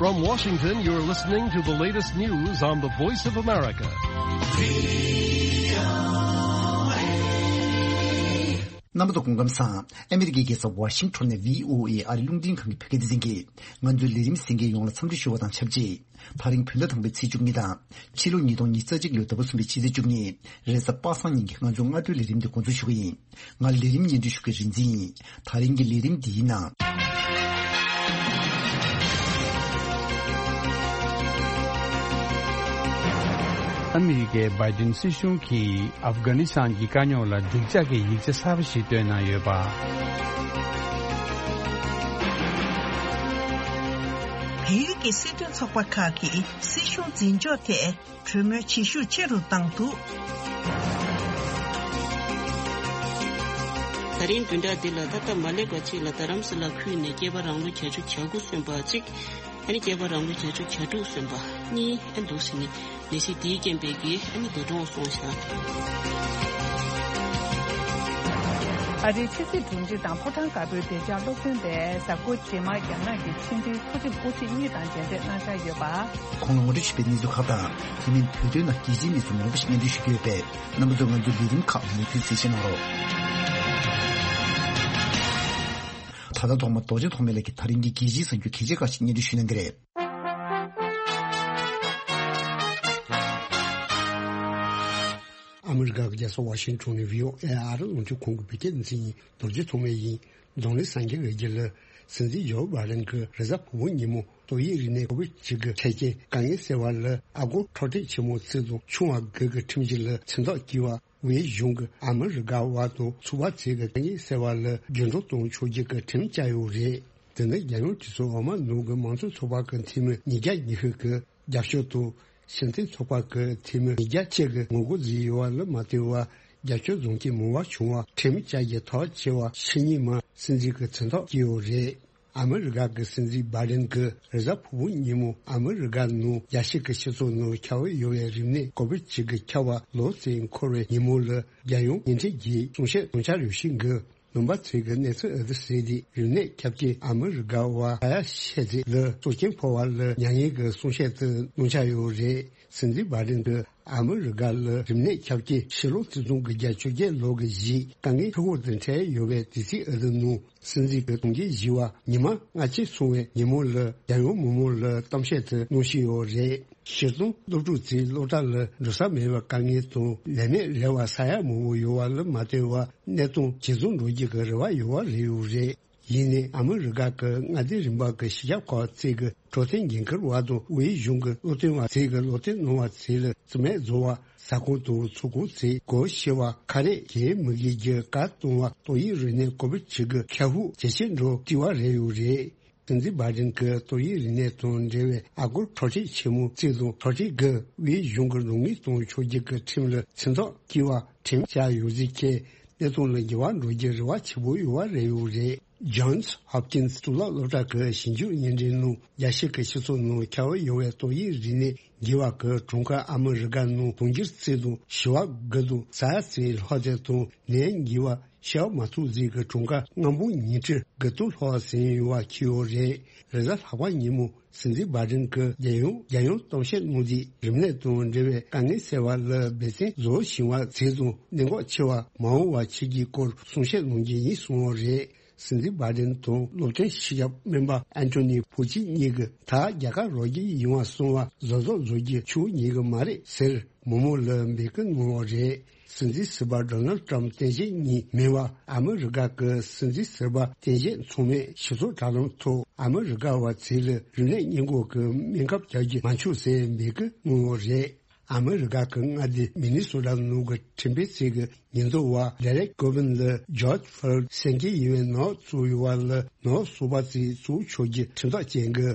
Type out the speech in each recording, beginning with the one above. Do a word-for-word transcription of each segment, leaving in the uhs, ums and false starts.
From Washington, you're listening to the latest news on the Voice of America. རྣམ་པ་ཚོ་སྐུ་ཁམས་བཟང་། ཨ་མི་རི་ཀའི་རྒྱལ་ས་ཝ་ཤིང་ཊོན་ནས་བྷི་ཨོ་ཨེ་ཨ་རི་རླུང་འཕྲིན་ཁང་གི་བོད་སྐད་སྡེ་ཚན་གྱིས་ང་ཚོའི་ལས་རིམ་གསན་མཁན་ཡོངས་ལ་འཚམས་འདྲི་ཞུ་བ་དང་ཆབས་ཅིག་ད་རིང་བོད་ཟླ་དང་པའི་ཚེས་བཅུ་གཉིས་དང་། ཕྱི་ལོ་ཉིས་སྟོང་ཉི་ཤུ་རྩ་གཅིག་ལོའི་ཟླ་བ་གསུམ་པའི་ཕྱི་ཚེས་བཅུ་གཉིས་རེས་གཟའ་པ་སངས་ཉིན་གྱི་ང་ཚོའི་སྔ་དྲོའི་ལས་རིམ་འདི་འགོ་འཛུགས་ཞུ་གི་ཡིན། ང་ལས་རིམ་སྙན་སྒྲོན་ཞུ་མཁན་རིག་འཛིན་ཡིན། ད་རིང་གི་ལས་རིམ་འདིའི་ནང་། ཨ་མི་རི་ཀའི་བྷའི་ཌེན་སྲིད་གཞུང་གིས་ཨབ་གྷ་ནི་སི་ཐན་གྱི་དཀའ་རྙོག་ལ་འགྲིག་འཇགས་ཀྱི་ཡིག་ཆ་གསར་པ་ཞིག་བཏོན་གནང་ཡོད་པ། བལ་ཡུལ་གྱི་སྲིད་དོན་ཚོགས་པ་ཁག་གིས་སྲིད་གཞུང་འཛིན་ཕྱོགས་ཐད་གྲོས་མོལ་བྱེད་ཤུགས་ཆེ་རུ་བཏང་འདུག་ད་རིང་བདུན་ཕྲག་འདི་ལ་ད་ལྟ་མ་སླེབས་པ་ཅིག་ལ་རྡ་རམ་ས་ལ་ཁུལ་ནས་སྐྱེས་པ་རང་ལོ་བརྒྱད་ཅུ་གྱ་དགུ་སོན་པ་གཅིག་ཨ་ནི་སྐྱེས་པ་རང་ལོ་བརྒྱད་ཅུ་གྱ་དྲུག་སོན་པ་གཉིས་ཨ་འདུག་ཟེར་ནས་ནད་གཞི་འདིའི་རྐྱེན་པས་ཀྱིས་ཨ་ནི་འདས་གྲོངས་སོང་ཤག་ཨ་རིའི་ཕྱི་སྲིད་དྲུང་ཆེ་དང་ཕོ་བྲང་དཀར་པོའི་བདེ་འཇགས་སློབ་སྟོན་པས་གཟའ་འཁོར་རྗེས་མར་རྒྱ་ནག་གི་ཕྱི་འབྲེལ་མཐོ་རིམ་དབུ་ཁྲིད་གཉིས་དང་མཇལ་འཕྲད་གནང་འཆར་ཡོད་པ། ཁོང་ལ་ངོ་སྤྲོད་བྱས་པའི་གནས་ཚུལ་ཁག་དང་། དེ་མིན་བོད་དོན་ནང་རྒྱལ་སྤྱིའི་གནས་ཚུལ་མང་པོ་ཞིག་སྙན་སྒྲོན་ཞུ་གི་ཡོད་པས། རྣམ་པ་ཚོས་ང་ཚོའི་ལས་རིམ་ཁག་མུ་མཐུད་གསན་བཞེས་གནང་རོགས། ད་ལྟ་ཐོག་མར་རྡོ་རྗེ་ཐོགས་མེད་ལགས་ཀྱིས་ད་རིང་གི་རྒྱལ་སྤྱིའི་གསར་འགྱུར་གལ་ཆེ་ཁག་ཅིག་སྙན་སྒྲོན་ཞུ་གནང་གི་རེད། ཨ་མི་རི་ཀ་གི་རྒྱལ་ས་ཝ་ཤིང་ཊོན་ནས་བྷི་ཨོ་ཨེ་ཨ་རི་རླུང་འཕྲིན་ཁང་གི་བོད་སྐད་སྡེ་ཚན་ཡིན། རྡོ་རྗེ་ཐོགས་མེད་ཡིན། གདོང་ལེན་སངས་རྒྱས་ལགས་ཀྱིས་ལ། སྲིད་འཛིན་ཇོ་བྷའི་ཌེན་གྱིས་རེས་གཟའ་ཕུར་བུ་ཉིན་མོ་ཏོག་དབྱིབས་རིམས་ནད་ཀོ་བིད་བཅུ་དགུ་འཕྲལ་རྐྱེན་དཀའ་ངལ་སེལ་བ་ལ་ཨ་སྒོར་འཕྲོག་བསྲེག་ཆེན་མོ་བརྩི་དང་ཆུང་བ་དགུ་གི་ཁྲིམས་གཞི་ལ་མཚན་རྟགས་བསྐྱིལ་བ། དབུས་གཞུང་གིས་ཨ་མི་རི་ཀ་བ་དང་ཚུགས་པ་ཚོས་ཀྱི་དཀའ་ངལ་སེལ་བ་ལ་རྒྱུན་སྒྲོག་གཏོང་ཆོག་རྒྱུ་གི་ཁྲིམས་བཅའ་ཡོད་རེད། དེ་ནི་རྒྱལ་ཡོངས་གྲོས་ཚོགས་འོག་མ་ནང་གི་མང་གཙོ་ཚོགས་པ་གི་འཐུས་མི་ཉིས་བརྒྱ་ཉི་ཤུ་གི་རྒྱབ་སྐྱོར་དང་། སྤྱི་མཐུན་ཚོགས་པ་གི་འཐུས་མི་ཉིས་བརྒྱ་གཅིག་གིས་ངོ་རྒོལ་བཟོས་ཡོད་པ་ལ་མ་ལྟོས་པར། རྒྱབ་སྐྱོར་འཛོམས་མཁན་མང་བ་བྱུང་བ་ཁྲིམས་བཅའ་རྒྱུ་ཐག་བཅད་པ་ཕྱི་ཉིན་མར་སྲིད་འཛིན་གྱི་མཚན་རྟགས་བསྐྱིལ་ཡོད་རེད། ཨ་མི་རི་ཀ་གི་སྲིད་འཛིན་བྷའི་ཌེན་གྱིས་རེས་གཟའ་ཕུར་བུ་ཉིན་མོ་ཨ་མི་རི་ཀ་ནང་རྒྱལ་སྤྱི་གི་སྤྱི་ཚོགས་ནང་ཁྱབ་ཡོད་པའི་རིམས་ནད་ཀོ་བིད་བཅུ་དགུ་ཁྱབ་པ་ལོ་གཅིག་འཁོར་བའི་ཉིན་མོ་ལ་རྒྱལ་ཡོངས་ཉིན་ཁྲི་བརྒྱའི་གསུང་བཤད་གནང་འཆར་ཡོད་ཤིང་གི། ནང་པ་ཚོས་ཀྱི་གནས་ཚུལ་ཨ་ཏི་ཟེར་ཏེ་རིམས་ནད་ཁྱབ་རྐྱེན་ཨ་མི་རི་ཀ་བ་ས་ཡ་ཤས་ཅིག་ལ་སྲོག་སྐྱོན་ཕོག་པ་ལ་མྱ་ངན་གྱི་གསུང་བཤད་དུ་གནང་འཆར་ཡོད་རེད། སྲིད་འཛིན་བྷའི་ཌེན་གྱིས་ཨ་མི་རི་ཀ་ལ་རིམས་ནད་ཁྱབ་རྐྱེན་ཕྱི་ལོ་ཆིག་སྟོང་དགུ་བརྒྱ་བཅོ་བརྒྱད་ལོ་གི་གཞིས་དཀའ་ངལ་འཕྲུལ་འཁོར་དང་འཕྲད་ཡོད་པའི་དུས་ཚིགས་ཨ་ཏི་ནང་སྲིད་འཛིན་གྱི་གྲོང་ཁྱེར་བཞི་བ་ཉི་མ་སྔ་ཕྱི་སོང་བའི་ཉིན་མོ་ལ་རྒྱལ་ཡོངས་མི་མང་ལ་གཏམ་བཤད་དུ་གནང་བཞིན་ཡོད་རེད། སྤྱིར་བཏང་སློབ་ཕྲུག་ཚོས་སློབ་གྲྭ་ལ་འགྲོ་ས་མེད་པའི་དཀའ་ངལ་དང་ལས་མེད་རེ་བ་ཟ་ཡ་མང་པོ་ཡོད་པ་ལ་མ་ལྟོས་པར་གནས་སྟངས་ཇེ་བཟང་འགྲོ་རྒྱུ་གི་རེ་བ་ཡོད་པ་རེད་ཡོད་རེད། ཡིན་ནའི་ཨ་མི་རི་ཀ་གི་མངའ་སྡེ་རིམ་པ་གི་གཞིས་ཆགས་ཁག་ཚོས་ཀྱི་འཕྲོད་བསྟེན་འགན་འཁུར་བ་དང་དབུས་གཞུང་གི་སློབ་སྟོན་པ་ཚོས་ཀྱི་སློབ་སྟོན་གནང་བ་ཚོ་ལ་རྩིས་མེད་བཟོ་བ། ཟ་ཁང་དང་ཚོགས་ཁང་ཚོས་སྒོ་ཕྱེ་བ། ཁ་རས་གྱོན་མི་དགོས་རྒྱུ་བཀའ་གཏོང་བ། ཏོག་དབྱིབས་རིམས་ནད་ཀོ་བིད་བཅུ་དགུ་ཁྱབ་ཤུགས་ཇེ་ཆེར་འགྲོ་བརྩི་བ་རེད་ཡོད་རེད། སྲིད་འཛིན་བྷའི་ཌེན་གྱིས་ཏོག་དབྱིབས་རིམས་ནད་དང་འབྲེལ་བའི་ཨ་སྒོར་འཕྲོག་བསྲེག་ཆེན་མོ་བརྩིས་དང་འཕྲོག་བསྲེག་གི་དབུས་གཞུང་གི་རོགས་དངུལ་གཏོང་ཆོག་རྒྱུ་གི་ཁྲིམས་ལ་མཚན་རྟགས་བསྐྱིལ་བ་ཁྲིམས་བཅའ་ཡོད་ཟེར་ཁྱེད་གནས་སྟངས་ལ་འགྱུར་བ་འགྲོ་རྒྱུའི་རེ་བ་ཆེན་པོ་ཡོད་པ་རེད་ཡོད་རེད། Johns Hopkins་གཙུག་ལག་སློབ་གྲྭ་གི་ཞིབ་འཇུག་བརྙན་འཕྲིན་ནང་རྒྱལ་སྤྱི་གི་སྤྱི་ཚོགས་ནང་ཁྱབ་ཡོད་པའི་ཏོག་དབྱིབས་རིམས་ནད་འགོས་པ་གི་གྲངས་ཀ་ཨ་མི་རི་ཀ་ནང་དུང་ཕྱུར་གཅིག་དང་བཞི་བ་དགུ་དང་ས་ཡ་གཅིག་ལྷག་ཙམ་དང་ནད་འགོས་པ་ཤི་བ་མ་ཐུག་ཟིག་གི་གྲངས་ཀ་ལྔ་འབུམ་ཉིས་ཁྲི་དགུ་སྟོང་ལྷག་ཟིན་ཡོད་པ་འཁྱོལ་ཡོད་རེད། རེས་གཟའ་ལྷག་པ་ཉིན་མོ་སྲིད་འཛིན་བྷའི་ཌེན་གྱིས་རྒྱལ་ཡོངས་རྒྱལ་ཡོངས་གཏམ་བཤད་གནང་དུས་རིམས་ནད་དང་འབྲེལ་བའི་དཀའ་ངལ་སེལ་བ་ལ་འབད་བརྩོན་བཟོ་བཞིན་པ་ཚོ་དང་གནད་འགག་ཆེ་བ་མ་འོངས་པ་ཆེ་རྒྱུའི་སྐོར་གསུང་བཤད་གནང་རྒྱུ་ཡིན་གསུངས་ཡོད་རེད། སྲིད་འཛིན་བྷའི་ཌེན་དང་སློབ་སྟོན་སྤྱི་ཁྱབ་སྨན་པ་ཨན་ཐོ་ནི་ཕོ་ཆི་གཉིས་ཀྱིས་ད་རྒྱལ་ཁ་རོགས་རྒྱུ་ཡིན་པ་སོང་བ་བཟོ་བཟོ་བཟོ་རྒྱུ་ཆོག་ཉེ་གི་མ་རེད་ཟེར་མི་མང་ལ་འབོད་སྐུལ་གནང་བ་རེད། སྲིད་འཛིན་ཟུར་པ་ཌོ་ནལ་ཊམ་བསྟན་བཤིག་གཉིས་མིན་པ་ཨ་མི་རི་ཀ་གི་སྲིད་འཛིན་ཟུར་པ་བསྟན་བཤིག་ཚང་མས་ཞིབ་ཚགས་དྲ་ལམ་ཐོག་ཨ་མི་རི་ཀ་བ་ཚོ་ལ་རིམས་ནད་སྔོན་འགོག་གི་སྨན་ཁབ་རྒྱག་རྒྱུ་མ་འཁྱོག་ཟེར་འབོད་སྐུལ་གནང་བ་རེད། ཨ་མི་རི་ཀ་གི་མངའ་སྡེ་མི་ནི་སོ་ཊ་ནང་གི་ཁྲིམས་དཔོན་ཚོས་ཀྱི་ཉེན་རྟོག་པ་ཌེ་རེག་ཀོ་བིན་ལ་ཇོརྗ་ཕོ་ལོཌ་སེམས་ཅན་ཡིན་པའི་ནག་བཙུགས་ཡོད་པ་ལ་ནག་གསོ་པ་ཚོས་བཙུགས་ཆོག་རྒྱུ་ཁྲིམས་ཐག་བཅད་འགོ།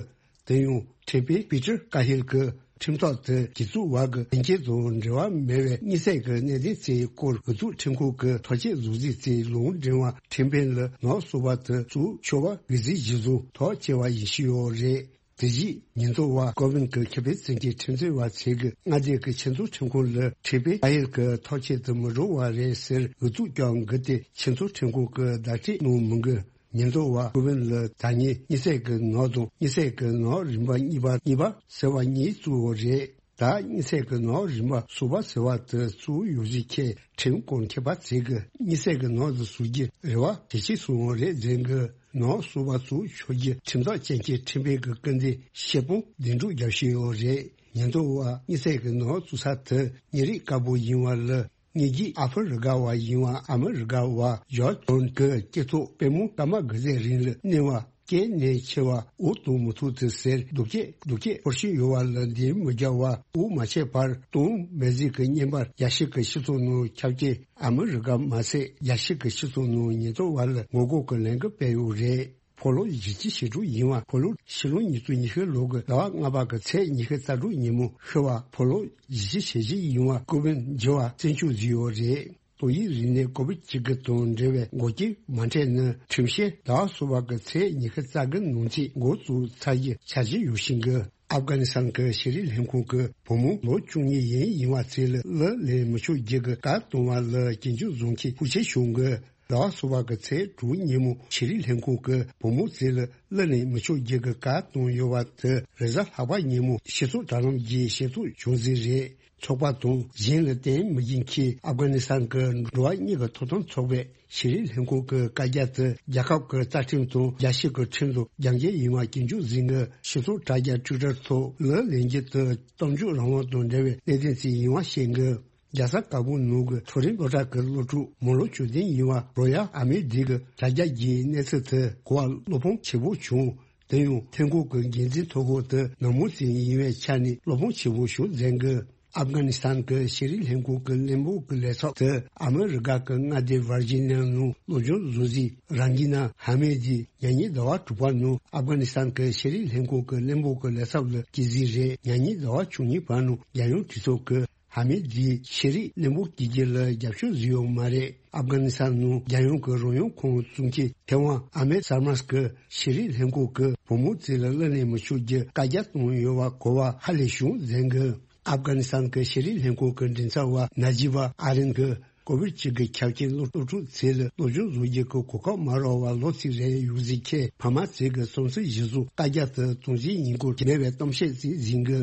དེ་ཡང་ཁྲིམས་དཔོན་པི་ཏར་ཀ་ཧིལ་གྱིས་ཁྲིམས་ཐག་དེ་གྱོད་བཙུགས་པ་གི་དོན་རྐྱེན་དང་འབྲེལ་བ་མེད་པའི་དམིགས་བསལ་གྱི་གནད་དོན་ཚོའི་སྐོར་འོས་བསྡུ་ཁྲིམས་ཁང་གི་ཐག་གཅོད་བཟོ་རྩིས་ཚོའི་ལུང་འདྲེན་པ་ཁྲིམས་དཔོན་ལ་ནག་གསོ་པ་དེ་བཙུགས་ཆོག་པ་འོས་འཛིན་གཞིར་བཟུང་ཐག་བཅད་པ་ཡིན་ཞུས་ཡོད་རེད། དེ་བཞིན་ཉེན་རྟོག་པ་ཀོ་བིན་གྱི་ཁེ་ཕན་བཙན་གྱིས་ཁྲིམས་རྩོད་པ་ཚོས་ཀྱི་མངའ་སྡེ་གི་ཆེས་མཐོའི་ཁྲིམས་ཁང་ལ་ཁྲིམས་དཔོན་ཀ་ཧིལ་གྱི་ཐག་གཅོད་དུ་མི་འགྲོ་བ་རེད་ཟེར་འོས་བསྡུ་བསྐྱངས་འགོ་དེ་ཆེས་མཐོའི་ཁྲིམས་ཁང་གི་བརྡ་སྤྲོད་གནང་མི་འགོ། ཉེན་རྟོག་པ་ཀུ་ཝིན་ལ་ད་ཉིན་དམིགས་བསལ་གྱི་ནག་དང་དམིགས་བསལ་གྱི་ནག་རིམ་པ་གཉིས་པ་གཉིས་པ་ཟེར་བ་གཉིས་བཙུགས་པ་རེད། ད་དམིགས་བསལ་གྱི་ནག་རིམ་པ་གསུམ་པ་ཟེར་བ་དེ་བཙུགས་ཡོད་ཟེར་མཁན་ཁྲིམས་སྐོར་མཁས་པ་ཚོས་ཀྱི་དམིགས་བསལ་གྱི་ནག་དེ་བཟོ་རྒྱུ་རེ་བ་གལ་ཆེ་སོང་བ་རེད་ཟེར་གི། ནག་གསུམ་པ་བཙུགས་ཆོག་རྒྱུ་ཁྲིམས་ཐག་བཅད་མཁན་ཁྲིམས་དཔོན་གྱི་སྐུ་མདུན་ཤེལ་སྤུངས་བདེ་སྒྲུབ་རྒྱབ་བཞིན་ཡོད་རེད། ཉེན་རྟོག་པ་དམིགས་བསལ་གྱི་ནག་བཙུགས་ས་དེ་ཉེ་རིགས་དཀར་པོ་ཡིན་པ་ལ། ཉེ་རྒྱུད་ཨ་ཧྥེ་རི་ཀ་བ་ཡིན་པ་ཨ་མི་རི་ཀ་བ་ཇོར་ཇི་ཊོན་གྱི་སྐྱེས་ཐོག་དཔལ་མོ་ཀརྨ་དགེ་རྩེ་རིང་ལ་གནོད་པ་སྐྱེས་ནས་ཆེ་བ་འུ་གཏོང་མི་ཐུབ་ཚེ་ཟེར་སྡུག་སྐད་སྡུག་སྐད་ཤོར་བཞིན་ཡོད་པ་ལ་འདི་མི་རྒྱག་པ་འུ་མ་ཆད་པར་གཏོང་མེད་ཟེར་གི་བརྙན་པར་རྒྱལ་སྤྱི་གི་སྤྱི་ཚོགས་ནང་ཁྱབ་རྐྱེན་ཨ་མི་རི་ཀ་མ་ཟད་རྒྱལ་སྤྱི་གི་སྤྱི་ཚོགས་ནང་ཉེན་རྟོག་པ་ལ་ངོ་རྒོལ་གྱི་ལས་འགུལ་སྤེལ་ཡོད་རེད། ཕོ་ལོ་བཞི་བཅུ་ཞེ་དྲུག་ཡིན་པ་ཕོ་ལོ་ཕྱི་ལོ་ཉིས་སྟོང་ཉི་ཤུ་ལོ་གི་ཟླ་བ་ལྔ་པ་གི་ཚེས་ཉི་ཤུ་རྩ་དྲུག་ཉིན་མོ་ཤི་བ་ཕོ་ལོ་བཞི་བཅུ་ཞེ་བཞི་ཡིན་པ་ཀུ་ཝིན་འགྱུར་བ་བཙན་བཅོས་བཟོས་ཡོད་རེད། ཏོག་དབྱིབས་རིམས་ནད་ཀོ་བིད་བཅུ་དགུ་དང་འབྲེལ་བའི་འགོག་རྐྱེན་མ་འཕྲད་ན་ཁྲིམས་བཤེར་ཟླ་བ་གསུམ་པ་གི་ཚེས་ཉི་ཤུ་རྩ་དགུ་ནང་ཚུད་འགོ་བཙུགས་ཚར་རྒྱུ་འཆར་གཞི་ཡོད་བཞིན་གི། ཨབ་གྷ་ནི་སི་ཐན་གྱི་ཤེས་རིག་ལྷན་ཁང་གི་བུ་མོ་ལོ་བཅུ་གཉིས་ཡན་ཡིན་པ་ཚོ་ལ་གླུ་ལེན་མི་ཆོག་རྒྱུ་གི་བཀའ་གཏོང་བ་ལ་སྐྱོན་བརྗོད་བཟོ་མཁན་ཤུགས་ཆེ་བྱུང་གི། ཟླ་བ་གསུམ་པ་གི་ཚེས་དྲུག་ཉིན་མོ་ཤེས་རིག་ལྷན་ཁང་གི་བུ་མོ་ཚོ་ལ་གླུ་ལེན་མི་ཆོག་རྒྱུ་གི་བཀའ་གཏོང་ཡོད་པ་དེ་རེས་གཟའ་ལྷག་པ་ཉིན་མོ་སྤྱི་ཚོགས་དྲ་ལམ་གྱི་ཤེས་རྟོགས་བྱུང་ཟིན་རེད། ཚོགས་པ་དང་གཞན་ལ་བརྟེན་མི་བགྱིད་མཁན་ཨབ་གྷ་ནི་སི་ཐན་གྱི་འགྲོ་བ་མིའི་ཐོབ་ཐང་ཚོགས་པས་ཤེས་རིག་ལྷན་ཁང་གི་བཀའ་རྒྱ་དེ་རྒྱལ་ཁབ་ཀྱི་རྩ་ཁྲིམས་དང་རྒྱལ་སྤྱི་གི་ཁྲིམས་དང་རྒྱབ་འགལ་ཡིན་པ་སྐྱོན་བརྗོད་ཟིན་གི། སྤྱི་ཚོགས་དྲ་རྒྱ་ཊུའི་ཊར་ཐོག་གླུ་ལེན་རྒྱུ་དེ་གཏམ་བརྗོད་རང་དབང་དང་འབྲེལ་བའི་གནད་དོན་ཞིག་ཡིན་པ་བཤད་གི། རྒྱལ་ས་ཀ་བུལ་ནང་གི་མཐོ་རིམ་སློབ་གྲྭ་གི་སློབ་ཕྲུག་མང་ལོ་བཅུ་བདུན་ཡིན་པ་རོ་ཡལ་ཨ་མེ་ཌི་གི་དྲ་རྒྱ་བརྒྱུད་གནས་ཚུལ་དེ་གོ་བ་བློ་ཕམ་ཆེན་པོ་བྱུང་། དེ་ཡང་ལྷན་ཁང་གི་འགན་འཛིན་ཐོ་འགོད་དེ་ནག་མོ་ཞིག་ཡིན་པའི་ཆ་ནས་བློ་ཕམ་ཆེན་པོ་བྱུང་ཟེར་གི། ཨབ་གྷ་ནི་སི་ཐན་གྱི་ཤེས་རིག་ལྷན་ཁང་གི་བློན་པོ་གི་ལས་ཚབ་དེ་ཨ་མི་རི་ཀ་གི་མངའ་སྡེ་ཝར་ཇི་ནི་ཡ་ནང་སློབ་སྦྱོང་བཟོ་རྩིས་རང་གི་ན་ཧ་མེ་ཌི་ཉེ་ཉིན་ཟླ་བ་དྲུག་པ་ནང་ཨབ་གྷ་ནི་སི་ཐན་གྱི་ཤེས་རིག་ལྷན་ཁང་གི་བློན་པོ་གི་ལས་ཚབ་ལ་བསྐོས་ཟིན་རེད། ཉེ་ཉིན་ཟླ་བ་བཅུ་གཉིས་པ་ནང་རྒྱལ་ཡོངས་གྲོས་ཚོགས་ཀྱི་ཧ་མེ་ཌི་ཤེས་རིག་བློན་པོ་བསྐོ་རྒྱུ་ལ་རྒྱབ་སྐྱོར་བཟོས་ཡོད་མ་རེད། ཨབ་གྷ་ནི་སི་ཐན་ནང་རྒྱལ་ཡོངས་ཀྱི་རང་དབང་ཁོངས་བཙུགས་མཁན་ཐེ་ཝན་ཨ་མེ་སར་མཱས་ཀྱི་ཤེས་རིག་ལྷན་ཁང་གི་བུ་མོ་ཚོ་ལ་གླུ་ལེན་མི་ཆོག་རྒྱུ་བཀའ་རྒྱ་བཏང་ཡོད་པ་གོ་བ་ཧ་ལས་བྱུང་ཟེར་གི། ཨབ་གྷ་ནི་སི་ཐན་གྱི་ཤེས་རིག་ལྷན་ཁང་གི་མགྲིན་ཚབ་པ་ན་ཇི་བ་ཨ་རིན་གྱིས་ཀོ་བིད་བཅུ་དགུ་ཁྱབ་ཆེན་སློབ་ཕྲུག་ཚོ་ལ་སློབ་སྦྱོང་བཟོ་རྒྱུ་གི་གོ་སྐབས་མ་རག་པར་ལོ་གཅིག་རིང་ཡོད་ཟེར་མཁན་ཕ་མ་ཚོ་གི་བསམ་ཚུལ་གཞིར་བཟུང་བཀའ་རྒྱ་དེ་དོན་ཚན་ཉིས་སྐོར་མེད་པའི་གཏམ་བཤད་ཅིག་ཟིན་གི།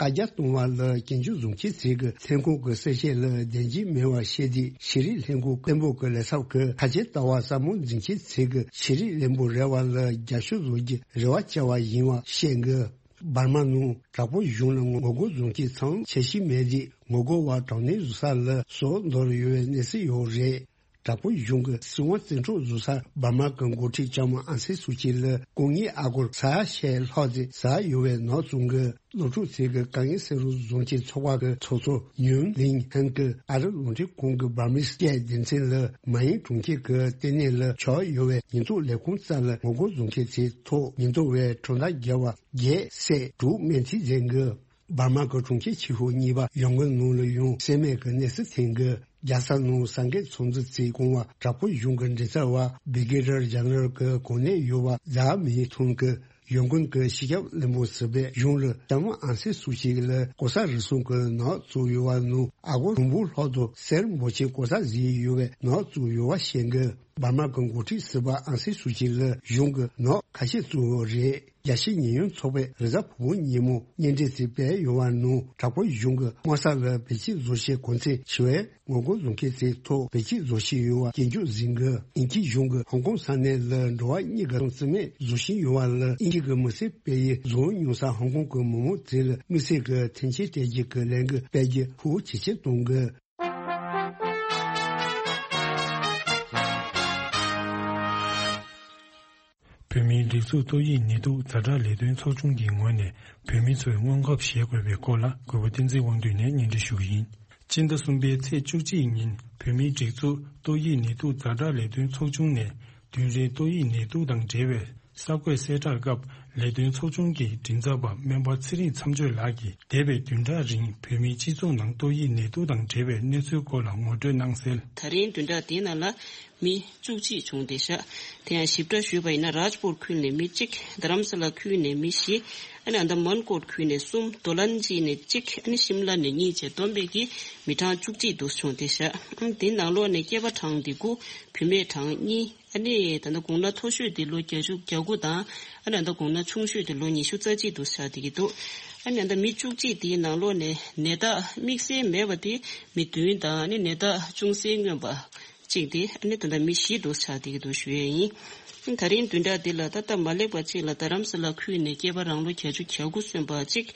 བཀའ་རྒྱ་གཏོང་བ་ལ་སྐྱོན་བརྗོད་བཟོ་མཁན་ཚོས་ཀྱི་ལྷན་ཁང་གི་གསལ་བཤད་ལ་བདེན་འཛིན་མེད་པར་བཤད་དུས་ཤེས་རིག་ལྷན་ཁང་བློན་པོ་གི་ལས་ཚབ་ཀྱིས་ཁ་ཆེ་ལྟ་བ་གསར་མ་འཛིན་མཁན་ཚོས་ཀྱི་ཤེས་རིག་བློན་པོ་རེ་བ་ལ་རྒྱབ་སྐྱོར་བཟོ་རྒྱུ་རེ་བ་བཅའ་བ་ཡིན་པ་བཤད་གི། འབར་མ་ནང་དྲག་པོའི་གཞུང་ལ་ངོ་རྒོལ་བཟོ་མཁན་ཚང་ཆེ་ཤོས་མེད་དུས་ངོ་རྒོལ་བ་དྲག་གནོན་བཟོ་ས་ལ་སྲོག་འདོར་ཡོད་པའི་གནས་ཚུལ་ཡོད་རེད། དྲག་པོའི་གཞུང་གི་སྲིད་དབང་བཙན་འཕྲོག་བཟོ་སར་འབར་མ་གི་འགོ་ཁྲིད་ལྕམ་ཨང་སན་སུ་ཅི་ལ་སྐུ་ངལ་ཨ་སྒོར་ས་ཡ་ཕྱེད་ལྷག་ཙམ་ཟ་ཡོད་པའི་ནག་བཙུགས་གི། སློབ་ཕྲུག་ཚོས་ཀྱི་དཀའ་ངལ་སེལ་རོགས་བཟོ་མཁན་ཚོགས་པ་གི་ཚོགས་གཙོ་ཡུན་ལིང་ཧན་གྱིས་ཨ་རི་རླུང་འཕྲིན་ཁང་གི་འབར་མིས་སྐད་སྡེ་ཚན་ལ་མ་ཡིན་གྲོང་ཁྱེར་གྱི་ལྟེ་གནས་ལ་ཆགས་ཡོད་པའི་ཉེན་རྟོག་ལས་ཁུངས་རྩ་ལ་ངོ་རྒོལ་བཟོ་མཁན་ཚོའི་ཐོག་ཉེན་རྟོག་པས་གྲོང་རྡལ་བརྒལ་བ་བརྒྱད་བསད་དྲུག་རྨས་མཐུད་མཛད་གི། འབར་མ་གི་གྲོང་ཁྱེར་ཆེ་ཤོས་གཉིས་པ་ཡོང་གུན་ནང་ལ་ཡང་བསད་རྨས་ཀྱི་གནས་ཚུལ་ཐོན་གི། རྒྱལ་ས་ནང་གསར་འགོད་ཚོགས་འདུ་བཙུགས་གོང་བ་དྲག་པོའི་གཞུང་གི་མགྲིན་ཚབ་པ་བི་གེ་ཊར་ཇེ་ནེ་རལ་གྱི་གོ་གནས་ཡོད་པ་ཛཱ་མི་ཐུང་གིས་ཡོང་གུན་གྱི་སྤྱི་ཁྱབ་བློན་པོ་ཟུར་པས་གཞུང་ལ་ལྕམ་ཨང་སན་སུ་ཅི་ལ་ལྐོག་ཟ་རུལ་སུངས་ཀྱི་ནག་བཙུགས་ཡོད་པ་ནང་ཨ་སྒོར་དྲུག་འབུམ་ལྷག་དང་གསེར་འབོར་ཆེན་ལྐོག་ཟ་བཟོས་ཡོད་པའི་ནག་བཙུགས་ཡོད་པ་བཤད་གི། འབར་མ་གི་འགོ་ཁྲིད་ཟུར་པ་ཨང་སན་སུ་ཅི་ལ་གཞུང་གི་ནག་ཁ་ཤས་བཙུགས་ཡོད་རེད། རྒྱལ་སྤྱིའི་ཉེས་ཡོད་ཚོགས་པས་རེས་གཟའ་ཕུར་བུ་ཉིན་མོ་སྙན་འགྲེལ་ཞིག་སྤེལ་ཡོད་པ་ནང་དྲག་པོའི་གཞུང་གིས་དམག་ས་ལ་བེད་སྤྱོད་བཟོ་བྱེད་གོ་མཚོན་ཆེ་བའི་ངོ་རྒོལ་བཟོ་མཁན་ཚོའི་ཐོག་བེད་སྤྱོད་བཟོ་བཞིན་ཡོད་པ་སྐྱོན་བརྗོད་ཟིན་གི། དབྱིན་ཇིའི་གཞུང་གིས་ཧོང་ཀོང་ས་གནས་ལ་འགྲོ་བ་མིའི་ཐོབ་ཐང་རྩིས་མེད་བཟོ་བཞིན་ཡོད་པ་ལ་དབྱིན་ཇི་གི་མི་སེར་སྤེལ་ཡུལ་བཟོ་མྱོང་ས་ཧོང་ཀོང་གི་མི་མང་ཚོ་ལ་དམིགས་བསལ་གྱི་མཐུན་རྐྱེན་སྤྲད་རྒྱུ་གི་ལས་འགུལ་སྤེལ་རྒྱུ་ཤུགས་ཇེ་ཆེར་གཏོང་གི། བོད་མིའི་སྒྲིག་འཛུགས་ཏོག་དབྱིབས་ནད་དུག་ཛ་དྲག་ལས་དོན་ཚོགས་ཆུང་གི་ངོས་ནས་བོད་མི་ཚོས་སྔོན་ཁབ་བཞེས་དགོས་པའི་སྐོར་ལ་གུས་པ་བསྟན་འཛིན་དབང་འདུས་ནས་སྙན་སྒྲོན་ཞུ་གི་ཡིན། སྤྱི་ཟླ་གསུམ་པའི་ཚེས་བཅུ་གཅིག་ཉིན་བོད་མིའི་སྒྲིག་འཛུགས་ཏོག་དབྱིབས་ནད་དུག་ཛ་དྲག་ལས་དོན་ཚོགས་ཆུང་ནས་བདུན་རིང་ཏོག་དབྱིབས་ནད་དུག་དང་འབྲེལ་བའི་གསར་འགོད་གསལ་བསྒྲགས་སྐབས་ལས་དོན་ཚོགས་ཆུང་གི་མགྲིན་ཚབ་པ་སྨན་པ་ཚེ་རིང་མཚམས་གཅོད་ལགས་ཀྱིས་འདས་པའི་བདུན་ཕྲག་རིང་བོད་མིའི་སྤྱི་ཚོགས་ནང་ཏོག་དབྱིབས་ནད་དུག་དང་འབྲེལ་བའི་གནས་ཚུལ་སྐོར་ལ་ངོ་སྤྲོད་གནང་གསལ། ད་རིང་བདུན་ཕྲག་འདིའི་ནང་ལ་མི་བཅུ་གཅིག་བྱུང་བསྡད་ཤག་དེ་ཡང་ཞིབ་ཕྲ་ཞུས་པ་ཡིན་ན་རཱཇ་པུར་ཁུལ་ནས་མི་གཅིག་དྷ་རམ་ས་ལ་ཁུལ་ནས་མི་བཞི། ཨ་ནི་ཨན་དཱ་མན་ཀོཊ་ཁུལ་ནས་གསུམ། རྡོ་ལན་ཇི་ནས་གཅིག་ཨ་ནི་ཤིམ་ལ་ནས་གཉིས་བཅས་བསྡོམས་པས་ཀྱི་མི་གྲངས་བཅུ་གཅིག་འདུག་བྱུང་བསྡད་ཤག་དེའི་ནང་ལོགས་ནས་སྐྱེས་པ་གྲངས་འདི་དགུ། བུད་མེད་གྲངས་གཉིས། ཨ་ནི་ད་ལྟ་དགུང་ན་མཐོ་ཤོས་དེ་ལོ་བརྒྱད་ཅུ་གྱ་དགུ་དང་། ཨ་ནི་ད་ལྟ་དགུང་ན་ཆུང་ཤོས་དེ་ལོ་ཉི་ཤུ་རྩ་གཅིག་དུ་ཆགས་བསྡད་ཀྱི་འདུག་ཨ་ནི་ད་ལྟ་མི་བཅུ་གཅིག་དེའི་ནང་ལོགས་ནས་ནད་རྟགས་དམིགས་བསལ་མེད་པ་དེ་མི་བདུན་དང་། ཨ་ནི་ནད་རྟགས་ཅུང་ཟད་མངོན་པ་གཅིག་དེ་ཨ་ནི་ད་ལྟ་མི་བཞི་དུ་ཆགས་བསྡད་ཀྱི་འདུག་ཞུ་ཡས་ཡིན། ཨ་ནི་ད་རིང་བདུན་ཕྲག་འདི་ལ་ད་སྟབས་མ་ལེགས་པ་གཅིག་ལ་རྡ་རམ་ས་ལ་ཁུལ་ནས་སྐྱེས་པ་རང་ལོ་བརྒྱད་ཅུ་གྱ་དགུ་སོན་པ་གཅིག་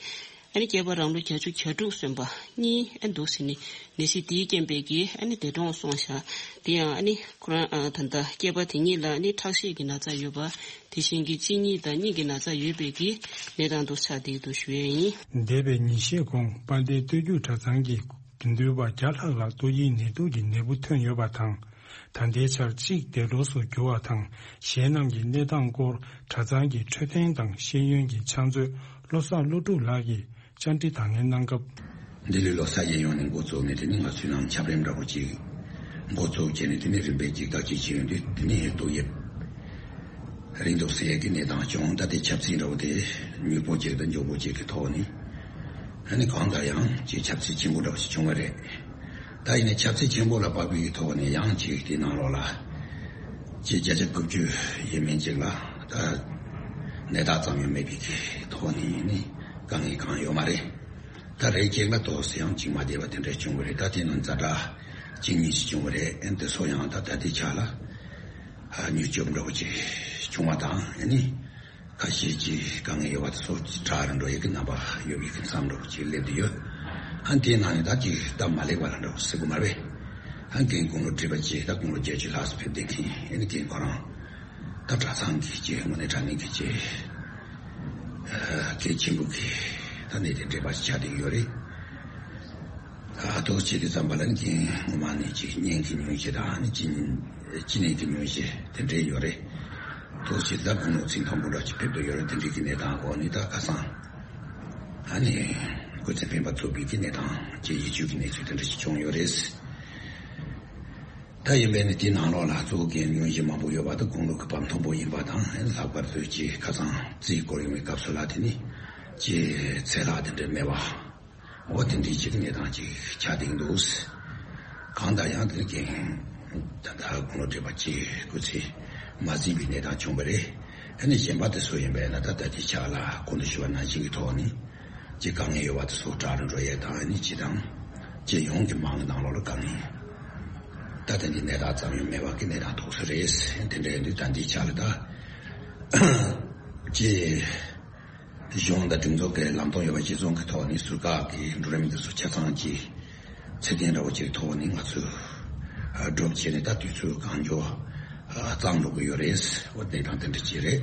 ཨ་ནི་སྐྱེས་པ་རང་ལོ་བརྒྱད་ཅུ་གྱ་དྲུག་སོན་པ་གཉིས་ཨ་འདུག་ཟེར་ནས་ནད་གཞི་དེའི་རྐྱེན་པས་ཀྱིས་ཨ་ནི་འདས་གྲོངས་སོང་ཤག་དེ་ཡང་ཨ་ནི་ཁོ་རང་ཨ་ད་ལྟ་སྐྱེས་པ་དེ་གཉིས་ལ་ཨ་ནི་ཁྲག་ཤེད་ཀྱི་ན་ཚ་ཡོད་པ། དེ་བཞིན་གྱི་གཅིན་སྙི་དང་སྙིང་གི་ན་ཚ་ཡོད་པས་ཀྱིས་གནས་སྟངས་འདུག་ཆགས་བསྡད་འདུག་ཞུ་ཡས་ཡིན། འདས་པའི་ཉིན་ཤས་གོང་དཔལ་ལྡན་སྟོད་རྒྱུད་གྲྭ་ཚང་གི་དགེ་འདུན་པ་བརྒྱ་ལྷག་ལ་ཏོག་དབྱིབས་ནད་དུག་གི་ནད་འབུ་ཐོན་ཡོད་པ་དང་། ད་ལྟའི་ཆར་གཅིག་འདས་གྲོངས་སུ་གྱུར་བ་དང་། གཞན་རྣམས་ཀྱི་གནས་སྟངས་སྐོར་གྲྭ་ཚང་གི་འཕྲོད་བསྟེན་དང་ཤེས་ཡོན་གྱི་ཕྱག་མཛོད་བློ་བཟང་བློ་གྲུབ་ལགས་ཀྱིས་བཅར་འདྲི་དང་ལེན་གནང་སྐབས། འདི་ལོའི་ལོ་གསར་གྱི་ཡོང་ནས་འགོ་བཙུགས་ནས། དེ་ནི་ང་ཚོའི་ནང་འཆམ་རིམ་འདྲ་པོ་ཅིག་འགོ་བཙུགས་བྱས་ནས། དེ་ནི་རིམ་པས་ཅིག་བདག་གཅེས་བྱས་ཡོང་དུས། དེ་ནི་ཏོག་དབྱིབས་རིགས་འདུག་ཟེར་ཡས་ཀྱི་གནས་སྟངས་བྱུང་། ད་དེ་ཁྱབ་ཚད་འདྲ་པོ་དེ་མྱུར་པོ་ཅིག་དང་མགྱོགས་པོ་ཅིག་གི་ཐོག་ནས། ཨ་ནི་གང་ལྟར་ཡང་ཅིག་ཁྱབ་ཚད་ཆེན་པོ་འདྲ་པོ་ཞིག་བྱུང་བ་རེད། ད་ཡིན་ནའི་ཁྱབ་ཚད་ཆེན་པོ་ལ་དཔག་པའི་ཐོག་ནས་ཡང་ཅིག་དེའི་ནང་ལོགས་ལ་ཅིག་བརྒྱ་ཆ་དགུ་བཅུ་ཡས་མས་ཅིག་ལ་ད་ནད་རྟགས་ཙམ་ཡང་མེད་པའི་གི་ཐོག་ནས་ཡིན་ནའི་དཀའ་ངལ་གང་ཡོད་མ་རེད། ད་རེས་ཅིག་ལ་ཏོག་ཙམ་ཡང་ཅིག་མ་བདེ་བ་དེ་འདྲ་བྱུང་བ་རེད། ད་དེ་ནང་ཛ་དྲག་གཅིག་གཉིས་ཤིག་བྱུང་བ་རེད། ཨ་ནི་དེ་ཚོ་ཡང་ད་ད་ལྟའི་ཆ་ལ་ཨ་མྱུར་སྐྱོབ་འདྲ་པོ་ཅིག་བྱུང་བ་དང་། ཨ་ནི་ཁ་ཤས་ཀྱི་དཀའ་ངལ་ཡོད་པ་དེ་ཚོ་དྲག་རུ་འགྲོ་ཡས་ཀྱི་རྣམ་པ་ཡོད་པའི་གི་མཚམས་འདྲ་པོ་ཅིག་སླེབས་བསྡད་ཡོད། ཨ་ནི་དེའི་ནང་ནས་ད་ཅིག་སྟབས་མ་ལེགས་པ་ལ་འདྲ་པོ་ཟེར་དགོས་མ་རེད། ཨ་ནི་རྒན་དགུང་ལོ་བགྲེས་པ་ཅིག་ད་དགུང་ལོ་བརྒྱད་ཅུ་ལྷག་ཙམ་ཕེབས་བསྡད་མཁན། ཨ་ནི་རྒན་ཁོ་རང་ད་གྲྭ་ཚང་གི་ཅིག་དངོས་གནས་དྲང་གནས་ཀྱི་ཅིག་ཨ་གལ་ཆེན་པོ་གི་ད་གནད་དོན་འདྲེས་པ་ཞིག་ཆགས་བསྡད་ཡོད་རེད། ཨ་ཏོག་ཙམ་བྱས་དུས་ཙམ་པ་ལ་ནི་རྒན་སྔོན་མ་ནས་ཅིག་གཉན་གྱི་སྙུང་གཞི་དང་། ཨ་ནི་གཅིན་གཅིན་སྙི་གི་སྙུང་གཞི་དེ་འདྲས་ཡོད་རེད། ཏོག་ཙམ་ད་དགུང་ལོ་ཚད་མཐོན་པོ་འདྲ་ཅིག་ཕེབས་བསྡད་ཡོད་རེད། དེ་འདྲས་ཀྱི་གནས་སྟངས་འོག་ནས་ད་ཁ་སང་ཨ་ནི་སྐུ་ཚེ་འཕེན་པ་ཐུབ་པའི་གི་གནས་སྟངས་ཅིག་ཡིད་སྐྱོ་གི་གནས་ཚུལ་དེ་འདྲ་ཞིག་བྱུང་ཡོད་རེད། ད་ཡིན་པས་ནི་དེའི་ནང་ལོགས་ལ་གཙོ་བོ་རྒན་སྙུང་གཞི་མང་པོ་ཡོད་པ་དང་། དགུང་ལོ་གི་བབ་མཐོན་པོ་ཡིན་པ་དང་། ལྷག་པར་དུ་ཅིག་ཁ་སང་རྩིས་སྐོར་ཡོང་བའི་སྐབས་སུ་ལ་དེ་ནི་ཅིག་ཚེ་ལྷག་དེ་འདྲ་མེད་པ། འོ་དེ་འདྲའི་ཅིག་གནས་སྟངས་ཅིག་ཆགས་བསྡད་འདུག་གང་ལྟར་ཡང་དེ་རིང་ད་ལྟ་དགུང་ལོ་བགྲེས་པ་ཅིག་སྐུ་ཚེ་མ་ཟིན་པའི་གནས་སྟངས་བྱུང་བ་རེད། ཨ་ནི་གཞན་པ་དེ་ཚོ་ཡིན་པས་ན་ད་ལྟ་དེ་ཆ་ལ་གོང་དུ་ཞུས་པ་ནང་བཞིན་གྱི་ཐོག་ནས་ཅིག་དཀའ་ངལ་ཡོད་པ་དེ་ཚོ་དྲག་རུ་འགྲོ་ཡས་དང་། ཨ་ནི་ཅིག་དང་སྤྱི་ཡོངས་ཀྱི་མང་གི་ནང་ལོགས་ལ་དཀའ་ངལ། ད་ལྟ་འདི་ནད་རྟགས་ཙམ་ཡང་མེད་པ་གི་གནས་སྟངས་ཐོག་སུ་རེད། དེ་འདྲ་ཡིན་དུས་ད་འདི་ཆ་ལ་ད་ཅིག་གཞུང་དང་སྒྲིག་འཛུགས་ཀྱི་ལམ་སྟོན་ཡོད་པ་གཞིར་བཟུང་གི་ཐོག་ནས་ཟུར་བཀག་གི་འགྲོ་རིམ་འདི་ཚོ་ཆ་ཚང་གི་ཚད་ལྡན་འདྲ་བོ་ཅིག་ཐོག་ནས་ང་ཚོས་སྒྲུབ་བྱས་ནས། ད་དུས་ཚོད་གང་མགྱོགས་གཙང་འགྲོ་གི་ཡོད་རེད། འོ་དེ་དང་དེ་འདྲ་ཅིག་རེད།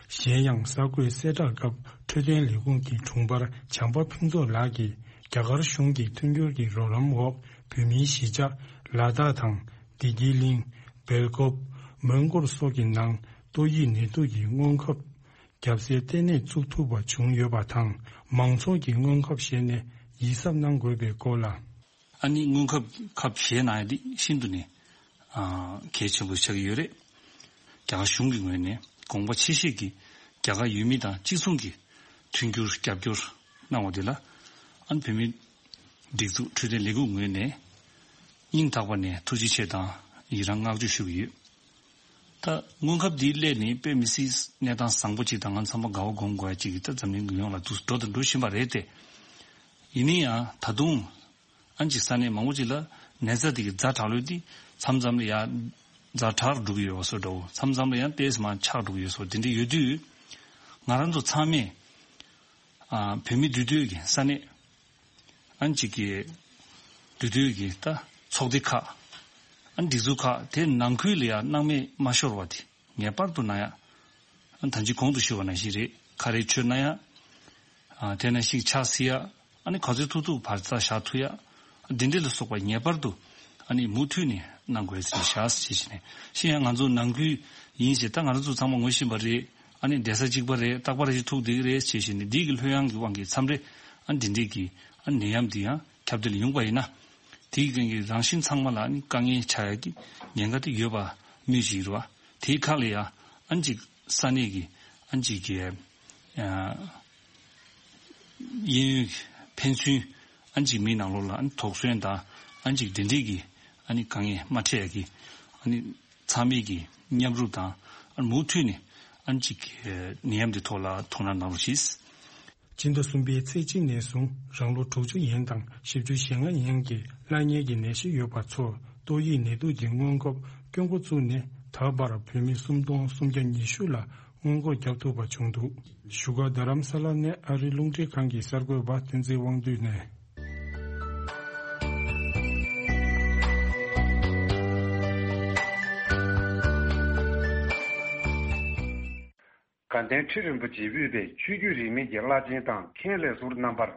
གཞན་ཡང་གསར་འགོད་གསལ་བསྒྲགས་སྐབས་འཕྲོད་བསྟེན་ལས་ཁུངས་ཀྱི་དྲུང་འཕར་བྱམས་པ་ཕུན་ཚོགས་ལགས་ཀྱིས། རྒྱ་གར་གཞུང་གི་མཐུན་འགྱུར་གྱི་རོགས་རམ་འོག་བོད་མིའི་གཞིས་ཆགས་ལ་དྭགས་དང་བདེ་སྐྱིད་གླིང་། སྦེལ་ཀོབ། མོན་གྷོ་སོགས་ཀྱི་ནང་ཏོག་དབྱིབས་ནད་དུག་གི་སྔོན་ཁབ་བརྒྱབ་སའི་ལྟེ་གནས་བཙུགས་ཐུབ་པ་བྱུང་ཡོད་པ་དང་། མང་ཚོགས་ཀྱིས་སྔོན་ཁབ་བཞེས་ནས་ཡིད་གཟབ་གནང་དགོས་པའི་སྐོར་ལ། ཨ་ནི་སྔོན་ཁབ་ཁབ་བཞེས་གནང་ཡ་འདི་ཤིན་ཏུ་ནས་ཨ་གལ་ཆེན་པོ་ཆགས་ཀྱི་ཡོད་རེད། རྒྱ་གར་གཞུང་གི་ངོས་ནས་དགོངས་པ་ཆེ་བཞེས་ཀྱིས་རྒྱ་གར་ཡུལ་མི་དང་གཅིག་མཚུངས་ཀྱི་མཐུན་འགྱུར་རྒྱབ་སྐྱོར་གནང་བ་དེ་ལ། ཨ་ནི་བོད་མིའི་སྒྲིག་འཛུགས་འཕྲོད་བསྟེན་ལས་ཁུངས་ངོས་ནས་སྙིང་ཐག་པ་ནས་ཐུགས་རྗེ་ཆེ་དང་ཡི་རང་བསྔགས་བརྗོད་ཞུ་གི་ཡོད། ད་སྔོན་ཁབ་འདིའི་སླད་ནི་དཔེ་མི་སྲིད་གནས་སྟངས་བཟང་པོ་ཅིག་དང་། ང་ཚང་མ་དགའ་བ་སྒོམ་དགོས་ཡ་ཅིག་གི་ད་འཛམ་གླིང་ཡོངས་ལ་འདུ་འགྲོ་དང་འགྲོ་བཞིན་པ་རེད་དེ། ཡིན་ན་ཡང་ད་དུང་ཨ་ནི་ཅིག་ས་གནས་མང་པོ་ཅིག་ལ་ནད་ཚ་དེ་གི་ཛ་དྲག་ལོས་དེ་མཚམས་མཚམས་ལ་ཡ་ཛ་དྲག་འགྲོ་གི་ཡོད་པ་བཟོ་འདྲ་བོ། མཚམས་མཚམས་ལ་ཡང་ཏོག་ཙམ་མར་ཆག་འགྲོ་གི་ཡོད་བཟོ་དེ་འདྲ་ཡོད་དུས། ང་རང་ཚོ་ཚང་མས་ཨ་བོད་མི་འདུས་སྡོད་ཀྱི་ས་གནས། ཨ་ནི་ཅིག་གི་འདུས་སྡོད་ཀྱི་ད་ཚོགས་སྡེ་ཁག། ཨ་ནི་སྒྲིག་འཛུགས་ཁག་དེ་ནང་ཁུལ་ལ་ཡ་སྣང་མེད་མ་ཤོར་བ་དེ་ངེས་པར་དུ་གནང་ཡ། ཨ་ནི་ད་ཅི་གོང་དུ་ཞུས་པ་ནང་བཞིན་རེད། ཁ་རས་མཆོད་གནང་ཡ། ཨ་དེ་ནང་བཞིན་ཕྱག་བསིལ་ཡ། ཨ་ནི་ག་ཚོད་ཐུབ་ཐུབ་བར་ཚ་བཞག་ཐུབ་ཡ། འདི་འདྲ་ལ་སོགས་པ་ངེས་པར་དུ་ཨ་ནི་མུ་མཐུད་ནས་གནང་དགོས་ཟེར་བཞག་ཟེར་བྱས་ནས། གཞན་ཡང་ང་ཚོ་ནང་ཁུལ་ཡིན་ཞེས་ད་ང་རང་ཚོ་ཚང་མ་ངོ་ཤེས་པ་རེད། ཨ་ནི་བསྡད་ས་གཅིག་པ་རེད། རྟག་པར་ཞིག་ཐུག་བསྡད་ཀྱི་རེད་ཟེར་བྱས་ནས། འདི་གི་ལྷོད་ཡངས་ཀྱི་དབང་གིས་མཚམས་རེ་ཨ་ནི་འདི་འདྲས་ཀྱི་ཨ་ནི་ནད་ཡམས་འདི་ཡང་ཁྱབ་གདལ་ཡོང་པ་ཡིན་ན། དེའི་རྐྱེན་གྱིས་རང་བཞིན་ཚང་མ་ལ་ཨ་ནི་དཀའ་ངལ་ཆགས་ཡ་གི་ཉེན་ཁ་དེ་ཡོད་པ་སྨོས་ཅི་ཡིན་རུང་། དེའི་ཁ་ལ་ཡ་ཨ་ནི་ཅིག་ས་གནས་ཀྱི་ཨ་ནི་ཅིག་གི་ཨ། གཡས་གཡོན་གྱི་ཕན་ཚུན་ཨ་ནི་ཅིག་མི་ནང་ལོགས་ལ་ཨ་ནི་དོགས་ཟོན་དང་། ཨ་ནི་ཅིག་དེ་འདྲས་ཀྱི་ཨ་ནི་དཀའ་ངལ་མ་འཕྲད་ཡ་གི་ཨ་ནི་ ཚང་མས་ཀྱི་མཉམ་རུབ་དང་ཨ་མུ་མཐུད་ནས་ཨ་ཅིག་ནད་ཡམས་འདི་ཐོག་ལ་དོ་སྣང་གནང་རོགས་ཞེས། ཕྱི་ཟླ་གསུམ་པའི་ཚེས་གཅིག་ནས་བཟུང་རང་ལོ་དྲུག་ཅུ་ཡན་དང་བཞི་བཅུ་ཞེ་ལྔ་ཡན་གྱི་བླ་གཉན་གྱི་ནད་གཞི་ཡོད་པ་ཚོར་ཏོག་དབྱིབས་ནད་དུག་གི་སྔོན་འགོག་སྐྱོན་འགོ་བཙུགས་ནས་ད་བར་བོད་མི་སུམ་སྟོང་སུམ་བརྒྱ་ཉི་ཤུ་ལ་སྔོན་འགོག་བརྒྱབ་ཐུབ་པ་བྱུང་འདུག་བཞུགས་སྒར་རྡ་རམ་ས་ལ་ནས་ཨ་རིའི་རླུང་འཕྲིན་ཁང་གི་གསར་འགོད་པ་བསྟན་འཛིན་དབང་འདུས་ནས། དགའ་ལྡན་ཁྲི་རིན་པོ་ཆེས་དབུས་པའི་ཆོས་བརྒྱུད་རིས་མེད་ཀྱི་བླ་ཆེན་དང་མཁན་ལས་ཟུར་རྣམ་པར་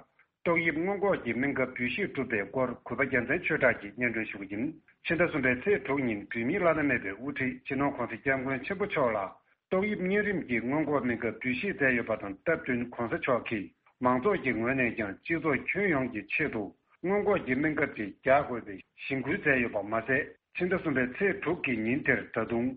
ཏོག་དབྱིབས་སྔོན་འགོག་གི་སྨན་ཁབ་འབུལ་བཞེས་གྲུབ་པའི་སྐོར་གུས་པ་རྒྱལ་མཚན་ཆོས་གྲགས་ཀྱིས་སྙན་སྒྲོན་ཞུ་གི་ཡིན། ཕྱི་ཟླ་གསུམ་པའི་ཚེས་དྲུག་ཉིན་བོད་མིའི་བླ་ན་མེད་པའི་དབུ་ཁྲིད་སྤྱི་ནོར་༧གོང་ས་༧སྐྱབས་མགོན་ཆེན་པོ་མཆོག་ལ་ཏོག་དབྱིབས་གཉན་རིམས་ཀྱི་སྔོན་འགོག་སྨན་ཁབ་འབུལ་བཞེས་མཛད་ཡོད་པ་དང་སྟབས་བསྟུན་༧གོང་ས་མཆོག་གིས་མང་ཚོགས་ཀྱི་ངོས་ནས་ཀྱང་སྤྱི་ཚོགས་ཁྱོན་ཡོངས་ཀྱི་ཆེད་དུ་སྔོན་འགོག་གི་སྨན་ཁབ་དེ་རྒྱག་དགོས་པའི་གཞེན་སྐུལ་མཛད་ཡོད་པ་མ་ཟད། ཕྱི་ཟླ་གསུམ་པའི་ཚེས་དྲུག་གི་ཉིན་དེར་ད་དུང་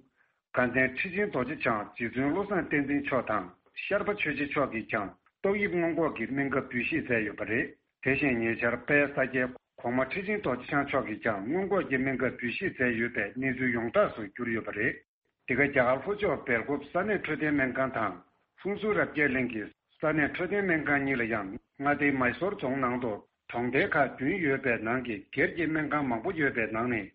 དགའ་ལྡན་ཁྲི་ཆེན་རྡོ་རྗེ་འཆང་རྗེ་བཙུན་བློ་བཟང་བསྟན་འཛིན་མཆོག་དང་ཤར་པ་ཆོས་རྗེ་མཆོག་གིས་ཀྱང་ཏོག་དབྱིབས་སྔོན་འགོག་གི་སྨན་ཁབ་འབུལ་བཞེས་མཛད་ཡོད་པ་རེད། དེ་བཞིན་ཉེ་ཆར་དཔལ་ས་སྐྱའི་གོང་མ་ཁྲི་ཆེན་རྡོ་རྗེ་འཆང་མཆོག་གིས་ཀྱང་སྔོན་འགོག་གི་སྨན་ཁབ་འབུལ་བཞེས་མཛད་ཡོད་པའི་གནས་ཚུལ་ཡོངས་གྲགས་སུ་གྱུར་ཡོད་པ་རེད། འདི་ག་རྒྱ་གར་ལྷོ་ཕྱོགས་སྦེལ་ཀོབ་ས་གནས་འཕྲོད་བསྟེན་སྨན་ཁང་དང་ཧྥུན་སུར་རབ་རྒྱས་གླིང་གི་ས་གནས་འཕྲོད་བསྟེན་སྨན་ཁང་གཉིས་ལ་ཡང་མངའ་སྡེའི་མཱི་སོར་རྫོང་ནང་དུ་གྲོང་རྡལ་ཁག་བདུན་ཡོད་པའི་ནང་གི་སྒེར་གྱི་སྨན་ཁང་མང་པོ་ཡོད་པའི་ནང་ནས་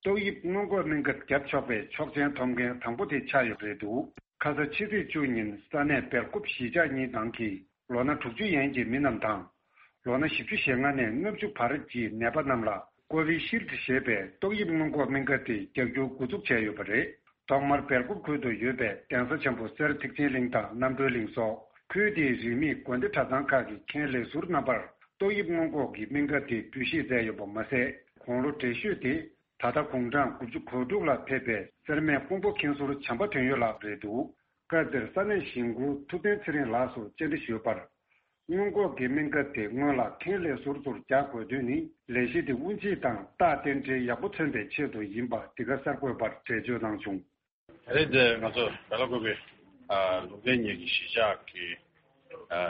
ཏོག་དབྱིབས་སྔོན་འགོག་སྨན་ཁབ་བརྒྱབ་ཆོག་པའི་ཆོག་མཆན་ཐོབ་མཁན་དང་པོ་དེ་ཆགས་ཡོད་པ་རེད་འདུག་ཁ་ས་ཕྱི་ཚེས་བཅུ་ཉིན་ས་གནས་སྦེལ་ཀོབ་གཞིས་ཆགས་གཉིས་ནང་གི་ལོ་ན་དྲུག་ཅུ་ཡན་གྱི་མི་རྣམས་དང་། ལོ་ན་བཞི་བཅུ་ཞེ་ལྔ་ནས་ལྔ་བཅུ་བར་གྱི་ནད་པ་རྣམས་ལ་ཀོ་བི་ཤིལ་ཌི་ཞེས་པའི་ཏོག་དབྱིབས་སྔོན་འགོག་སྨན་ཁབ་དེ་རྒྱག་རྒྱུ་འགོ་འཛུགས་བྱས་ཡོད་པ་རེད། ཐོག་མར་སྦེལ་ཀོབ་ཁུལ་དུ་ཡོད་པའི་གདན་ས་ཆེན་པོ་སེར་ཐེག་ཆེན་གླིང་དང་རྣམ་གྲོལ་གླིང་སོགས་ཁུལ་དེའི་རིས་མེད་དགོན་སྡེ་གྲྭ་ཚང་ཁག་གི་མཁན་ལས་ཟུར་རྣམ་པར་ཏོག་དབྱིབས་སྔོན་འགོག་གི་སྨན་ཁབ་དེ་འབུལ་བཞེས་མཛད་ཡོད་པ་མ་ཟད། དགུང་ལོ་བགྲེས་ཤོས་དེ་ད་ལྟ་དགུང་གྲངས་དགུ་བཅུ་གོ་དྲུག་ལ་ཕེབས་པའི་སེར་སྨད་ཀོང་པོ་མཁན་ཟུར་བྱམས་པ་དོན་ཡོད་ལགས་རེད་འདུག་སྐབས་དེར་ས་གནས་གཞིས་འགོ་ཐུབ་བསྟན་ཚེ་རིང་ལགས་སུ་བཅར་འདྲི་ཞུས་པར། སྔོན་འགོག་གི་སྨན་ཁབ་དེ་སྔོན་ལ་མཁན་ལས་ཟུར་ཚོར་རྒྱག་དགོས་དོན་ནི་ལས་གཞི་དེ་དབུ་འབྱེད་དང་རྟགས་རྟེན་འབྲེལ་ཡག་པོ་མཚོན་པའི་ཆེད་དུ་ཡིན་པ་འདི་ག་གསར་འགོད་པར་འགྲེལ་བརྗོད་གནང་བྱུང་། ད་རེས་འདི་ང་ཚོ་སྦེ་ལ་ཀོ་པའི་ལུང་བསྟན་ཉིད་ཀྱི་གཞིས་ཆགས་ཀྱི་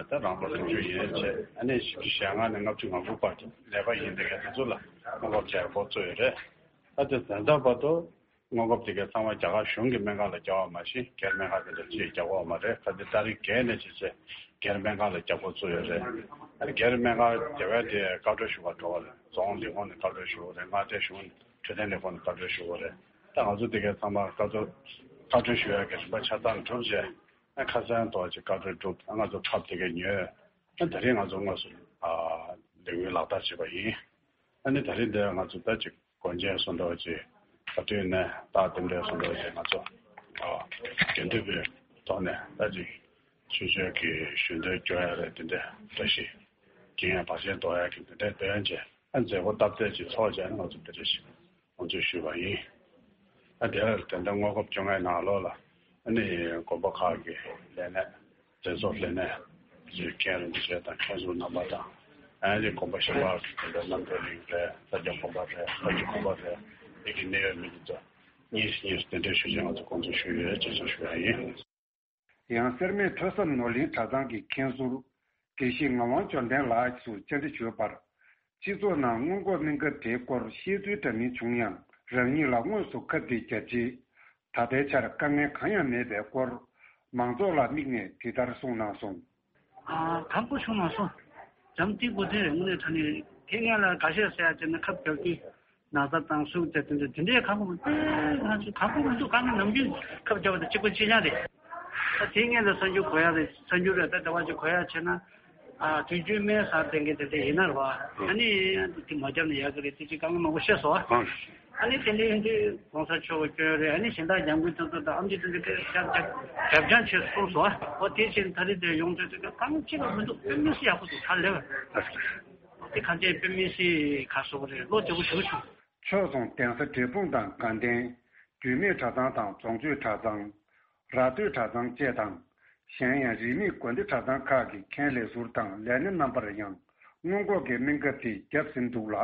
ད་རང་ལོ་དྲུག་ཅུ་ཡན་ཆད་ཨ་ནི་བཞི་བཅུ་ཞེ་ལྔ་ནས་ལྔ་བཅུ་ང་དགུ་བར་གྱི་ནད་པ་ཡིན་པའི་དེ་ཚོ་ལ་སྔོན་འགོག་བྱས་འགོ་བཙུགས་ཡོད་རེད། ད་དེ་ད་ལྟ་བར་དུ། སྔོན་འགོག་དེ་གའི་ཚང་མ་རྒྱ་གར་གཞུང་གི་སྨན་ཁང་ལ་རྒྱག་པ་མ་གཞི་སྒེར་སྨན་ཁང་དེ་འདྲ་ཅིག་རྒྱག་གི་ཡོད་མ་རེད། ཁ་ཅིག་ཏ་རིག་བརྒྱད་ནས་ཅིག་ཅིག་སྒེར་སྨན་ཁང་ལ་རྒྱག་འགོ་བཙུགས་ཡོད་རེད། ཨ་ནི་སྒེར་སྨན་ཁང་རྒྱག་པ་དེ་བཀའ་འཁྲོལ་ཞུ་བར་འགྲོ་བ་རེད། རྫོང་ལས་ཁུངས་ནས་བཀའ་འཁྲོལ་ཞུ་དགོས་རེད། མངའ་སྡེ་གཞུང་ནས་འཕྲོད་བསྟེན་ལས་ཁུངས་ནས་བཀའ་འཁྲོལ་ཞུ་དགོས་རེད། ད་ང་ཚོ་དེ་གའི་ཚང་མ་བཀའ་འཁྲོལ་བཀའ་འཁྲོལ་ཞུ་ཡག་གི་རིམ་པ་ཆ་ཚང་གྲུབ་རྗེས་ཨ་ཁ་སང་ཐོག་ཅིག་བཀའ་འཁྲོལ་གྲུབ་ཨ་ང་ཚོ་ཁབ་དེ་གའི་ཉོས། ཨ་ད་རེས་ང་ཚོ་དངོས་སུ་ལས་འགུལ་ལག་བསྟར་བྱས་པ་ཡིན། ཨ་ནི་ད་རེས་འདི་ང་ཚོ་ད་ཅིག་སྒོ་འབྱེད་སོགས་འདྲ་བ་ཅིག་ད་དུས་ནས་རྟགས་རྟེན་འབྲེལ་སོགས་འདྲ་བ་ཅིག་ང་ཚོ་དགེ་འདུན་པའི་ཐོག་ནས་ད་ཅིག་ཆོས་ཕྱོགས་ཀྱི་ཞུ་འདོན་སྐྱོར་ཡ་རེད། དེ་འདྲ་བཀྲ་ཤིས་འགྱིང་ཡ་བར་ཆད་ཟློག་ཡ་གི་དེ་འདྲ་འདོན་བྱས་ཨ་མཛད་སྒོ་སྟབས་བདེ་ཅིག་ཚོགས་བྱས་ང་ཚོ་འདི་འདྲ་ཞིག་ལོངས་སྤྱོད་ཞུས་པ་ཡིན། ཨ་དེ་ལ་དེ་འདྲ་སྔོན་འགོག་བཅོ་ལྔའི་ནང་ལོགས་ལ་ཨ་ནི་དགོན་པ་ཁག་གི་ལས་སྣེ། མཛད་གཙོ་ལས་སྣེ་ཚོའི་མཁན་རིན་པོ་ཆེ་དང་མཁན་ཟུར་རྣམ་པ་དང་ཨ་ནི་དགོན་པ་གཞན་པ་གི་དགོན་པའི་རྣམ་གྲོལ་གླིང་རེད། ས་སྐྱ་དགོན་པ་རེད། ལྷ་རྒྱུད་དགོན་པ་རེད། འདི་གི་གནད་ཡོད་མི་དེ་ཚོ་གཉིས་སུ་གཉིས་སུ་གདན་འདྲེན་ཞུ་ཆེད་ང་ཚོ་དགོངས་ཚུལ་ཞུས་ཡོད་ཅེས་གསུངས་ཞུ་ཡ་ཡིན། ཡང་སེར་སྨད་ཁྲོ་ཟམ་ནོར་གླིང་གྲྭ་ཚང་གི་མཁན་ཟུར་དགེ་བཤེས་ངག་དབང་འབྱོར་ལྡན་ལགས་སུ་བཅར་འདྲི་ཞུས་པར། སྤྱི་ཚོགས་ནང་སྔོན་འགོག་སྨན་ཁབ་དེའི་སྐོར་བཤད་ཚུལ་འདྲ་མིན་བྱུང་ཡང་རང་ཉིད་ལ་དངོས་སུ་ཁབ་དེ་བརྒྱབ་རྗེས། ད་ལྟའི་ཆར་དཀའ་ངལ་གང་ཡང་མེད་པའི་སྐོར་མང་ཚོགས་ལ་དམིགས་ནས་འདི་ལྟར་གསུངས་གནང་སོང་། ཨ་ཁག་པོ་བྱུང་མ་སོང་། འཇམ་ཐིང་པོ་དེ་རེད། དངོས་གནས་དྲང་གནས་དེ་ངས་ལ་འགའ་ཤས་ཟེར་ཡ་བྱས་ན་ཁབ་རྒྱག་གི་ན་ཚ་དང་ཟུག་དེ་དེ་འདྲ་དེ་འདྲའི་ཁག་པོ་མི་འདུག་ང་ཚོ་ཁག་པོ་མི་འདུག་དཀའ་ངལ་ནམ་རྒྱུན་ཁབ་རྒྱག་པ་དང་གཅིག་པ་གཅིག་རྐྱང་རེད། ད་དེ་ངས་ལ་གསར་འགྱུར་གོ་ཡ་རེད། གསར་འགྱུར་རེད། ད་ཟླ་བ་གཅིག་གོ་ཡ་བྱས་ན་ཨ་དུས་རྒྱུན་སྨན་ཟ་བསྡད་མཁན་དེ་འདྲ་ཡིན་ན་རེད་བ། ཨ་ནི་དེ་མ་བརྒྱབ་ན་ཡག་གི་རེད། དེ་ཅིག་དཀའ་ངལ་མང་པོ་བཤད་སོང་ཨ། ཨ་ནི་དེ་འདྲའི་ཡིན་དུས་གོང་ས་མཆོག་གི་སྐྱོན་རེད། ཨ་ནི་གཞན་དག་ཉམས་རྒུད་དེ་ཚོ་དང་ཨེམ་ཆི་དེ་འདྲ་སྐད་རྒྱབ་རྒྱབ་རྒྱབ་རྐྱང་བྱས་གསུངས་སོང་ཨ། འོ་དེ་བཞིན་ད་རེས་དེ་ཡོང་དུས་དེ་ག་གང་ཅི་ལ་མི་འདུག་དཔེ་མི་སྲིད་ཡག་པོ་འདུག་ད་ལེ་བ། དེ་ག་ཅན་དཔེ་མི་སྲིད་ག་སོགས་རེད། བློ་བདེ་པོ་ཞེ་པོ་བྱུང་། ཕྱོགས་མཚུངས་གདན་ས་འབྲས་སྤུངས་དང་དགའ་ལྡན། རྒྱུད་སྨད་གྲྭ་ཚང་དང་རྫོང་ཆོས་གྲྭ་ཚང་། ར་སྟོད་གྲྭ་ཚང་བཅས་དང་། གཞན་ཡང་རིས་མེད་དགོན་སྡེ་གྲྭ་ཚང་ཁག་གི་མཁན་ལས་ཟུར་དང་ལས་སྣེ་རྣམ་པར་ཡང་སྔོན་འགོག་གི་སྨན་ཁབ་དེ་བརྒྱབ་ཟིན་འདུག་ལ།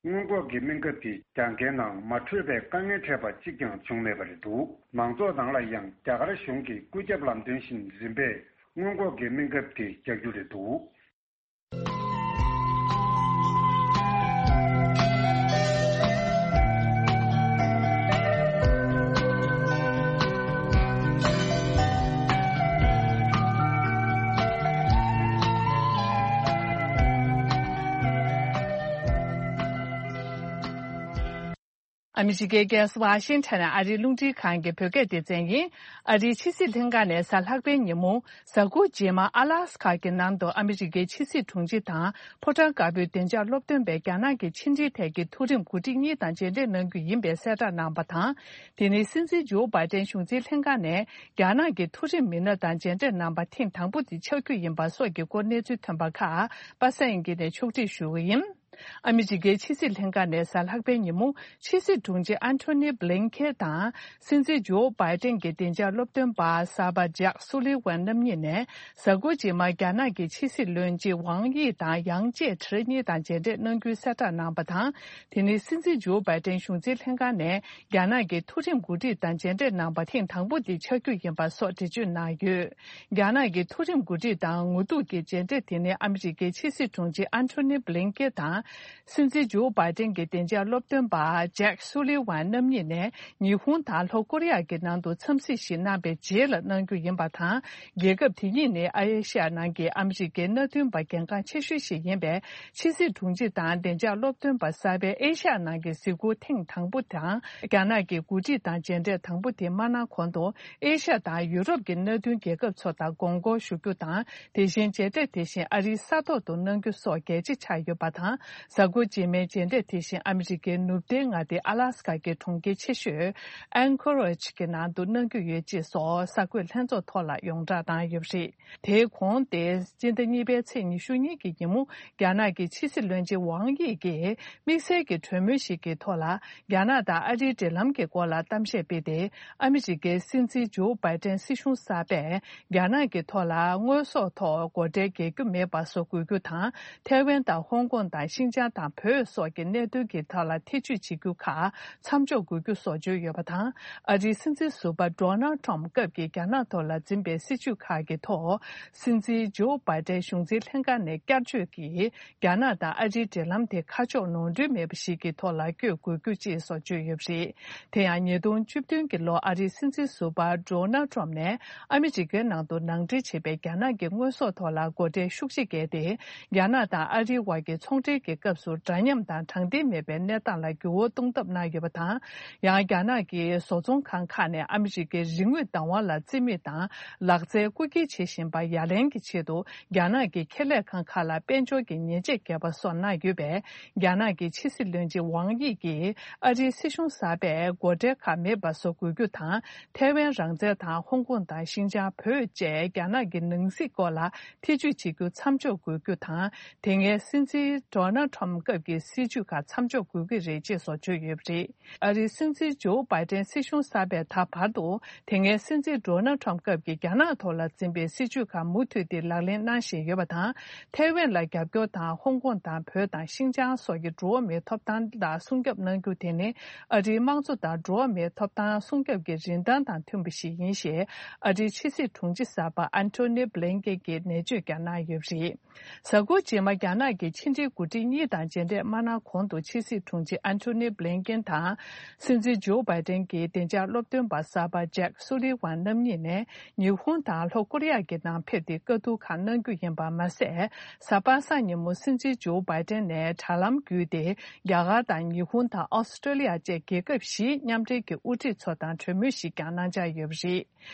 སྔོན་འགོག་གི་སྨན་ཁབ་དེ་རྒྱག་མཁན་ནང་མ་འཕྲོད་པའི་དཀའ་ངལ་འཕྲད་པ་གཅིག་ཀྱང་བྱུང་མེད་པ་རེད་འདུག་མང་ཚོགས་ནང་ལ་ཡང་རྒྱ་གར་གཞུང་གི་བཀོད་ཁྱབ་ལམ་སྟོན་བཞིན་རིམ་པས་སྔོན་འགོག་གི་སྨན་ཁབ་དེ་རྒྱག་རྒྱུ་རེད་འདུག་ཨ་མི་རི་ཀའི་རྒྱལ་ས་ཝ་ཤིང་ཊོན་ནས་ཨ་རིའི་རླུང་འཕྲིན་ཁང་གི་བོད་སྐད་སྡེ་ཚན་ཡིན། ཨ་རིའི་ཕྱི་སྲིད་ལྷན་ཁང་ནས་གཟའ་ལྷག་པའི་ཉིན་མོ། གཟའ་འཁོར་རྗེས་མ་ཨ་ལཱ་སི་ཁ་གི་ནང་དུ་ཨ་མི་རི་ཀའི་ཕྱི་སྲིད་དྲུང་ཆེ་དང་ཕོ་བྲང་དཀར་པོའི་བདེ་འཇགས་སློབ་སྟོན་པས་རྒྱ་ནག་གི་ཕྱི་འབྲེལ་ཐད་ཀྱི་མཐོ་རིམ་འགོ་ཁྲིད་གཉིས་དང་མཇལ་འཕྲད་གནང་རྒྱུ་ཡིན་པའི་གསལ་བསྒྲགས་གནང་བ་དང་། དེ་ནི་སྲིད་འཛིན་ཇོ་བྷའི་ཏན་གཞུང་འཛིན་ལྷན་ཁང་ནས་རྒྱ་ནག་གི་མཐོ་རིམ་མི་སྣ་དང་མཇལ་འཕྲད་གནང་པ་ཐེངས་དང་པོ་དེ་ཆགས་རྒྱུ་ཡིན་པ་སོགས་ཀྱི་སྐོར་གནས་ཚུལ་ཐོན་པ་ཁག་པ་སངས་དབྱངས་སྐྱིད་ནས་ཕྱོགས་སྒྲིག་ཞུ་གི་ཡིན། ཨ་མི་རི་ཀའི་ཕྱི་སྲིད་ལྷན་ཁང་ནས་གཟའ་ལྷག་པའི་ཉིན་མོ། ཕྱི་སྲིད་དྲུང་ཆེ་ཨན་ཐོ་ནི་བྷི་ལིན་ཁེན་དང་སྲིད་འཛིན་ཇོ་བྷའི་ཏན་གྱི་བདེ་འཇགས་སློབ་སྟོན་པ་གསར་པ་ཇེག་སུ་ལི་ཝན་རྣམ་གཉིས་ནས། གཟའ་འཁོར་རྗེས་མར་རྒྱ་ནག་གི་ཕྱི་སྲིད་བློན་ཆེན་ཝང་དབྱི་དང་ཡང་ཅེ་ཁྲི་གཉིས་དང་མཇལ་འཕྲད་གནང་རྒྱུའི་གསལ་བསྒྲགས་གནང་བ་དང་། དེ་ནི་སྲིད་འཛིན་ཇོ་བྷའི་ཏན་གཞུང་འཛིན་ལྷན་ཁང་ནས་རྒྱ་ནག་གི་མཐོ་རིམ་འགོ་ཁྲིད་དང་མཇལ་འཕྲད་གནང་པ་ཐེངས་དང་པོ་དེ་ཆགས་རྒྱུ་ཡིན་པ་སོགས་འགྲེལ་བརྗོད་གནང་ཡོད། རྒྱ་ནག་གི་མཐོ་རིམ་འགོ་ཁྲིད་དང་ངོ་ཐུག་གི་མཇལ་འཕྲད་དེ་ནི་ཨ་མི་རི་ཀའི་ཕྱི་སྲིད་དྲུང་ཆེ་ཨན་ཐོ་ནི་བྷི་ལིན་ཀེ་དང་། སྲིད་འཛིན་ཇོ་བྷའི་ཏན་གྱི་བདེ་འཇགས་སློབ་སྟོན་པ་ཇེག་སུ་ལི་ཝན་རྣམ་གཉིས་ནས་ཉི་ཧོང་དང་ལྷོ་ཀོ་རི་ཡ་གི་ནང་དུ་འཚམས་གཟིགས་ཤིག་གནང་པའི་རྗེས་ལ་གནང་རྒྱུ་ཡིན་པ་དང་། རྒྱལ་ཁབ་དེ་གཉིས་ནི་ཨ་ཡེ་ཤ་ཡ་ནང་གི་ཨ་མི་རི་ཀའི་མནའ་མཐུན་པ་གལ་འགངས་ཆེ་ཤོས་ཤིག་ཡིན་པས། ཕྱི་སྲིད་དྲུང་ཆེ་དང་བདེ་འཇགས་སློབ་སྟོན་པ་གསར་པའི་ཨེ་ཤ་ཡ་ནང་གི་གཟིགས་སྐོར་ཐེངས་དང་པོ་དང་། རྒྱ་ནག་གི་འགོ་ཁྲིད་དང་མཇལ་འཕྲད་དང་པོ་དེ་མ་གནང་གོང་དུ། ཨེ་ཤ་ཡ་དང་ཡུ་རོབ་ཀྱི་མནའ་མཐུན་རྒྱལ་ཁབ་ཚོ་དང་དགོངས་སྐོར་ཞུ་རྒྱུ་དང་། དེ་བཞིན་མཇལ་འཕྲད་དེ་བཞིན་ཨ་རིའི་ས་ཐོག་ཏུ་གནང་རྒྱུ་སོགས་གལ་ཆེ་ཆགས་ཡོད་པ་དང་། གཟའ་འཁོར་རྗེས་མའི་མཇལ་འཕྲད་དེ་བཞིན་ཨ་མི་རི་ཀའི་ནུབ་བསྟན་མངའ་སྡེ་ཨ་ལཱ་སི་ཀ་གི་གྲོང་ཁྱེར་ཆེ་ཤོས་ཨན་ཁོ་རེཇ་གྱི་ནང་དུ་གནང་རྒྱུ་ཡོད་ཅེས་སོགས་གསར་འགོད་ལྷན་ཚོགས་ཐོག་ལ་ཡོངས་བསྒྲགས་བཏང་ཡོད་པ་རེད། དེའི་གོང་སྟེ། སྤྱི་ཟླ་གཉིས་པའི་ཚེས་ཉི་ཤུ་གཉིས་ཀྱི་ཉིན་མོ། རྒྱ་ནག་གི་ཕྱི་སྲིད་བློན་ཆེན་ཝང་དབྱི་གིས་དམིགས་བསལ་གྱི་གྲོས་མོལ་ཞིག་གི་ཐོག་ལ། རྒྱ་ནག་དང་ཨ་རིའི་འབྲེལ་ལམ་གྱི་སྐོར་ལ་གཏམ་བཤད་སྤེལ་ཏེ། ཨ་མི་རི་ཀའི་སྲིད་འཛིན་ཇོ་བྷའི་ཏན་སྲིད་གཞུང་གསར་པས། རྒྱ་ནག་གི་ཐོག་ལ་དངོས་ཟོག་ཐོག་སྒོ་ཁྲལ་འགེལ་རྒྱུ་མེད་པ་བཟོ་དགོས་རྒྱུ་དང་། ཐའེ་ཝན་དང་ཧོང་ཀོང་དང་ཤིན་ཅང་དང་བོད་སོགས་ཀྱི་གནད་དོན་གྱི་ཐོག་ལ་ཐེ་བྱུས་བྱེད་རྒྱུ་ཁག་མཚམས་འཇོག་དགོས་རྒྱུ་སོགས་བརྗོད་ཡོད་པ་དང་། ཨ་རིའི་སྲིད་འཛིན་ཟུར་པ་ཌོ་ནལ་ཊམ་སྐབས་ཀྱིས་རྒྱ་ནག་ཐོག་ལ་འཛིན་པའི་སྲིད་བྱུས་ཁག་གི་ཐོག་སྲིད་འཛིན་ཇོ་བྷའི་ཏན་གཞུང་འཛིན་ལྷན་ཁང་ནས་བསྐྱར་བཅོས་ཀྱིས། རྒྱ་ནག་དང་ཨ་རིའི་འབྲེལ་ལམ་དེ་ཁ་ཕྱོགས་ནོར་འཁྲུལ་མེད་པ་ཞིག་གི་ཐོག་ལ་བསྐྱོད་དགོས་རྒྱུ་བཅས་སོགས་བརྗོད་ཡོད་པ་རེད། དེ་ཡང་ཉིས་སྟོང་བཅུ་བདུན་གྱི་ལོ་ཨ་རིའི་སྲིད་འཛིན་ཟུར་པ་ཌོ་ནལ་ཊམ་ནས་ཨ་མི་རི་ཀའི་ནང་དུ་ནང་འདྲེན་བྱས་པའི་རྒྱ་ནག་གི་དངོས་ཟོག་ཐོག་ལ་སྒོ་ཁྲལ་ཤུགས་ཆེ་བཀལ་ཏེ། རྒྱ་ནག་དང་ཨ་རིའི་དབར་གྱི་ཚོང་འབྲེལ་གྱི་སྐབས་སུ་འདྲ་མཉམ་དང་དྲང་བདེན་མེད་པའི་གནས་སྟངས་ལ་འགྱུར་བ་གཏོང་ཐབས་གནང་ཡོད་པ་དང་། ཡང་རྒྱ་ནག་གི་བཟོ་ཚོང་ཁང་ཁག་ནས་ཨ་མི་རི་ཀའི་རིག་དངོས་བདག་དབང་ལ་རྩིས་མེད་དང་ལག་རྩལ་རྐུ་འཁྱེར་བྱེད་བཞིན་པ་ཡ་ལན་གྱི་ཆེད་དུ། རྒྱ་ནག་གི་ཁེ་ལས་ཁང་ཁག་ལ་དཔལ་འབྱོར་གྱི་ཉེས་ཆད་བཀལ་བ་སོགས་གནང་ཡོད་པས། རྒྱ་ནག་གི་ཕྱི་སྲིད་བློན་ཆེན་ཝང་དབྱི་གིས་ཨ་རིའི་སྲིད་གཞུང་གསར་པས་སྒོ་ཁྲལ་ཁག་མེད་པ་བཟོ་དགོས་རྒྱུ་དང་། ཐའེ་ཝན་རང་བཙན་དང་ཧོང་ཀོང་དང་ཤིན་ཅང་བོད་བཅས་རྒྱ་ནག་གི་ནང་སྲིད་སྐོར་ལ་ཐེ་བྱུས་བྱེད་རྒྱུ་མཚམས་འཇོག་དགོས་རྒྱུ་དང་། དེ་སྔའི་སྲིད་འཛིན་ཌོ་ནལ་ཊམ་སྐབས་ཀྱི་སྲིད་བྱུས་ཁག་མཚམས་འཇོག་དགོས་ཀྱི་རེད་ཅེས་སོགས་བརྗོད་ཡོད་པ་རེད། ཨ་རིའི་སྲིད་འཛིན་ཇོ་བྷའི་ཏན་སྲིད་གཞུང་གསར་པས་ད་བར་དུ། དེ་སྔའི་སྲིད་འཛིན་ཌོ་ནལ་ཊམ་སྐབས་ཀྱི་རྒྱ་ནག་ཐོག་ལ་འཛིན་པའི་སྲིད་བྱུས་ཁག་མུ་མཐུད་དེ་ལག་ལེན་གནང་བཞིན་ཡོད་པ་དང་། ཐའེ་ཝན་ལ་རྒྱབ་སྐྱོར་དང་ཧོང་ཀོང་དང་བོད་དང་ཤིན་ཅང་སོགས་ཀྱི་འགྲོ་བ་མིའི་ཐོབ་ཐང་ལ་སྲུང་སྐྱོབ་གནང་རྒྱུ་དེ་ནི། ཨ་རིའི་དམངས་གཙོ་དང་འགྲོ་བ་མིའི་ཐོབ་ཐང་སྲུང་སྐྱོབ་ཀྱི་རིན་ཐང་དང་མཐུན་པ་ཞིག་ཡིན་ཞེས། ཨ་རིའི་ཕྱི་སྲིད་དྲུང་ཆེ་གསར་པ་ཨན་ཐོ་ནི་བྷི་ལིན་ཀེན་གྱིས་ནན་བརྗོད་ཀྱང་གནང་ཡོད་པ་རེད། གཟའ་འཁོར་རྗེས་མ་རྒྱ་ནག་གི་ཕྱི་འབྲེལ་འགོ་ཁྲིད་གཉིས་དང་མཇལ་འཕྲད་མ་གནང་གོང་དུ་ཕྱི་སྲིད་དྲུང་ཆེ་ཨན་ཐོ་ནི་བྷི་ལིན་ཀེན་དང་། སྲིད་འཛིན་ཇོ་བྷའི་ཏན་གྱི་བདེ་འཇགས་སློབ་སྟོན་པ་གསར་པ་ཇེག་སུ་ལི་ཝན་རྣམ་གཉིས་ནས་ཉི་ཧོང་དང་ལྷོ་ཀོ་རི་ཡ་གི་ནང་ཕེབས་ཏེ་བཀའ་བསྡུར་ཁག་གནང་རྒྱུ་ཡིན་པ་མ་ཟད། གཟའ་པ་སངས་ཉིན་མོ་སྲིད་འཛིན་ཇོ་བྷའི་ཏན་ནས་དྲ་ལམ་བརྒྱུད་དེ་རྒྱ་གར་དང་ཉི་ཧོང་དང་ཨོ་སི་ཀྲོ་ལི་ཡ་བཅས་རྒྱལ་ཁབ་བཞིའི་མཉམ་འབྲེལ་གྱི་དབུ་ཁྲིད་ཚོ་དང་གྲོས་མོལ་ཞིག་ཀྱང་གནང་འཆར་ཡོད་པ་རེད།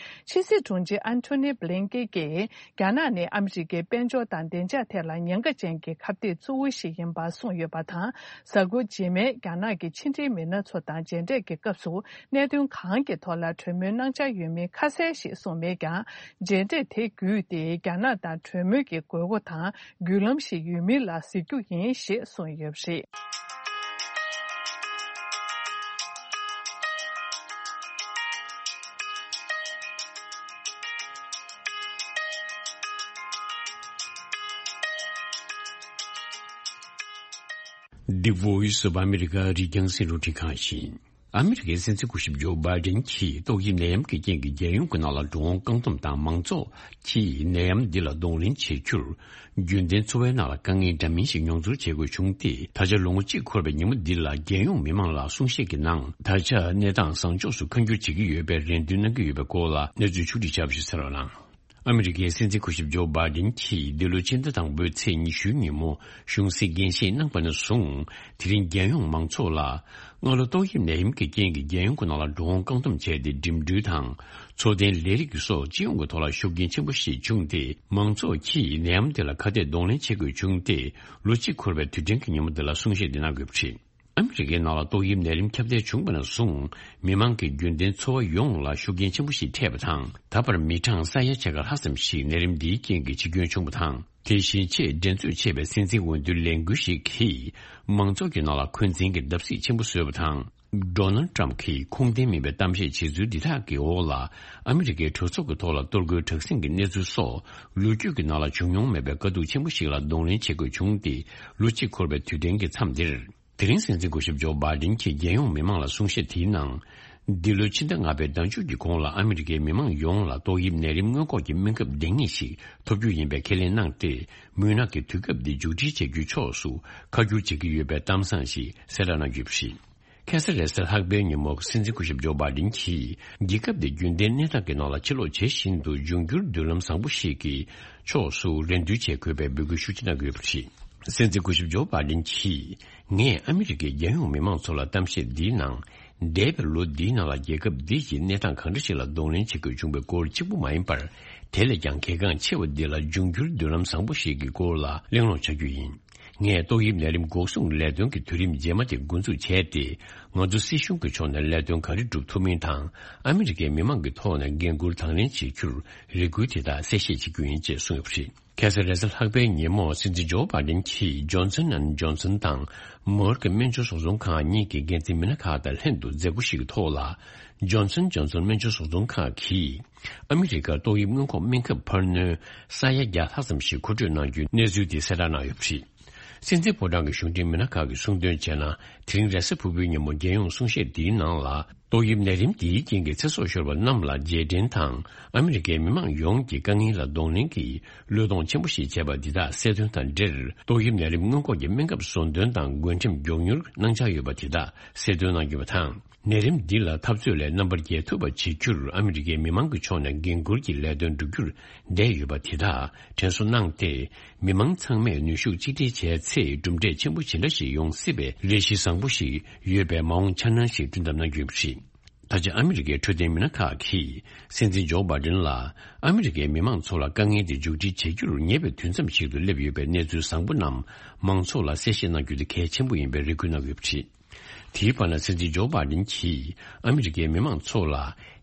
ཕྱི་སྲིད་དྲུང་ཆེ་ཨན་ཐོ་ནི་བྷི་ལིན་ཀེ་གིས། རྒྱ་ནག་ནི་ཨ་མི་རི་ཀའི་དཔལ་འབྱོར་དང་བདེ་འཇགས་ཐད་ལ་ཉེན་ཁ་ཅན་གྱི་ཁ་གཏད་གཙོ་བོ་ཞིག་ཡིན་པ་གསུངས་ཡོད་པ་དང་། གཟའ་འཁོར་རྗེས་མའི་རྒྱ་ནག་གི་ཕྱི་འབྲེལ་མི་སྣ་ཚོ་དང་མཇལ་འཕྲད་ཀྱི་སྐབས་སུ། གནད་དོན་གང་གི་ཐོག་ལ་གྲོས་མོལ་གནང་འཆར་ཡོད་མིན་ཁ་གསལ་ཞིག་གསུངས་མེད་ཀྱང་། མཇལ་འཕྲད་དེ་བརྒྱུད་དེ་རྒྱ་ནག་དང་གྲོས་མོལ་གྱི་དགོས་མཁོ་དང་བརྒྱུད་ལམ་ཞིག་ཡོད་མིན་ལ་གཟིགས་རྒྱུ་ཡིན་ཞེས་གསུངས་ཡོད་པ་རེད། The Voice of America རི་རྒྱང་སྲིད་རུ་ཁྲིད་ཁང་ཞིག་ཨ་མི་རི་ཀའི་སྲིད་འཛིན་སྐུ་ཞབས་ཇོ་བྷའི་ཌེན་གྱིས་ཏོག་དབྱིབས་ནད་ཡམས་ཀྱི་རྐྱེན་གྱིས་རྒྱལ་ཡོངས་ཀྱི་ནང་ལ་འགྲོ་འོང་བཀག་སྡོམ་དང་མང་ཚོགས་ཀྱིས་ནད་ཡམས་འདི་ལ་གདོང་ལེན་བྱེད་རྒྱུར། རྒྱུན་ལྡན་འཚོ་བའི་ནང་ལ་དཀའ་ངལ་འདྲ་མིན་ཞིག་མྱོང་ཚོར་བྱེད་དགོས་བྱུང་སྟེ། ད་ཆ་ལོ་ངོ་གཅིག་འཁོར་བའི་ཉིན་མོ་འདི་ལ་རྒྱལ་ཡོངས་མི་མང་ལ་གསུང་བཤད་ཀྱི་ནང་། ད་ཆ་གནས་སྟངས་བཟང་ཕྱོགས་སུ་འཁོར་འགྱུར་བྱེད་ཀྱི་ཡོད་པའི་རེ་འདུན་གནང་གི་ཡོད་པའི་སྐོར་ལ་གནས་ཚུལ་ཕྱོགས་སྒྲིག་བྱས་པ་ཞིག་གསན་རོགས་གནང་། ཨ་མི་རི་ཀའི་སྲིད་འཛིན་སྐུ་ཞབས་ཇོ་བྷའི་ཌེན་གྱིས་འདི་ལོའི་ཕྱི་ཟླ་དང་པོའི་ཚེས་ཉི་ཤུའི་ཉིན་མོ་གཞུང་སྲིད་འགན་བཞེས་གནང་པ་ནས་བཟུང་། དེ་རིང་རྒྱལ་ཡོངས་མང་ཚོགས་ལ། སྔ་ལོ་ཏོག་དབྱིབས་ནད་ཡམས་ཀྱི་རྐྱེན་གྱིས་རྒྱལ་ཡོངས་ཀྱི་ནང་ལ་འགྲོ་འོང་བཀག་སྡོམ་བྱས་ཏེ། འགྲིམ་འགྲུལ་དང་། འཚོ་རྟེན་ལས་རིགས་ཀྱི་སོགས་སྤྱི་ཡོངས་ཀྱི་ཐོག་ལ་ཤུགས་རྐྱེན་ཆེན་པོ་ཞིག་བྱུང་སྟེ། མང་ཚོགས་ཀྱིས་ནད་ཡམས་དེ་ལ་ཁ་གཏད་གདོང་ལེན་བྱེད་དགོས་བྱུང་སྟེ། ལོ་གཅིག་འཁོར་བའི་དུས་དྲན་གྱི་ཉིན་མོ་འདི་ལ་གསུང་བཤད་འདི་གནང་དགོས་པ་རེད། ཨ་མི་རི་ཀའི་ནང་ལ་ཏོག་དབྱིབས་ནད་རིམས་ཁྱབ་གདལ་བྱུང་བ་ནས་བཟུང་། མི་མང་གི་རྒྱུན་ལྡན་འཚོ་བ་ཡོངས་ལ་ཤུགས་རྐྱེན་ཆེན་པོ་ཞིག་འཕྲད་པ་དང་། ད་བར་མི་གྲངས་ས་ཡ་ཕྱེད་ཀ་ལྷག་ཙམ་ཞིག་ནད་རིམས་འདིའི་རྐྱེན་གྱིས་འཆི་སྐྱོན་བྱུང་བ་དང་། དེ་བཞིན་ཆེས་འགྲན་རྩོད་ཆེ་བའི་སྲིད་འཛིན་འོས་བསྡུའི་ལས་འགུལ་ཞིག་གིས། མང་ཚོགས་ཀྱི་ནང་ལ་འཁོན་འཛིན་གྱི་བརྡབ་གསིག་ཆེན་པོ་བཟོས་པ་དང་། ཌོ་ནལ་ཏྲམ་གྱིས་ཁུངས་ལྡན་མིན་པའི་གཏམ་བཤད་བྱེད་ཚུལ་འདི་དག་གི་འོག་ལ། ཨ་མི་རི་ཀའི་གྲོས་ཚོགས་ཀྱི་ཐོག་ལ་གཏོར་རྒོལ་དྲག་ཟིང་གི་གནས་ཚུལ་སོགས། ལོ་རྒྱུས་ཀྱི་ནང་ལ་བྱུང་མྱོང་མེད་པའི་དཀའ་སྡུག་ཆེན་པོ་ཞིག་ལ་གདོང་ལེན་བྱེད་དགོས་བྱུང་སྟེ། ལོ་གཅིག་འཁོར་བའི་དུས་དྲན་གྱི་མཚམས་འདིར། དེ་རིང་སྲིད་འཛིན་སྐུ་ཞབས་ཇོ་བྷའི་ཌེན་གྱིས་རྒྱལ་ཡོངས་མི་མང་ལ་གསུང་བཤད་དེའི་ནང་། འདི་ལོའི་ཕྱི་ཟླ་ལྔ་པའི་ཟླ་མཇུག་གི་གོང་ལ་ཨ་མི་རི་ཀའི་མི་མང་ཡོངས་ལ་ཏོག་དབྱིབས་ནད་རིམས་སྔོན་འགོག་གི་སྨན་ཁབ་ལྡང་ངེས་ཤིག་ཐོབ་རྒྱུ་ཡིན་པའི་ཁས་ལེན་གནང་སྟེ། མུན་ནག་གི་དུས་སྐབས་འདི་མཇུག་སྒྲིལ་བྱ་རྒྱུའི་ཕྱོགས་སུ་ཁ་བསྒྱུར་བྱེད་ཀྱི་ཡོད་པའི་གཏམ་བཟང་ཞིག་གསལ་བསྒྲགས་གནང་ཡོད་པ་རེད། ཁ་སང་རེས་གཟའ་ལྷག་པའི་ཉིན་མོ། སྲིད་འཛིན་སྐུ་ཞབས་ཇོ་བྷའི་ཌེན་གྱིས་རྒྱལ་ཁབ་འདི་རྒྱུན་ལྡན་གནས་སྟངས་ཀྱི་ནང་ལ་ཕྱིར་ལོག་བྱེད་བཞིན་དུ། འབྱུང་འགྱུར་མདུན་ལམ་བཟང་པོ་ཞིག་གི་ཕྱོགས་སུ་རེ་འདུན་བྱེད་དགོས་པའི་འབོད་སྐུལ་ཤུགས་ཆེ་གནང་ཡོད་པ་རེད། སྲིད་འཛིན་སྐུ་ཞབས་ཇོ་བྷའི་ཌེན་གྱིས། ངས་ཨ་མི་རི་ཀའི་རྒྱལ་ཡོངས་མི་མང་ཚོ་ལ་གཏམ་བཤད་འདིའི་ནང་། འདས་པའི་ལོ་འདིའི་ནང་ལ་རྒྱལ་ཁབ་འདི་ཡི་གནས་སྟངས་གང་འདྲ་ཞིག་ལ་གདོང་ལེན་བྱེད་དགོས་བྱུང་བའི་སྐོར་གཅིག་པུ་མ་ཡིན་པར། དེ་ལས་ཀྱང་གལ་འགངས་ཆེ་བ་འདི་ལ་འབྱུང་འགྱུར་མདུན་ལམ་བཟང་པོ་ཞིག་གི་སྐོར་ལ་གླེང་སློང་བྱ་རྒྱུ་ཡིན། ངས་ཏོག་དབྱིབས་ནད་རིམས་འགོག་སྲུང་ལས་དོན་གྱི་དུས་རིམ་རྗེས་མ་དེ་འགོ་འཛུགས་བྱས་ཏེ། ང་ཚོ་སྲིད་གཞུང་གི་ཕྱོགས་ནས་ལས་དོན་ག་རེ་སྒྲུབ་ཐུབ་མིན་དང་། ཨ་མི་རི་ཀའི་མི་མང་གི་ཐོག་ནས་འགན་འཁུར་དང་ལེན་བྱེད་རྒྱུར་རེ་སྐུལ་དེ་དག་གསལ་བཤད་བྱེད་རྒྱུ་ཡིན་ཅེས་གསུངས་ཡོད་པ་རེད། ཁ་སང་རེས་གཟའ་ལྷག་པའི་ཉིན་མོ། སྲིད་འཛིན་ཇོ་བྷའི་ཌེན་གྱིས་ཇོན་སན་ཨེན་ཇོན་སན་དང་མོར་ཀི་སྨན་བཅོས་བཟོ་ཚོང་ཁང་གཉིས་ཀྱི་འགན་འཛིན་མི་སྣ་ཁག་དང་ལྷན་དུ་མཛད་སྒོ་ཞིག་གི་ཐོག་ལ། ཇོན་སན་ཨེན་ཇོན་སན་སྨན་བཅོས་བཟོ་ཚོང་ཁང་གིས་ཨ་མི་རི་ཀར་ཏོག་དབྱིབས་སྔོན་འགོག་སྨན་ཁབ་འཕར་སྣོན་ས་ཡ་བརྒྱ་ལྷག་ཙམ་ཞིག་མཁོ་སྤྲོད་གནང་རྒྱུའི་གནས་ཚུལ་དེ་གསལ་བསྒྲགས་གནང་ཡོད་པ་རེད། སྲིད་འཛིན་ཕོ་བྲང་གི་གཞུང་འབྲེལ་མི་སྣ་ཁག་གིས་གསུངས་དོན་བྱས་ན། དེ་རིང་རེས་གཟའ་ཕུར་བུའི་ཉིན་མོ་རྒྱལ་ཡོངས་གསུང་བཤད་འདིའི་ནང་ལ། ཏོག་དབྱིབས་ནད་རིམས་འདིའི་རྐྱེན་གྱིས་ཚེ་སྲོག་ཤོར་བ་རྣམས་ལ་རྗེས་དྲན་དང་། ཨ་མི་རི་ཀའི་མི་མང་ཡོངས་ཀྱི་དཀའ་ངལ་ལ་གདོང་ལེན་གྱིས་བློས་གཏོང་ཆེན་པོ་ཞིག་བྱས་པ་འདི་དག་གསལ་སྟོན་དང་འབྲེལ། ཏོག་དབྱིབས་ནད་རིམས་སྔོན་འགོག་གི་སྨན་ཁབ་བཟོ་འདོན་དང་འགོ་ཁྲིད་མགྱོགས་མྱུར་གནང་འཆར་ཡོད་པ་དེ་དག་གསལ་སྟོན་གནང་ཡོད་པ་དང་། ནད་རིམས་འདི་ལ་འཐབ་རྩོད་ལས་རྣམ་པར་རྒྱལ་ཐུབ་པ་བྱེད་རྒྱུར་ཨ་མི་རི་ཀའི་མི་མང་གི་ཕྱོགས་ནས་འགན་འཁུར་གྱི་ལས་དོན་བསྒྲུབ་རྒྱུར་བསྡད་ཡོད་པ་དེ་དག་དྲན་གསོ་གནང་སྟེ། མི་མང་ཚང་མས་ནུས་ཤུགས་གཅིག་སྒྲིལ་བྱས་ཚེ། གྲུབ་འབྲས་ཆེན་པོ་ཇི་འདྲ་ཞིག་ཡོང་སྲིད་པའི་ལས་གཞི་བཟང་པོ་ཞིག་ཡོད་པའི་མ་འོངས་འཆར་སྣང་ཞིག་བསྐྲུན་ཐབས་གནང་རྒྱུ་ཡིན་པ་རེད། ད་ཆ་ཨ་མི་རི་ཀའི་འཕྲོད་བསྟེན་མི་སྣ་ཁག་གིས་སྲིད་འཛིན་ཇོ་བྷའི་ཌེན་ལ། ཨ་མི་རི་ཀའི་མི་མང་ཚོ་ལ་དཀའ་ངལ་དེ་མཇུག་སྒྲིལ་བྱེད་རྒྱུར་ཉེ་བའི་དུས་མཚམས་ཤིག་ཏུ་སླེབས་ཡོད་པའི་གནས་ཚུལ་བཟང་པོ་རྣམས་མང་ཚོགས་ལ་གསལ་བཤད་གནང་རྒྱུ་དེ་གལ་ཆེན་པོ་ཡིན་པའི་རེ་སྐུལ་གནང་ཡོད་པ་རེད། དེའི་བར་ན། སྲིད་འཛིན་ཇོ་བྷའི་ཌེན་གྱིས་ཨ་མི་རི་ཀའི་མི་མང་ཚོ་ལ།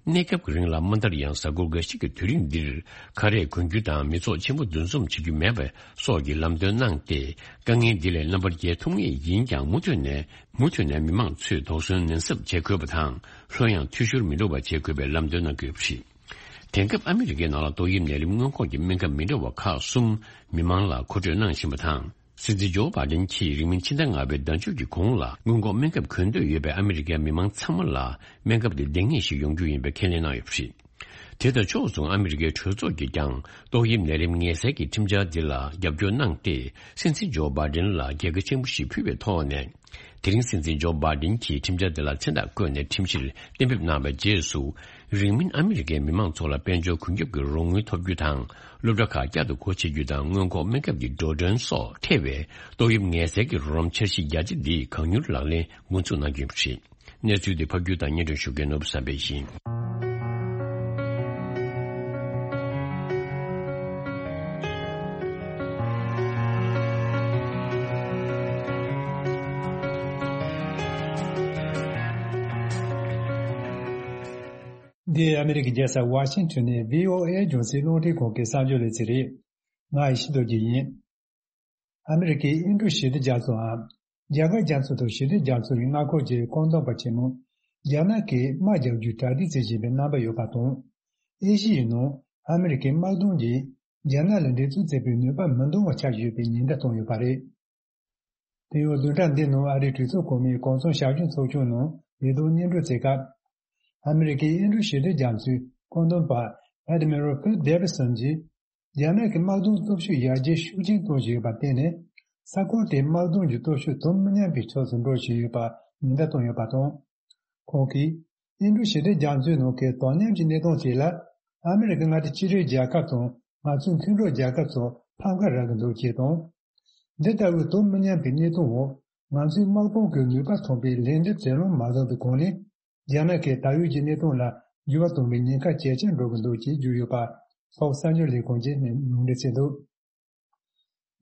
གནས་སྐབས་ཀྱི་རིང་ལ་མ་མཐར་ཡང་གཟའ་འཁོར་འགའ་ཞིག་གི་དུས་རིང་འདིར། ཁ་རས་གོན་རྒྱུ་དང་མི་ཚོགས་ཆེན་པོ་འདུ་འཛོམས་བྱེད་རྒྱུ་མེད་པ་སོགས་ཀྱི་ལམ་སྟོན་གནང་སྟེ། དཀའ་ངལ་འདི་ལས་རྣམ་པར་རྒྱལ་ཐུབ་ངེས་ཡིན་ཀྱང་། མུ་མཐུད་ནས་མུ་མཐུད་ནས་མི་མང་ཚོས་དོགས་ཟོན་ནན་གསབ་བྱེད་དགོས་པ་དང་། ལྷོད་ཡངས་འཐུས་ཤོར་མི་འགྲོ་བ་བྱེད་དགོས་པའི་ལམ་སྟོན་གནང་དགོས་པ་རེད། དེང་སྐབས་ཨ་མི་རི་ཀའི་ནང་ལ་ཏོག་དབྱིབས་ནད་རིམས་སྔོན་འགོག་གི་སྨན་ཁབ་མི་འདྲ་བ་ཁག་གསུམ་མི་མང་ལ་མཁོ་སྤྲོད་གནང་བཞིན་པ་དང་། སྲིད་འཛིན་ཇོ་བྷའི་ཌེན་གྱིས་རིང་མིན་ཕྱི་ཟླ་ལྔ་པའི་ཟླ་མཇུག་གི་གོང་ལ་སྔོན་འགོག་སྨན་ཁབ་གོན་འདོད་ཡོད་པའི་ཨ་མི་རི་ཀའི་མི་མང་ཚང་མ་ལ་སྨན་ཁབ་དེ་ལྡང་ངེས་ཤིག་ཡོང་རྒྱུ་ཡིན་པའི་ཁས་ལེན་གནང་ཡོད་པ་རེད། དེ་དང་ཕྱོགས་མཚུངས། ཨ་མི་རི་ཀའི་གྲོས་ཚོགས་ཀྱིས་ཀྱང་ཏོག་དབྱིབས་ནད་རིམས་ངལ་སེལ་གྱི་ཁྲིམས་འཆར་འདི་ལ་རྒྱབ་སྐྱོར་གནང་སྟེ། སྲིད་འཛིན་ཇོ་བྷའི་ཌེན་ལ་རྒྱལ་ཁ་ཆེན་པོ་ཞིག་ཕུལ་བའི་ཐོག་ནས། དེ་རིང་སྲིད་འཛིན་ཇོ་བྷའི་ཌེན་གྱིས་ཁྲིམས་འཆར་འདི་ལ་མཚན་རྟགས་བཀོད་ནས་ཁྲིམས་གཞིར་གཏན་འབེབས་གནང་བའི་རྗེས་སུ། རིང་མིན་ཨ་མི་རི་ཀའི་མི་མང་ཚོ་ལ་དཔལ་འབྱོར་ཁུངས་སྐྱེལ་གྱི་རོགས་དངུལ་ཐོབ་རྒྱུ་དང་། སློབ་གྲྭ་ཁག་བསྐྱར་དུ་སྒོ་ཕྱེ་རྒྱུ་དང་། སྔོན་འགོག་སྨན་ཁབ་ཀྱི་འགྲོ་གྲོན་སོགས་ཐེ་བའི་ཏོག་དབྱིབས་ངལ་སེལ་གྱི་རོགས་རམ་འཆར་གཞི་རྒྱ་ཆེ་འདི་གང་མྱུར་ལག་ལེན་འགོ་འཛུགས་གནང་རྒྱུ་ཡིན་པ་རེད། གནས་ཚུལ་འདི་ཕབ་སྒྱུར་དང་སྙན་སྒྲོན་ཞུ་མཁན་ནོར་བུ་བསམ་འཕེལ་ཡིན། འདི་ཨ་མི་རི་ཀའི་རྒྱལ་ས་ཝ་ཤིང་ཊོན་ནས་བྷི་ཨོ་ཨེ་རྒྱང་སྲིང་རླུང་འཕྲིན་ཁང་གི་གསར་འགྱུར་ལེ་ཚན་རེད། ང་ཡེ་ཤེས་རྡོ་རྗེ་ཡིན། ཨ་མི་རི་ཀའི་ཨིན་ཀྲུག་ཞི་བདེ་རྒྱ་མཚོའམ། རྒྱ་གར་རྒྱ་མཚོ་དང་ཞི་བདེ་རྒྱ་མཚོ་ཡི་མངའ་ཁོངས་ཀྱི་བཀོད་འདོམས་པ་ཆེན་མོ། རྒྱ་ནག་གིས་དམག་རྒྱག་རྒྱུའི་གྲ་སྒྲིག་བྱེད་བཞིན་པའི་རྣམ་པ་ཡོད་པ་དང་། ཨེ་ཤི་ཡའི་ནང་ཨ་མི་རི་ཀའི་དམག་དོན་གྱིས་རྒྱ་ནག་ལ་འགྲན་རྩོད་བྱེད་པའི་ནུས་པ་མི་འདང་བ་ཆགས་ཡོད་པའི་ཉེན་བརྡ་བཏང་ཡོད་པ་རེད། དེ་ཡང་བདུན་ཕྲག་འདིའི་ནང་ཨ་རིའི་གྲོས་ཚོགས་གོང་མའི་གོང་ཚོང་ཞབས་ཞུ་ཚོགས་ཆུང་ནང་ལས་དོན་སྙན་སྒྲོན་བྱེད་སྐབས། ཨ་མི་རི་ཀའི་ཨིན་ཌོ་ཞི་བདེ་རྒྱ་མཚོའི་བཀོད་འདོམས་པ་Admiral Pete Davidson གྱིས། རྒྱ་ནག་གི་དམག་དོན་སྟོབས་ཤུགས་ཡར་རྒྱས་ཤུགས་ཆེན་གཏོང་བཞིན་ཡོད་པར་བརྟེན་ནས། ས་ཁུལ་དེའི་དམག་དོན་གྱི་སྟོབས་ཤུགས་དུ་མ་མཉམ་པའི་ཕྱོགས་སུ་འགྲོ་བཞིན་ཡོད་པར་ཉེན་བརྡ་བཏང་ཡོད་པ་དང་། ཁོང་གིས། ཨིན་ཌོ་ཞི་བདེ་རྒྱ་མཚོའི་ནང་གི་དོ་མཉམ་གྱི་གནས་སྟངས་ཤིག་ལ། ཨ་མི་རི་ཀའི་མངའ་སྡེ་གཅིག་སྒྲིལ་རྒྱལ་ཁབ་དང་ང་ཚོའི་མཐུན་གྲོགས་རྒྱལ་ཁབ་ཚོ་ཕམ་ཁ་རག་གི་འདུག་ཅེས་དང་། འདི་ལྟ་བུའི་དོ་མི་མཉམ་པའི་གནས་སྟངས་འོག་ང་ཚོའི་དམག་དཔུང་གི་ནུས་པ་ཐོན་པའི་ལན་འདེབས་བྱེད་ལོང་མ་བཟུང་བའི་སྒོ་ནས། རྒྱ་ནག་གིས་ད་ཡོད་ཀྱི་གནས་སྟངས་ལ་འགྱུར་བ་གཏོང་བའི་ཉེན་ཁ་ཇེ་ཆེར་འགྲོ་གི་འདུག་ཅེས་བརྗོད་ཡོད་པ། ཧྥོག་གསར་འགྱུར་ལས་ཁང་གིས་ནས་ལུང་འདྲེན་བྱས་འདུག་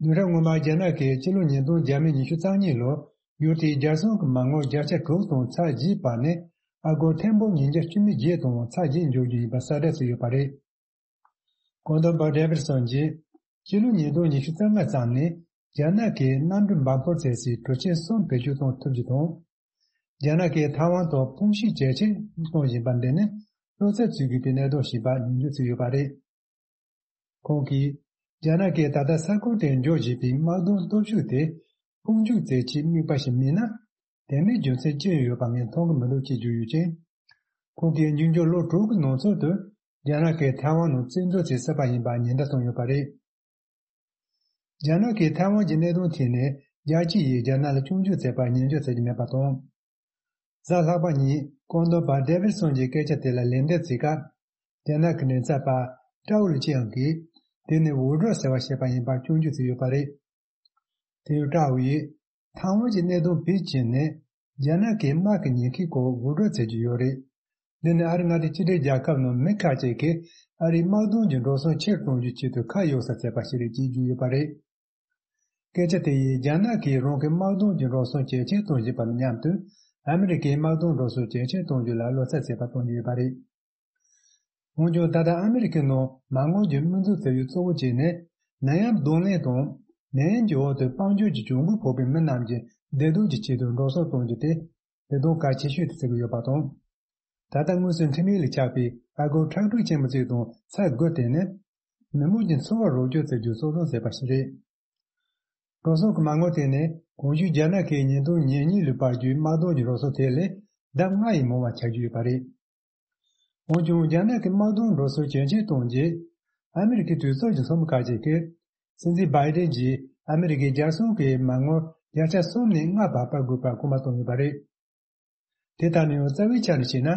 བདུན་ཕྲག་སྔོན་མ་རྒྱ་ནག་གིས་ཕྱི་ལོ་ཉིས་སྟོང་བརྒྱ་མེད་ཉི་ཤུ་རྩ་གཉིས་ལོར་ཡུལ་དེའི་རྒྱལ་སྲུང་གི་མ་དངུལ་བརྒྱ་ཆ་དྲུག་དང་ཚེག་བརྒྱད་བར་ནས་ཨ་སྒོར་ཐེར་འབུམ་ཉིས་བརྒྱ་བཅུ་མེད་བརྒྱད་དང་ཚེག་བརྒྱད་འཇོག་རྒྱུ་ཡིན་པ་གསལ་བསྒྲགས་བྱས་ཡོད་པ་རེད། གོང་དུ་པ་ཌེ་བིད་སོན་གྱིས་ཕྱི་ལོ་ཉིས་སྟོང་ཉི་ཤུ་རྩ་ལྔ་ཙམ་ནས་རྒྱ་ནག་གིས་གནམ་གྲུ་འབབ་འཕར་ཚད་སའི་གྲུ་ཆེན་གསུམ་བེད་སྤྱོད་གཏོང་ཐུབ་རྒྱུ་དང་། རྒྱ་ནག་གིས་ཐའེ་ཝན་ཐོག་དཔུང་ཤུགས་ཇེ་ཆེར་གཏོང་བཞིན་པ་འདི་ནི་བློ་འཚབ་བྱེད་དགོས་པའི་གནད་དོན་ཞིག་པ་ཉིན་བརྗོད་བྱས་ཡོད་པ་རེད། ཁོང་གིས། རྒྱ་ནག་གིས་ད་ལྟ་ས་ཁུལ་དེར་འཇོག་བཞིན་པའི་དམག་དོན་སྟོབས་ཤུགས་དེ་དཔུང་འཇུག་མཛད་ཆེད་དམིགས་པ་ཞིག་མིན་ན། དེ་མིན་རྒྱུ་མཚན་ཅི་ཡང་ཡོད་པ་ངས་མཐོང་གི་མི་འདུག་ཅེས་བརྗོད་ཡོད་ཅིང་། ཁོང་གིས་མཇུག་འབྲས་ལོ་དྲུག་གི་ནང་ཚུད་དུ་རྒྱ་ནག་གིས་ཐའེ་ཝན་ནང་རྩིས་འཛུགས་བྱེད་སྲིད་པ་ཡིན་པ་ཉེན་བརྡ་བཏང་ཡོད་པ་རེད། རྒྱ་ནག་གིས་ཐའེ་ཝན་གྱི་གནད་དོན་ཐད་ནས་རྒྱལ་སྤྱི་ཡིས་རྒྱ་ནག་ལ་སྐྱོན་བརྗོད་མཛད་པ་ཉན་འཇོག་བྱེད་ཀྱི་མེད་པ་དང་། གཟའ་ལྷག་པ་ཉིན་བཀོད་འདོམས་པ་ཌེ་བིད་སོན་གྱི་སྐད་ཆ་དེ་ལ་ལན་འདེབས་བྱེད་སྐབས། རྒྱ་ནག་གི་མགྲིན་ཚབ་པ་ཀྲའོ་ལི་ཅི་ཡང་གིས་དེ་ནི་འུར་སྒྲོག་ཟེར་བ་ཞེས་པ་ཡིན་པར་སྐྱོན་བརྗོད་བྱས་ཡོད་པ་རེད། དེ་ཡང་ཀྲའོ་ཡིས་ཐའེ་ཝན་གྱི་གནད་དོན་བེད་སྤྱད་ནས་རྒྱ་ནག་གི་དམག་གི་ཉེན་ཁའི་སྐོར་འུར་སྒྲོག་བྱེད་ཀྱི་ཡོད་རེད། འདི་ནི་ཨ་རི་མངའ་སྡེ་གཅིག་སྒྲིལ་རྒྱལ་ཁབ་ནང་མི་ཁག་ཅིག་གིས་ཨ་རིའི་དམག་དོན་གྱི་འགྲོ་སོང་ཆེར་གཏོང་རྒྱུའི་ཆེད་དུ་ཁ་གཡོག་ས་བྱས་པ་ཞིག་རེད་ཅེས་བརྗོད་ཡོད་པ་རེད། སྐད་ཆ་དེ་ཡིས་རྒྱ་ནག་གིས་རང་གི་དམག་དོན་གྱི་འགྲོ་སོང་ཇེ་ཆེར་གཏོང་བཞིན་པ་དང་མཉམ་དུ་ཨ་མི་རི་ཀའི་དམག་དོན་འགྲོ་སོང་ཇེ་ཆེར་གཏོང་རྒྱུ་ལ་བློ་འཚབ་བྱེད་པ་གཏོང་གི་ཡོད་པ་རེད། འོན་ཀྱང་ད་ལྟ་ཨ་མི་རི་ཀའི་ནང་མ་དངུལ་གྱི་དམིགས་འཛུགས་ཟེར་བའི་གཙོ་བོ་གཅིག་ནི་ནད་ཡམས་གདོང་ལེན་དང་ནད་ཡམས་ཀྱི་འོག་ཏུ་དཔལ་འབྱོར་གྱི་གྱོང་གུན་ཕོག་པའི་མི་རྣམས་ཀྱི་བདེ་སྡུག་གི་ཆེད་དུ་འགྲོ་སོང་གཏོང་རྒྱུ་དེ་དེ་དོན་གལ་ཆེ་ཤོས་དེ་བརྩི་གི་ཡོད་པ་དང་། ད་ལྟ་དངོས་སུ་འཕྲིན་ལས་ལ་ཆགས་པའི་ཨ་སྒོར་ཁྲག་ཁྲིག་ཆེན་པོ་ཅིག་དང་ཚེག་དགུ་དེ་ནི་མི་མང་གི་འཚོ་བ་རོགས་སྐྱོར་བྱེད་རྒྱུ་གཙོ་བཟུང་བྱས་པ་ཞིག་རེད། འགྲོ་སོང་གི་མ་དངུལ་དེ་ནི་གོང་ཞུས་རྒྱ་ནག་གིས་ཉིས་སྟོང་ཉེར་གཉིས་ལོའི་བར་གྱི་དམག་དོན་གྱི་འགྲོ་སོང་དེ་ལས་ལྡབ་ལྔ་ཡིས་མང་བ་ཆགས་ཀྱི་ཡོད་པ་རེད། འོན་ཀྱང་རྒྱ་ནག་གི་དམག་དོན་འགྲོ་སོང་ཇེ་ཆེར་གཏོང་རྗེས། ཨ་མི་རི་ཀའི་གྲོས་ཚོགས་ཀྱི་ཚོགས་མི་ཁག་ཅིག་གིས། སྲིད་འཛིན་བྷའི་ཏིན་གྱིས་ཨ་མི་རི་ཀའི་རྒྱལ་སྲུང་གི་མ་དངུལ་བརྒྱ་ཆ་གསུམ་ནས་ལྔ་བར་སྤར་དགོས་པར་སྐུལ་མ་བཏང་ཡོད་པ་རེད། དེ་ལྟར་ན་ཡང་རྩ་བའི་ཆ་ནས་བཤད་ན།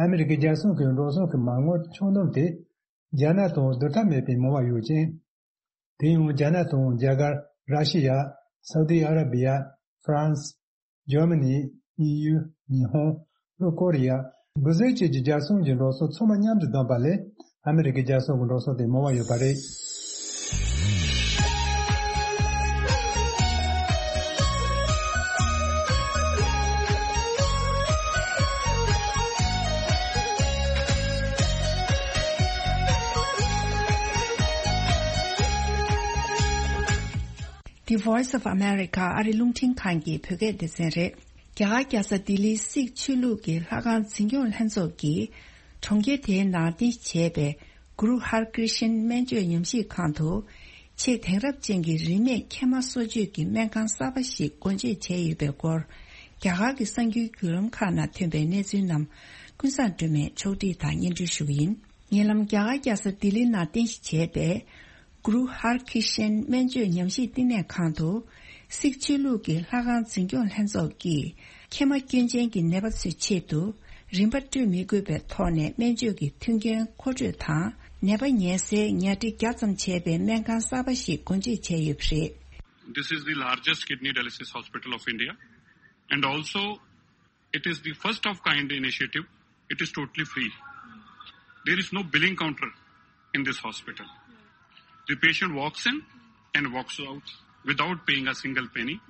ཨ་མི་རི་ཀའི་རྒྱལ་སྲུང་གི་འགྲོ་སོང་གི་མ་དངུལ་ཆུང་གནོམ་དེ། རྒྱ་ནག་དང་བསྡུར་ཐབས་མེད་པའི་མང་བ་ཡོད་ཅིང་། དེ་ཡང་རྒྱ་ནག་དང་རྒྱ་གར། ར་ཤི་ཡ། སའུ་དི་ཨ་ར་བི་ཡ། ཧྥ་རན་སི། འཇར་མ་ནི། དབྱིན་ཡུལ། ཉི་ཧོང་། ལྷོ་ཀོ་རི་ཡ། བྷི་ཛིལ་བཅས་ཀྱི་རྒྱལ་སྲུང་གི་འགྲོ་སོང་ཚང་མ་མཉམ་དུ་བསྡོམས་པ་ལས་ཨ་མི་རི་ཀའི་རྒྱལ་སྲུང་གི་འགྲོ་སོང་དེ་མང་བ་ཡོད་པ་རེད། The Voice of America ཨ་རི་རླུང་འཕྲིན་ཁང་གི་བོད་སྐད་སྡེ་ཚན་རེད། རྒྱ་གར་རྒྱལ་ས་ལྡི་ལིའི་སིག་ཆོས་ལུགས་ཀྱི་ལྷ་ཁང་འཛིན་སྐྱོང་ལྷན་ཚོགས་ཀྱིས་གྲོང་ཁྱེར་དེའི་ནང་རྟེན་གཞི་བྱས་པའི་གུ་རུ་ཧར་ཀྲི་ཤན་སྨན་བཅོས་ཉམས་ཞིབ་ཁང་དུ། ཆེས་དེང་རབས་ཅན་གྱི་རིན་མེད་མཁལ་མ་གསོ་བཅོས་ཀྱི་སྨན་ཁང་གསར་པ་ཞིག་སྒོ་འབྱེད་བྱས་ཡོད་པའི་སྐོར། རྒྱ་གར་གྱི་གསར་འགྱུར་བརྒྱུད་ལམ་ཁག་ནང་ཐོན་པའི་གནས་ཚུལ་རྣམས་ཀུན་བཟང་སྒྲོལ་མས་ཕྱོགས་སྒྲིག་དང་སྙན་སྒྲོན་ཞུ་གི་ཡིན། ཉེ་ལམ་རྒྱ་གར་རྒྱལ་ས་ལྡི་ལི་ནང་རྟེན་གཞི་བྱས་པའི་གུ་རུ་ཧར་ཁི་ཤན་སྨན་བཅོས་ཉམས་ཞིབ་བསྟི་གནས་ཁང་དུ། སིག་ཆོས་ལུགས་ཀྱི་ལྷ་ཁང་འཛིན་སྐྱོང་ལྷན་ཚོགས་ཀྱིས་མཁལ་མ་སྐྱོན་ཅན་གྱི་ནད་པ་ཚོའི་ཆེད་དུ་རིན་པ་སྤྲོད་མི་དགོས་པའི་ཐོག་ནས་སྨན་བཅོས་ཀྱི་མཐུན་རྐྱེན་མཁོ་སྤྲོད་དང་། ནད་པ་ཉལ་སའི་ཉལ་ཁྲི་བརྒྱ་ཙམ་བྱས་པའི་སྨན་ཁང་གསར་པ་ཞིག་སྒོ་འབྱེད་བྱས་ཡོད་པ་རེད། This is the largest kidney dialysis hospital of India, and also it is the first of kind initiative. It is totally free. There is no billing counter in this hospital. The patient walks in and walks out without paying a single penny.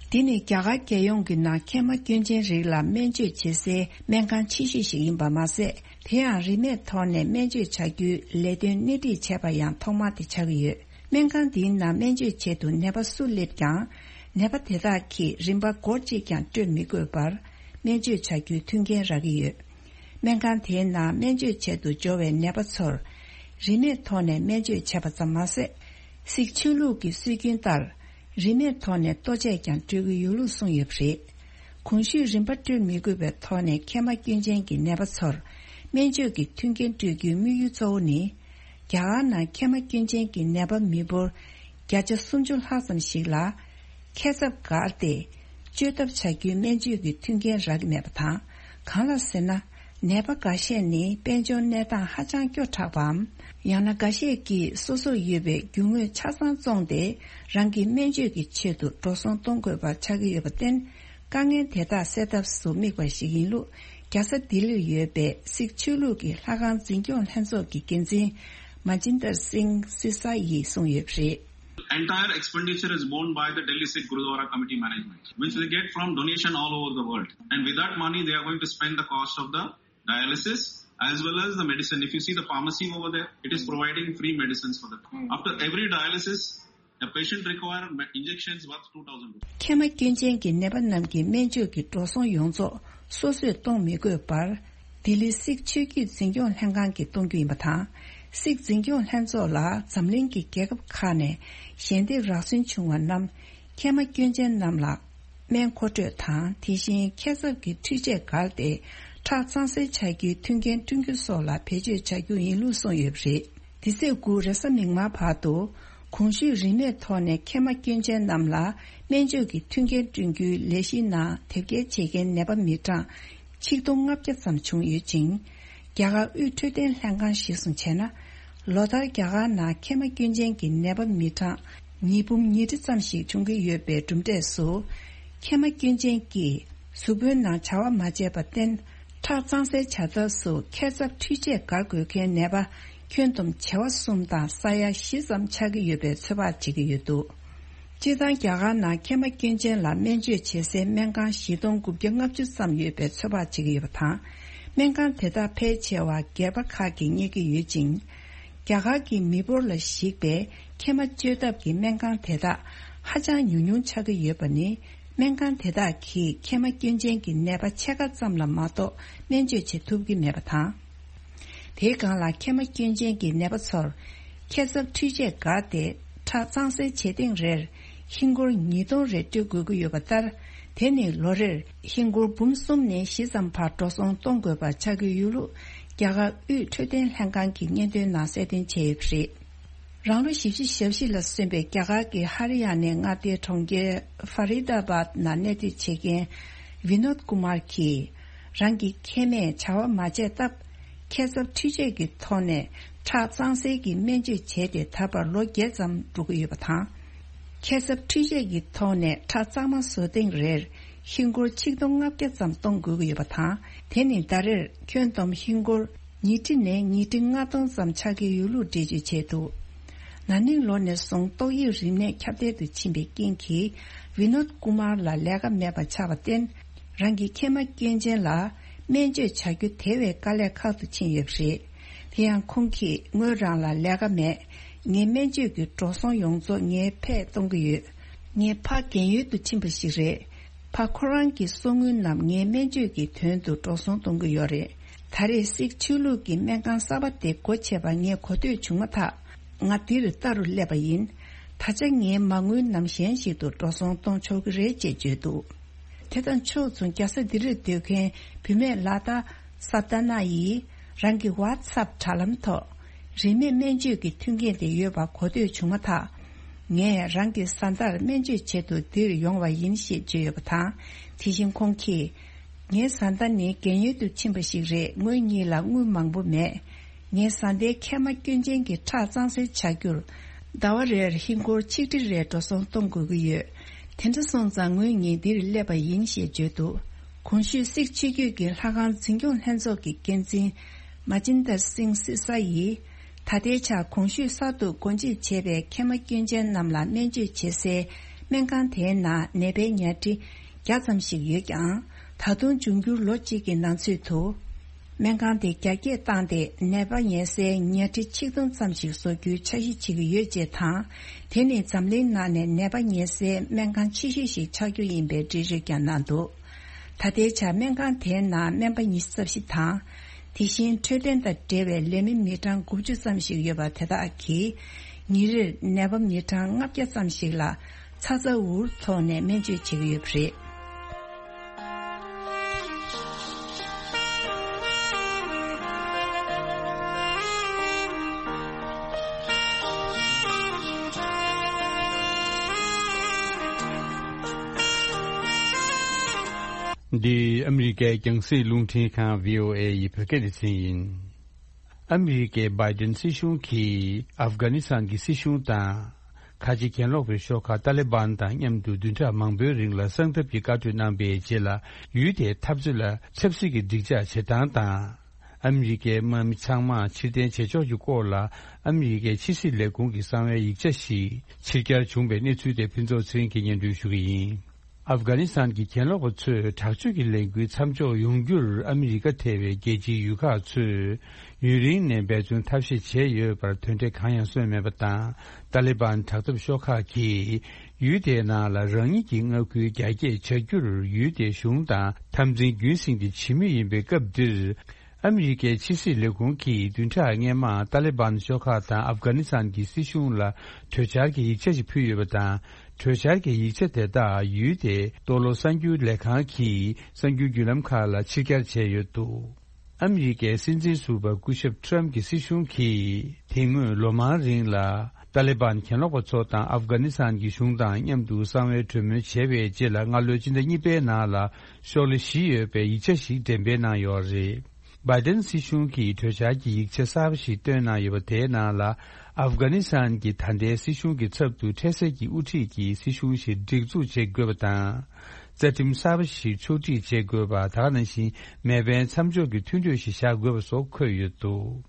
འདི་ནི་རྒྱ་གར་རྒྱལ་ཡོངས་ཀྱི་ནང་མཁལ་མ་སྐྱོན་ཅན་རིགས་ལ་སྨན་བཅོས་བྱེད་སའི་སྨན་ཁང་ཆེ་ཤོས་ཤིག་ཡིན་པ་མ་ཟད། དེ་ཡང་རིན་མེད་ཐོག་ནས་སྨན་བཅོས་བྱ་རྒྱུའི་ལས་དོན་སྣེ་ཁྲིད་བྱས་པ་ཡང་ཐོག་མ་དེ་ཆགས་ཀྱི་ཡོད། སྨན་ཁང་འདིའི་ནང་སྨན་བཅོས་ཆེད་དུ་ནད་པ་སུ་སླེབས་ཀྱང་། ནད་པ་དེ་དག་གིས་རིན་པ་སྒོར་གཅིག་ཀྱང་སྤྲོད་མི་དགོས་པར་སྨན་བཅོས་བྱ་རྒྱུའི་མཐུན་རྐྱེན་རག་གི་ཡོད། སྨན་ཁང་དེའི་ནང་སྨན་བཅོས་ཆེད་དུ་འབྱོར་བའི་ནད་པ་ཚོར་རིན་མེད་ཐོག་ནས་སྨན་བཅོས་བྱས་པ་ཙམ་མ་ཟད། སིག་ཆོས་ལུགས་ཀྱི་སྲོལ་རྒྱུན་ལྟར་རིན་མེད་ཐོག་ནས་ལྟོ་ཆས་ཀྱང་སྤྲོད་ཀྱི་ཡོད་ལུགས་གསུངས་ཡོད་པ་རེད། གོང་ཞུས་རིན་པ་སྤྲོད་མི་དགོས་པའི་ཐོག་ནས་མཁལ་མ་སྐྱོན་ཅན་གྱི་ནད་པ་ཚོར་སྨན་བཅོས་ཀྱི་མཐུན་རྐྱེན་སྤྲོད་རྒྱུའི་དམིགས་ཡུལ་གཙོ་བོ་ནི། རྒྱ་གར་ནང་མཁལ་མ་སྐྱོན་ཅན་གྱི་ནད་པ་མི་འབོར་བརྒྱ་ཆ་སུམ་ཅུ་ལྷག་ཙམ་ཞིག་ལ། མཁལ་ཚབས་བསྒར་ཏེ། བཅོས་ཐབས་བྱ་རྒྱུའི་སྨན་བཅོས་ཀྱི་མཐུན་རྐྱེན་རག་གི་མེད་པ་དང་། གང་ལགས་ཟེར་ན། ནད་པ་འགའ་ཤས་ནི་དཔལ་འབྱོར་གནས་སྟངས་ཧ་ཅང་སྐྱོ་དྲགས་པའམ། ཡང་ན་འགའ་ཤས་ཀྱིས་སོ་སོར་ཡོད་པའི་རྒྱུ་དངོས་ཆ་ཚང་བཙོངས་ཏེ། རང་གི་སྨན་བཅོས་ཀྱི་ཆེད་དུ་འགྲོ་སོང་གཏོང་དགོས་པ་ཆགས་ཀྱི་ཡོད་པར་བརྟེན། དཀའ་ངལ་དེ་དག་སེལ་ཐབས་སུ་དམིགས་པ་ཞིག་ཡིན་ལུགས། རྒྱལ་ས་ལྡི་ལིར་ཡོད་པའི་སིག་ཆོས་ལུགས་ཀྱི་ལྷ་ཁང་འཛིན་སྐྱོང་ལྷན་ཚོགས་ཀྱི་འགན་འཛིན་མ་ཇིན་དར་སིང་སི་ས་ཡིས་གསུངས་ཡོད་པ་རེད། Entire expenditure is borne by the Delhi Sikh Gurudwara Committee management, which they get from donation all over the world. And with that money, they are going to spend the cost of the dialysis as well as the medicine. If you see the pharmacy over there, it is providing free medicines for the. After every dialysis, the patient require me- injections worth two thousand rupees. མཁལ་མ་སྐྱོན་ཅན་གྱི་ནད་པ་རྣམས་ཀྱི་སྨན་བཅོས་ཀྱི་འགྲོ་སོང་ཡོངས་རྫོགས་སོ་སོས་གཏོང་མི་དགོས་པར། ལྡི་ལི་སིག་ཆོས་བརྒྱུད་འཛིན་སྐྱོང་ལྷན་ཁང་གིས་གཏོང་རྒྱུ་ཡིན་པ་དང་། སིག་འཛིན་སྐྱོང་ལྷན་ཚོགས་ལ་འཛམ་གླིང་གི་རྒྱལ་ཁབ་ཁག་ནས་ཞལ་འདེབས་རག་སུན་བྱུང་བ་རྣམས། མཁལ་མ་སྐྱོན་ཅན་རྣམས་ལ་སྨན་མཁོ་སྤྲོད་དང་། དེ་བཞིན་མཁལ་ཚབ་ཀྱི་འཕྲུལ་ཆས་བསྒར་ཏེ་ཁྲག་གཙང་སེལ་བྱ་རྒྱུའི་མཐུན་རྐྱེན་བསྐྲུན་རྒྱུ་སོགས་ལ་བེད་སྤྱོད་བྱ་རྒྱུ་ཡིན་ལུགས་གསུངས་ཡོད་པ་རེད། འདི་ཚེས་དགུ་རེས་གཟའ་མིག་དམར་བར་དུ། གོང་ཞུས་རིན་མེད་ཐོག་ནས་མཁལ་མ་སྐྱོན་ཅན་རྣམས་ལ་སྨན་བཅོས་ཀྱི་མཐུན་རྐྱེན་བསྐྲུན་རྒྱུའི་ལས་གཞིའི་ནང་དེབ་སྐྱེལ་བྱེད་མཁན་ནད་པ་མི་གྲངས་ཆིག་སྟོང་ལྔ་བརྒྱ་ཙམ་བྱུང་ཡོད་ཅིང་། རྒྱ་གར་དབུས་འཕྲོད་བསྟེན་ལྷན་ཁང་གཞིར་བཟུང་བྱས་ན། ལོ་ལྟར་རྒྱ་གར་ནང་མཁལ་མ་སྐྱོན་ཅན་གྱི་ནད་པ་མི་གྲངས་ཉིས་འབུམ་ཉིས་ཁྲི་ཙམ་ཞིག་འབྱུང་གི་ཡོད་པའི་གྲུབ་འབྲས་སུ། མཁལ་མ་སྐྱོན་ཅན་གྱིས་གཟུགས་པོའི་ནང་བྱ་བ་མ་བྱས་པར་བརྟེན། ཁྲག་གཙང་སེལ་བྱ་ཐབས་སུ་མཁལ་ཚབ་འཕྲུལ་ཆས་བསྒར་དགོས་མཁན་ནད་པ་ཁྱོན་བསྡོམས་བྱེ་བ་གསུམ་དང་ས་ཡ་བཞི་ཙམ་ཆགས་ཀྱི་ཡོད་པའི་ཚོད་དཔག་བྱེད་ཀྱི་ཡོད་འདུག་སྤྱིར་བཏང་རྒྱ་གར་ནང་མཁལ་མ་སྐྱོན་ཅན་ལ་སྨན་བཅོས་བྱེད་སའི་སྨན་ཁང་བཞི་སྟོང་དགུ་བརྒྱ་ལྔ་བཅུ་ཙམ་ཡོད་པའི་ཚོད་དཔག་བྱེད་ཀྱི་ཡོད་པ་དང་། སྨན་ཁང་དེ་དག་ཕལ་ཆེ་བ་སྒེར་པ་ཁག་གིས་གཉེར་གྱི་ཡོད་ཅིང་། རྒྱ་གར་གྱི་མི་འབོར་ལ་གཞིགས་པའི་མཁལ་མ་བཅོས་ཐབས་ཀྱི་སྨན་ཁང་དེ་དག་ཧ་ཅང་ཉུང་ཉུང་ཆགས་ཀྱི་ཡོད་པ་ནི། སྨན་ཁང་དེ་དག་གིས་མཁལ་མ་སྐྱོན་ཅན་གྱི་ནད་པ་ཕྱེད་ཀ་ཙམ་ལ་མ་གཏོགས་སྨན་བཅོས་བྱེད་ཐུབ་ཀྱི་མེད་པ་དང་། དེའི་སྒང་ལ་མཁལ་མ་སྐྱོན་ཅན་གྱི་ནད་པ་ཚོར་མཁལ་ཚབ་འཕྲུལ་ཆས་བསྒར་ཏེ་ཁྲག་གཙང་སེལ་བྱེད་ཐེངས་རེར་ཧིན་སྒོར་ཉིས་སྟོང་རེ་སྤྲོད་དགོས་ཀྱི་ཡོད་པ་ལྟར། དེ་ནི་ལོ་རེར་ཧིན་སྒོར་འབུམ་གསུམ་ནས་བཞི་ཙམ་བར་འགྲོ་སོང་གཏོང་དགོས་པ་ཆགས་ཀྱི་ཡོད་ལུགས་རྒྱ་གར་དབུས་འཕྲོད་བསྟེན་ལྷན་ཁང་གི་སྙན་ཐོའི་ནང་གསལ་སྟོན་བྱས་ཡོད་པ་རེད། རང་ལོ་བཞི་བཅུ་ཞེ་བཞི་ལ་སོན་པའི་རྒྱ་གར་གྱི་ཧ་རི་ཡ་ནའི་མངའ་སྡེའི་གྲོང་ཁྱེར་ཧྥ་རི་ད་བཱད་ནང་གནས་སྡོད་བྱེད་མཁན་ཝི་ནོད་ཀུ་མར་གྱིས། རང་གི་མཁལ་མས་བྱ་བ་མ་བྱས་སྟབས། མཁལ་ཚབ་འཕྲུལ་ཆས་ཀྱི་ཐོག་ནས་ཁྲག་གཙང་སེལ་གྱི་སྨན་བཅོས་བྱས་ཏེ་ད་བར་ལོ་བརྒྱད་ཙམ་འགྲོ་གི་ཡོད་པ་དང་། མཁལ་ཚབ་འཕྲུལ་ཆས་ཀྱི་ཐོག་ནས་ཁྲག་གཙང་མ་བཟོ་ཐེངས་རེར་ཧིན་སྒོར་ཆིག་སྟོང་ལྔ་བརྒྱ་ཙམ་གཏོང་དགོས་ཀྱི་ཡོད་པ་དང་། དེ་ནི་ཟླ་རེར་ཁྱོན་བསྡོམས་ཧིན་སྒོར་ཉིས་ཁྲི་ནས་ཉིས་ཁྲི་ལྔ་སྟོང་ཙམ་ཆགས་ཀྱི་ཡོད་ལུགས་འགྲེལ་བརྗོད་བྱས་འདུག་ན་ནིང་ལོ་ནས་བཟུང་ཏོག་དབྱིབས་རིམས་ནད་ཁྱབ་གདལ་དུ་ཕྱིན་པའི་རྐྱེན་གྱིས་ཝི་ནོད་ཀུ་མར་ལ་ལས་ཀ་མེད་པ་ཆགས་པར་བརྟེན། རང་གི་མཁལ་མ་སྐྱོན་ཅན་ལ་སྨན་བཅོས་བྱ་རྒྱུ་དེ་བས་དཀའ་ལས་ཁག་ཏུ་ཕྱིན་ཡོད་པ་རེད། དེ་ཡང་ཁོང་གིས་ངོས་རང་ལ་ལས་ཀ་མེད། ངའི་སྨན་བཅོས་ཀྱི་འགྲོ་སོང་ཡོངས་རྫོགས་ངའི་ཕས་གཏོང་གི་ཡོད། ངས་ཕ་རྒན་ཡོལ་དུ་ཕྱིན་པ་ཞིག་རེད། ཕ་ཁོ་རང་གི་གསོག་དངུལ་རྣམས་ངའི་སྨན་བཅོས་ཀྱི་དོན་དུ་འགྲོ་སོང་གཏོང་གི་ཡོད་རེད། ད་རེས་སིག་ཆོས་ལུགས་ཀྱི་སྨན་ཁང་གསར་པ་དེ་སྒོ་ཕྱེ་བ་ངས་གོ་ཐོས་བྱུང་མ་ཐག་ང་འདིར་ལྟ་རུ་སླེབས་པ་ཡིན། ད་ཆ་ངའི་མ་དངུལ་རྣམས་གཞན་ཞིག་ཏུ་འགྲོ་སོང་གཏོང་ཆོག་གི་རེད་ཅེས་བརྗོད་འདུག་དེ་དང་ཕྱོགས་མཚུངས་རྒྱལ་ས་ལྡི་ལིར་སྡོད་མཁན་བུད་མེད་ལ་དྭགས་ས་ཏ་ན་ཡིས་རང་གི་ཝ་ཚབ་དྲ་ལམ་ཐོག་རིན་མེད་སྨན་བཅོས་ཀྱི་མཐུན་རྐྱེན་དེ་ཡོད་པ་གོ་ཐོས་བྱུང་མ་ཐག་ངས་རང་གི་བཟའ་ཟླར་སྨན་བཅོས་བྱེད་དུ་འདིར་ཡོང་བ་ཡིན་ཞེས་བརྗོད་ཡོད་པ་དང་། དེ་བཞིན་ཁོང་གིས། ངའི་བཟའ་ཟླ་ནི་རྒན་ཡོལ་དུ་ཕྱིན་པ་ཞིག་རེད། ངོས་གཉིས་ལ་དངུལ་མང་པོ་མེད། ངའི་བཟའ་ཟླའི་མཁལ་མ་སྐྱོན་ཅན་གྱི་ཁྲག་གཙང་སེལ་བྱ་རྒྱུར། ཟླ་བ་རེར་ཧིན་སྒོར་ཆིག་ཁྲི་རེ་འགྲོ་སོང་གཏོང་དགོས་ཀྱི་ཡོད། དེ་འདྲ་སོང་ཙང་ངོས་གཉིས་འདིར་སླེབས་པ་ཡིན་ཞེས་བརྗོད་འདུག་གོང་ཞུས་སིག་ཆོས་བརྒྱུད་ཀྱི་ལྷ་ཁང་འཛིན་སྐྱོང་ལྷན་ཚོགས་ཀྱི་འགན་འཛིན་མ་ཅིན་དར་སིང་སི་ས་ཡིས། ད་ལྟའི་ཆར་གོང་ཞུས་གསར་དུ་སྒོ་འབྱེད་བྱས་པའི་མཁལ་མ་སྐྱོན་ཅན་རྣམས་ལ་སྨན་བཅོས་བྱེད་སའི་སྨན་ཁང་དེའི་ནང་ནད་པའི་ཉལ་ཁྲི་བརྒྱ་ཙམ་ཞིག་ཡོད་ཀྱང་། ད་དུང་འབྱུང་འགྱུར་ལོ་གཅིག་གི་ནང་ཚུད་དུ། སྨན་ཁང་དེ་རྒྱ་སྐྱེད་བཏང་སྟེ་ནད་པ་ཉལ་སའི་ཉལ་ཁྲི་ཆིག་སྟོང་ཙམ་ཞིག་བཟོ་རྒྱུའི་འཆར་གཞི་བྱེད་ཀྱི་ཡོད་ཅེས་དང་། དེ་ནི་འཛམ་གླིང་ནང་ནས་ནད་པ་ཉལ་སའི་སྨན་ཁང་ཆེ་ཤོས་ཤིག་ཆགས་རྒྱུ་ཡིན་པའི་འགྲེལ་བརྗོད་ཀྱང་གནང་འདུག་ད་ལྟའི་ཆར་སྨན་ཁང་དེའི་ནང་སྨན་པ་ཉི་ཤུ་རྩ་བཞི་དང་། དེ་བཞིན་འཕྲོད་བསྟེན་དང་འབྲེལ་བའི་ལས་མི་མི་གྲངས་དགུ་བཅུ་ཙམ་ཞིག་ཡོད་པ་དེ་དག་གིས། ཉིན་རེར་ནད་པ་མི་གྲངས་ལྔ་བརྒྱ་ཙམ་ཞིག་ལ་ཚ་ཚ་འུར་འུར་ཐོག་ནས་སྨན་བཅོས་བྱེད་ཀྱི་ཡོད་པ་རེད། འདི་ཨ་མི་རི་ཀའི་རྒྱང་སྲིང་རླུང་འཕྲིན་ཁང་བྷི་ཨོ་ཨེ་ཡི་བོད་སྐད་སྡེ་ཚན་ཡིན། ཨ་མི་རི་ཀའི་བྷའི་ཌེན་སྲིད་གཞུང་གིས་ཨབ་གྷ་ནི་སི་ཐན་གྱི་སྲིད་གཞུང་དང་། ཁ་ཆེ་གྱེན་ལོག་པའི་ཤོག་ཁག་ཏཱ་ལི་བན་དང་མཉམ་དུ་བདུན་ཕྲག་མང་པོའི་རིང་ལ་གསང་ཐབས་ཀྱི་བཀའ་གྲོས་གནང་པའི་རྗེས་ལ། ཡུལ་དེའི་འཐབ་རྩོད་ལ་ཆབ་སྲིད་ཀྱི་འགྲིག་འཇགས་བྱེད་སྟངས་དང་། ཨ་མི་རི་ཀའི་དམག་མི་ཚང་མ་ཕྱིར་འཐེན་བྱེད་ཕྱོགས་ཀྱི་སྐོར་ལ། ཨ་མི་རི་ཀའི་ཕྱི་སྲིད་ལས་ཁུངས་ཀྱི་གསང་བའི་ཡིག་ཆ་ཞིག་ཕྱིར་གྱར་བྱུང་པའི་གནས་ཚུལ་དེ་ཕུན་ཚོགས་ཚེ་རིང་གིས་སྙན་སྒྲོན་ཞུ་གི་ཡིན། ཨབ་གྷ་ནི་སི་ཐན་གྱི་གྱེན་ལོག་པ་ཚོས་དྲག་སྤྱོད་ཀྱི་ལས་འགུལ་མཚམས་འཇོག་ཡོང་རྒྱུར་ཨ་མི་རི་ཀ་ཐེ་བའི་རྒྱལ་སྤྱིའི་ཡུལ་ཁག་ཚོས་ཡུན་རིང་ནས་འབད་བརྩོན་ཐབས་ཤེས་བྱས་ཡོད་པར་དོན་འབྲས་གང་ཡང་སོན་མེད་པ་དང་། ཏཱ་ལི་བན་དྲག་འཐབ་ཤོག་ཁག་གིས་ཡུལ་དེའི་ནང་ལ་རང་ཉིད་ཀྱི་མངའ་ཁུལ་རྒྱ་སྐྱེད་བྱ་རྒྱུར་ཡུལ་དེའི་གཞུང་དང་འཐབ་འཛིང་རྒྱུན་སྲིང་དེ་བྱེད་མུས་ཡིན་པའི་སྐབས་འདིར། ཨ་མི་རི་ཀའི་ཕྱི་སྲིད་ལས་ཁུངས་ཀྱིས་བདུན་ཕྲག་སྔོན་མ་ཏཱ་ལི་བན་ཤོག་ཁག་དང་ཨབ་གྷ་ནི་སི་ཐན་གྱི་སྲིད་གཞུང་ལ་གྲོས་འཆར་གྱི་ཡིག་ཆ་ཞིག་ཕུལ་ཡོད་པ་དང་། གྲོས་འཆར་གྱི་ཡིག་ཆ་དེ་དག་ཡུལ་དེའི་ཏོག་ལོ་གསར་འགྱུར་ལས་ཁང་གི་གསར་འགྱུར་བརྒྱུད་ལམ་ཁག་ལ་ཕྱིར་གྱར་བྱས་ཡོད་འདུག་ཨ་མི་རི་ཀའི་སྲིད་འཛིན་ཟུར་པ་སྐུ་ཞབས་ཊརམ་གྱི་སྲིད་གཞུང་གིས་དེ་སྔོན་ལོ་མང་རིང་ལ་ཏཱ་ལི་བན་གྱེན་ལོག་པ་ཚོ་དང་ཨབ་གྷ་ནི་སི་ཐན་གྱི་གཞུང་དང་མཉམ་དུ་གསང་བའི་གྲོས་མོལ་བྱས་པའི་རྗེས་ལ། སྔ་ལོའི་སྤྱི་ཟླ་གཉིས་པའི་ནང་ལ་ཤོག་ལྷེ་བཞི་ཡོད་པའི་ཡིག་ཆ་ཞིག་འགྲེམས་སྤེལ་གནང་ཡོད་རེད། བྷའི་ཌེན་སྲིད་གཞུང་གིས་གྲོས་འཆར་གྱི་ཡིག་ཆ་གསར་པ་ཞིག་བཏོན་གནང་ཡོད་པ། དེའི་ནང་ལ་ཨབ་གྷ་ནི་སི་ཐན་གྱི་ད་ལྟའི་སྲིད་གཞུང་གི་ཚབ་ཏུ་འཕྲལ་སེལ་གྱི་དབུ་ཁྲིད་ཀྱི་སྲིད་གཞུང་ཞིག་སྒྲིག་འཛུགས་བྱེད་དགོས་པ་དང་། རྩ་ཁྲིམས་གསར་པ་ཞིག་ཕྱོགས་སྒྲིག་བྱེད་དགོས་པ། ད་ག་ནང་བཞིན་མེ་འཕེན་མཚམས་འཇོག་གི་མཐུན་གྲོས་ཤིག་བཞག་དགོས་པ་སོགས་འཁོད་ཡོད་འདུག་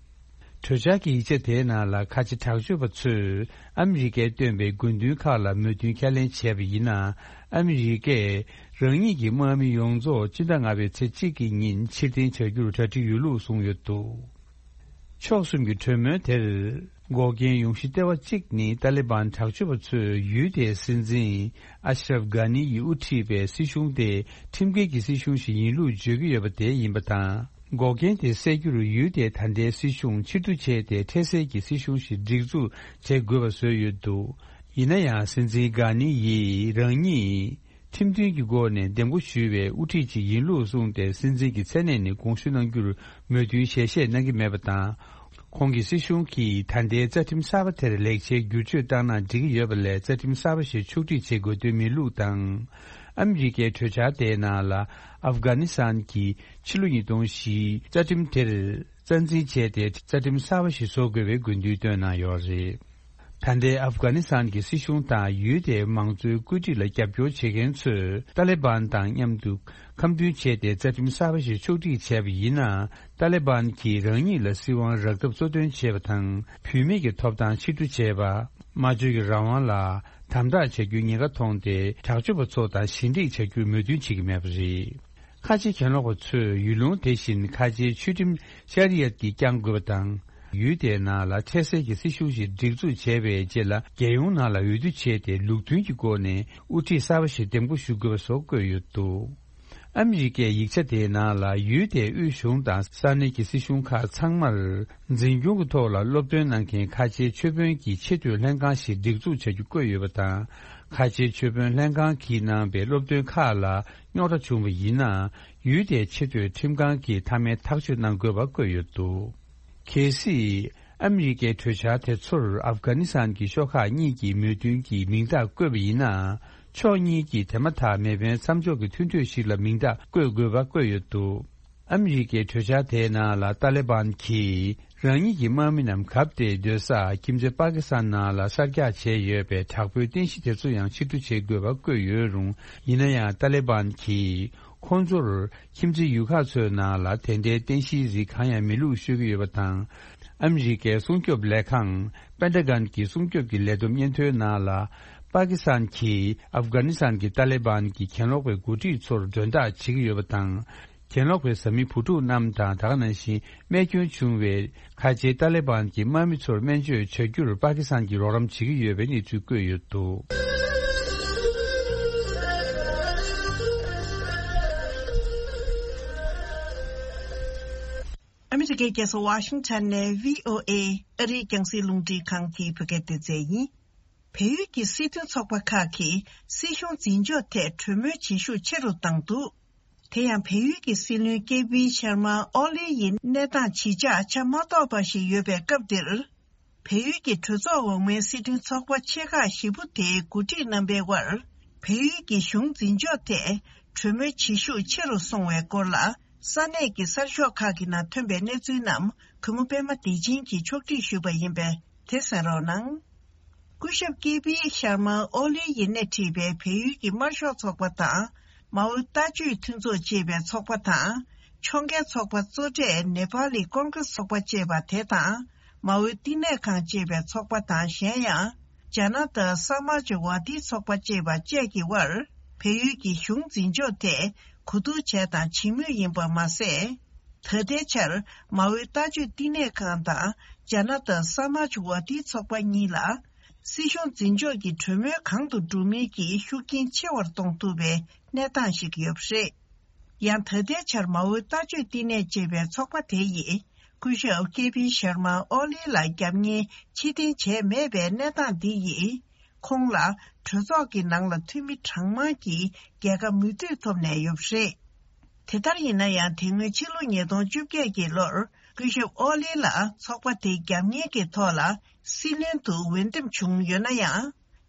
གྲོས་འཆར་གྱི་ཡིག་ཆ་དེའི་ནང་ལ་ཁ་ཆེ་དྲག་སྤྱོད་པ་ཚོས་ཨ་མི་རི་ཀས་བཏོན་པའི་དགོས་འདུན་ཁག་ལ་མོས་མཐུན་ཁས་ལེན་བྱས་པ་ཡིན་ན། ཨ་མི་རི་ཀས་རང་ཉིད་ཀྱི་དམག་མི་ཡོངས་རྫོགས་སྤྱི་ཟླ་ལྔ་པའི་ཚེས་གཅིག་གི་ཉིན་ཕྱིར་འཐེན་བྱ་རྒྱུར་གྲ་སྒྲིག་ཡོད་ལུགས་གསུངས་ཡོད་འདུག་ཕྱོགས་གསུམ་གྱི་གྲོས་མོལ་དེར་འགོག་རྐྱེན་ཡོང་གཞི་ལྟེ་བ་གཅིག་ནི་ཏཱ་ལི་བན་དྲག་སྤྱོད་པ་ཚོས་ཡུལ་དེའི་སྲིད་འཛིན་ཨ་ཤ་རབ་གྷ་ནི་ཡིས་དབུ་ཁྲིད་པའི་སྲིད་གཞུང་དེ་ཁྲིམས་འགལ་གྱི་སྲིད་གཞུང་ཞིག་ཡིན་ལུགས་བརྗོད་ཀྱི་ཡོད་པ་དེ་ཡིན་པ་དང་། འགོག་རྐྱེན་དེ་སེལ་རྒྱུར་ཡུལ་དེའི་ད་ལྟའི་སྲིད་གཞུང་ཕྱིར་བསྡུ་བྱས་ཏེ་འཕྲལ་སེལ་གྱི་སྲིད་གཞུང་ཞིག་སྒྲིག་འཛུགས་བྱེད་དགོས་པ་བཟོས་ཡོད་འདུག་ཡིན་ན་ཡང་སྲིད་འཛིན་གྷ་ནི་ཡིས་རང་ཉིད་ཁྲིམས་མཐུན་གྱི་སྒོ་ནས་འདེམས་བསྐོ་ཞུས་པའི་དབུ་ཁྲིད་ཅིག་ཡིན་ལུགས་གསུངས་ཏེ། སྲིད་འཛིན་གྱི་མཚན་གནས་ནས་དགོངས་ཞུ་གནང་རྒྱུར་མོས་མཐུན་ཞལ་བཞེས་གནང་གི་མེད་པ་དང་། ཁོང་གི་སྲིད་གཞུང་གིས་ད་ལྟའི་རྩ་ཁྲིམས་གསར་པ་དེར་ལེགས་ཆའི་བསྒྱུར་བཅོས་བཏང་ན་འགྲིག་གི་ཡོད་པ་ལས། རྩ་ཁྲིམས་གསར་པ་ཞིག་ཕྱོགས་སྒྲིག་བྱེད་དགོས་དོན་མེད་ལུགས་དང་། ཨ་མི་རི་ཀའི་གྲོས་འཆར་དེའི་ནང་ལ། ཨབ་གྷ་ནི་སི་ཐན་གྱིས་ཕྱི་ལོ་ཉིས་སྟོང་བཞི་རྩ་ཁྲིམས་དེར་རྩ་འཛིན་བྱས་ཏེ། རྩ་ཁྲིམས་གསར་པ་ཞིག་བཟོ་དགོས་པའི་དགོས་འདུན་བཏོན་གནང་ཡོད་རེད། ད་ལྟའི་ཨབ་གྷ་ནི་སི་ཐན་གྱི་སྲིད་གཞུང་དང་ཡུལ་དེའི་མང་གཙོའི་བཀོད་སྒྲིག་ལ་རྒྱབ་སྐྱོར་བྱེད་མཁན་ཚོས་ཏཱ་ལི་བན་དང་མཉམ་དུ་ཁ་མཐུན་བྱས་ཏེ། རྩ་ཁྲིམས་གསར་པ་ཞིག་ཕྱོགས་སྒྲིག་བྱས་པ་ཡིན་ན། ཏཱ་ལི་བན་གྱིས་རང་ཉིད་ལ་སྲིད་དབང་རག་ཐབས་གཙོ་འདོན་བྱས་པ་དང་། བུད་མེད་ཀྱི་ཐོབ་ཐང་ཕྱིར་བསྡུ་བྱས་པ། སྨྲ་བརྗོད་ཀྱི་རང་དབང་ལ་དམ་དྲག་བྱ་རྒྱུའི་ཉེན་ཁ་མཐོང་སྟེ། དྲག་སྤྱོད་པ་ཚོ་དང་ཞི་འགྲིག་བྱ་རྒྱུར་མོས་མཐུན་བྱེད་ཀྱི་མེད་པ་རེད། ཁ་ཆེ་གྱེན་ལོག་པ་ཚོས་ཡུལ་ལུང་དེ་བཞིན་ཁ་ཆེའི་ཆོས་ཁྲིམས་ཤ་རི་ཡད་ཀྱིས་བསྐྱང་དགོས་པ་དང་། ཡུལ་དེའི་ནང་ལ་འཕྲལ་སེལ་གྱི་སྲིད་གཞུང་ཞིག་སྒྲིག་འཛུགས་བྱས་པའི་རྗེས་ལ། རྒྱལ་ཡོངས་ནང་ལ་འོས་བསྡུ་བྱས་ཏེ། ལུགས་མཐུན་གྱི་སྒོ་ནས་དབུ་ཁྲིད་གསར་པ་ཞིག་འདེམས་བསྐོ་ཞུ་དགོས་པ་སོགས་བཀོད་ཡོད་འདུག་ཨ་མི་རི་ཀའི་ཡིག་ཆ་དེའི་ནང་ལ། ཡུལ་དེའི་དབུས་གཞུང་དང་ས་གནས་ཀྱི་སྲིད་གཞུང་ཁག་ཚང་མར་འཛིན་སྐྱོང་གི་ཐོག་ལ་སློབ་སྟོན་གནང་མཁན་ཁ་ཆེའི་ཆོས་དཔོན་གྱི་ཆེས་མཐོའི་ལྷན་ཁང་ཞིག་སྒྲིག་འཛུགས་བྱ་རྒྱུ་བཀོད་ཡོད་པ་དང་། ཁ་ཆེའི་ཆོས་དཔོན་ལྷན་ཁང་གིས་གནང་པའི་སློབ་སྟོན་ཁག་ལ་རྙོག་དྲ་བྱུང་བ་ཡིན་ན། ཡུལ་དེའི་ཆེས་མཐོའི་ཁྲིམས་ཁང་གིས་མཐའ་མའི་ཐག་གཅོད་གནང་དགོས་པ་བཀོད་ཡོད་འདུག་གལ་སྲིད་ཨ་མི་རི་ཀའི་གྲོས་འཆར་དེ་ཚོར་ཨབ་གྷ་ནི་སི་ཐན་གྱི་ཤོག་ཁག་གཉིས་ཀྱི་མོས་མཐུན་གྱི་མིང་རྟགས་བཀོད་པ་ཡིན་ན། ཕྱོགས་གཉིས་ཀྱིས་དེ་མ་ཐག་མེ་འཕེན་མཚམས་འཇོག་གི་མཐུན་གྲོས་ཤིག་ལ་མིང་རྟགས་བཀོད་དགོས་པ་བཀོད་ཡོད་འདུག་ཨ་མི་རི་ཀའི་གྲོས་འཆར་དེའི་ནང་ལ། ཏཱ་ལི་བན་གྱིས་རང་ཉིད་ཀྱི་དམག་མི་རྣམས་གབ་སྟེ་སྡོད་ས་ཁྱིམ་མཚེས་པ་ཀི་སི་ཐན་ནང་ལ་གསར་རྒྱག་བྱས་ཡོད་པའི་དྲག་པོའི་རྟེན་གཞི་དེ་ཚོ་ཡང་ཕྱིར་བསྡུ་བྱེད་དགོས་པ་བཀོད་ཡོད་རུང་། ཡིན་ན་ཡང་ཏཱ་ལི་བན་གྱིས་ཁོང་ཚོར་ཁྱིམ་མཚེས་ཡུལ་ཁག་ཚོའི་ནང་ལ་དེ་འདྲའི་རྟེན་གཞིའི་རིགས་གང་ཡང་མེད་ལུགས་ཤོད་ཀྱི་ཡོད་པ་དང་། ཨ་མི་རི་ཀའི་སྲུང་སྐྱོབ་ལས་ཁང་པེན་ཏ་གོན་གྱི་སྲུང་སྐྱོབ་ཀྱི་ལས་བསྡོམས་སྙན་ཐོའི་ནང་ལ། པ་ཀི་སི་ཐན་གྱིས་ཨབ་གྷ་ནི་སི་ཐན་གྱི་ཏཱ་ལི་བན་གྱི་གྱེན་ལོག་པའི་འགོ་ཁྲིད་ཚོར་མགྲོན་བདག་བྱེད་ཀྱི་ཡོད་པ་དང་། གྱེན་ལོག་པའི་བཟའ་མི་བུ་ཕྲུག་རྣམས་དང་། ད་ག་ནང་བཞིན་རྨས་སྐྱོན་བྱུང་བའི་ཁ་ཆེའི་ཏཱ་ལི་བན་གྱི་དམག་མི་ཚོར་སྨན་བཅོས་བྱ་རྒྱུར་པ་ཀི་སི་ཐན་གྱིས་རོགས་རམ་བྱེད་ཀྱི་ཡོད་པའི་གནས་ཚུལ་བཀོད་ཡོད་འདུག་ཨ་མི་རི་ཀའི་རྒྱལ་ས་ཝ་ཤིང་ཊོན་ནས་བྷི་ཨོ་ཨེ་ཨ་རིའི་རྒྱང་སྲིང་རླུང་འཕྲིན་ཁང་གི་བོད་སྐད་སྡེ་ཚན་ཡིན། བལ་ཡུལ་གྱི་སྲིད་དོན་ཚོགས་པ་ཁག་གིས་སྲིད་གཞུང་འཛིན་ཕྱོགས་ཐད་གྲོས་མོལ་བྱེད་ཤུགས་ཆེ་རུ་བཏང་འདུག་དེ་ཡང་བལ་ཡུལ་གྱི་སྲིད་བློན་ཀེ་པི་ཤར་མ་ཨོ་ལི་ཡི་གནས་སྟངས་ཇི་ཆགས་ཆ་མ་རྟོགས་པ་ཞིག་ཡོད་པའི་སྐབས་འདིར། བལ་ཡུལ་གྱི་གྲོས་ཚོགས་འོག་མའི་སྲིད་དོན་ཚོགས་པ་ཆེ་ཁག་བཞི་པོ་དེའི་འགོ་ཁྲིད་རྣམ་པའི་དབར། བལ་ཡུལ་གྱི་གཞུང་འཛིན་ཕྱོགས་ཐད་ གྲོས་མོལ་བྱེད་ཤུགས་ཆེ་རུ་སོང་བའི་སྐོར་ལ། ས་གནས་ཀྱི་གསར་ཤོག་ཁག་གི་ནང་ཐོན་པའི་གནས་ཚུལ་རྣམས་གུས་མོ་པད་མ་བདེ་ཆེན་གྱིས་ཕྱོགས་སྒྲིག་ཞུས་པ་ཡིན་པས། དེ་གསན་རོགས་གནང་། སྐུ་ཞབས་ཀེ་པི་ཤར་མ་ཨོ་ལི་ཡིས་སྣེ་ཁྲིད་པའི་བལ་ཡུལ་གྱི་དམར་ཤོག་ཚོགས་པ་དང་། མའོའི་ལྟ་སྤྱོད་མཐུན་ཚོགས་ཅེས་པའི་ཚོགས་པ་དང་། ཕྱོགས་འགལ་ཚོགས་པ་གཙོ་གྲས་ནེ་པ་ལི་ཀོང་ཀྲེས་ཚོགས་པ་ཅེས་པ་དེ་དང་། མའོའི་བསྟི་གནས་ཁང་ཅེས་པའི་ཚོགས་པ་དང་། གཞན་ཡང་། ཇ་ན་ཏ་ས་མཱ་ཇ་ཝ་ཏི་ཚོགས་པ་ཅེས་པ་བཅས་ཀྱི་དབར། བལ་ཡུལ་གྱི་གཞུང་འཛིན་ཕྱོགས་ཐད་གོ་བསྡུར་བྱས་དང་བྱེད་མུས་ཡིན་པ་མ་ཟད། ད་ལྟའི་ཆར་མའོའི་ལྟ་སྤྱོད་བསྟི་གནས་ཁང་དང་ཇ་ན་ཏ་ས་མཱ་ཇ་ཝ་ཏི་ཚོགས་པ་གཉིས་ལ། སྲིད་གཞུང་འཛིན་ཕྱོགས་ཀྱི་གྲོས་མོལ་གང་དུ་འགྲོ་མིན་གྱི་ཤུགས་རྐྱེན་ཆེ་བར་གཏོང་ཐུབ་པའི་གནས་སྟངས་ཤིག་ཡོད་པ་རེད། ཡང་ད་ལྟའི་ཆར་མའོའི་ལྟ་སྤྱོད་བསྟི་གནས་ཅེས་པའི་ཚོགས་པ་དེ་ཡིས་སྐུ་ཞབས་ཀེ་པི་ཤར་མ་ཨོ་ལི་ལ་རྒྱབ་གཉེར་ཕྱིར་འཐེན་བྱས་མེད་པའི་གནས་སྟངས་འདི་ཡིས། ཁོང་ལ་གྲོས་ཚོགས་ཀྱི་ནང་ལ་འཐུས་མི་གྲངས་མང་གིས་རྒྱལ་ཁ་མོས་མཐུན་ཐོབ་ནས་ཡོད་པ་རེད། དེ་ལྟར་ཡིན་ན་ཡང་། དེ་སྔོན་ཕྱི་ལོ་ཉིས་སྟོང་བཅོ་བརྒྱད་ཀྱི་ལོར་སྐུ་ཞབས་ཨོ་ལི་ལ་ཚོགས་པ་དེའི་རྒྱབ་གཉེར་གྱི་ཐོག་ལ་སྲིད་བློན་དུ་འོས་འདེམས་བྱུང་ཡོད་ན་ཡང་།